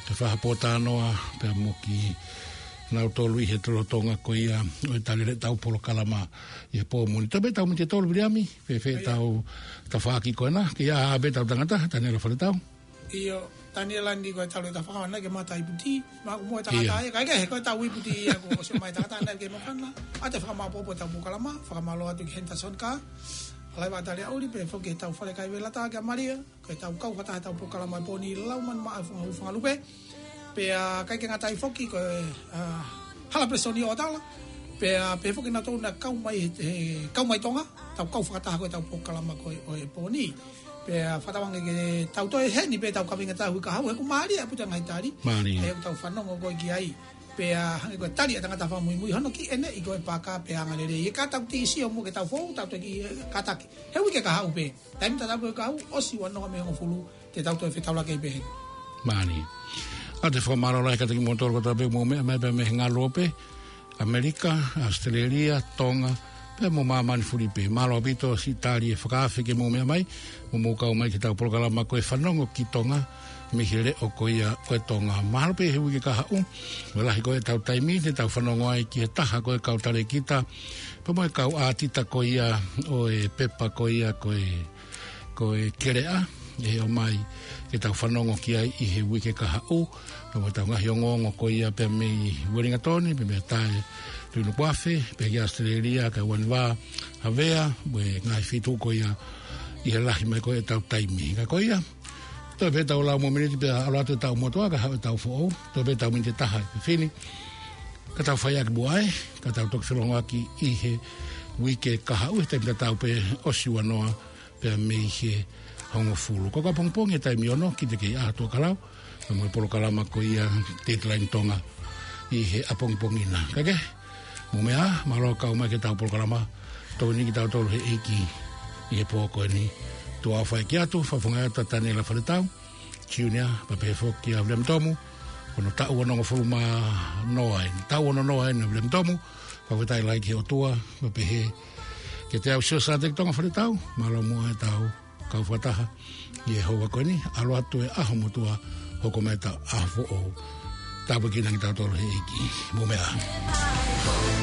ke fai ha pōtalanoa pea mo kinautolu ʻi he lolotonga ko ia ʻo e tali ʻetau polokalama ʻi he pō Mōnite. Toe pē ʻetau miniti ʻe tolu, Viliami, fēfē ʻetau tafaʻaki ko ena, ke ʻā pē ʻetau tangata, Taniela Faletau. ʻIo, Taniela ni ko e talo e tafaʻaki ʻana ke mata iputi, ma mo e tangata ʻIo. Ia, kae kehe, ko ʻetau iputi ia kuo ʻosi mai tangata ʻana ke mafana. ʻA e fakamāʻopoʻopo ʻetau polokalama, fakamālō atu ki Henderson Gas, ʻa e Laiva Taliauli, pea foki ki heʻetau fale kai Velata kia Malia, ko ʻetau kau fakataha ʻetau polokalama ʻi he pō ni, lau manu maʻa e funga hū funga lupe. Pea ʻikai ke ngata ai foki ko e, ā, Hala Presoni ʻo Tala. Pea pehē foki nautolu naʻa kau mai he, he, kau mai Tonga, ʻetau kau fakataha ko ʻetau polokalama ko ē ʻo e pō ni. Pea fakatauange ke tau toe ʻi heni pē ʻetau kaveinga tau hui kahaʻu, he ʻoku mālie ʻa e puta ngaahi tali. Mālie. ʻA ia ʻoku tau fanongo ko ē ki ai. Pea hangē ko e tali ʻa e tangata fakamuimui, hono kiʻi ʻeneʻi ko ē paka pea anga lelei. ʻE ka tau kiʻi sio mo ke tau fou, tau toe kiʻi, ē, kātaki. He uike kahaʻu pē. Taimi tatau pē kahaʻu, ʻosi ua noa mei he hongofulu, te tau toe fetaulaki pē heni. Mālie. ʻA ia te fakamālō lahi kiate kimoutolu kotoa pē mou meʻa mai pē mei he ngaluope, ʻAmelika, ʻAositelēlia, Tonga, pea mo māmani fuli pē. Mālō ʻaupito siʻi tali e fakaafe ke mou meʻa mai, mo mou kau mai ki heʻetau polokalama ko e Fanongo ki Tonga, mei he Leʻo ko ia ʻo e Tonga. Mahalo pē he uike kahaʻu, ʻoku lahi ko ē ʻetau taimi, te tau fanongo ai ki he taha ko ē kau talēkita, pea mo e kau ʻātita ko ia ʻo e pepa ko ia ko e, Ko e keleʻa, ʻe ʻomai ke tau fanongo ki ai ʻi he uike kahaʻu, pea mo ʻetau ngaahi ongoongo ko ia pea mei Uelingatoni, pea mei Tae, Tuʻi Nukuʻafe, pea ki ʻAositelēlia, kae ʻuani vā, Havea, mo e ngaahi feituʻu ko ia, ʻi he lahi mai ko ē ʻetau taimi. Ka ko ia, toe pē ʻetau lau mo e miniti pea ʻalu atu ʻetau motuʻa, kae haʻu ʻetau foʻou, toe pē ʻetau miniti ʻe taha ʻe fefine, ka tau fai ʻaki muʻa ē, ka tau toki felongoaki ʻi he uike kahaʻu, he taimi tatau pē ʻosi ua noa, pea mei he hongofulu. Ko e ʻapongipongi he taimi ono, ki te kei ʻaho Tuʻakalau, pea mo e polokalama ko ia Deadline Tonga ʻi he ʻapongipongi na. Kae kehe, mou meʻa ā, mālō kau mai ki heʻetau polokalama, tokoni kitautolu he ʻEiki ʻi he pō ko eni. Tuʻa ʻofa ʻeiki atu, fakafofonga atu ʻa Taniela Faletau Junior, pea pehē foki kia Viliami Tomu, ko hono taʻu onongofulu mā noa eni. Taʻu ono noa eni ʻo Viliami Tomu, fakafetaʻi lahi ki he ʻOtua, pea pehē kiate au Siosiua Sāteki Tonga Faletau, mālō muʻa ʻetau kau fakataha ʻi he houa ko eni, ʻalu atu e ʻaho motuʻa, hoko mai ʻetau ʻaho foʻou. Tāpuekina kitautolu he ʻEiki. Mou meʻa ā.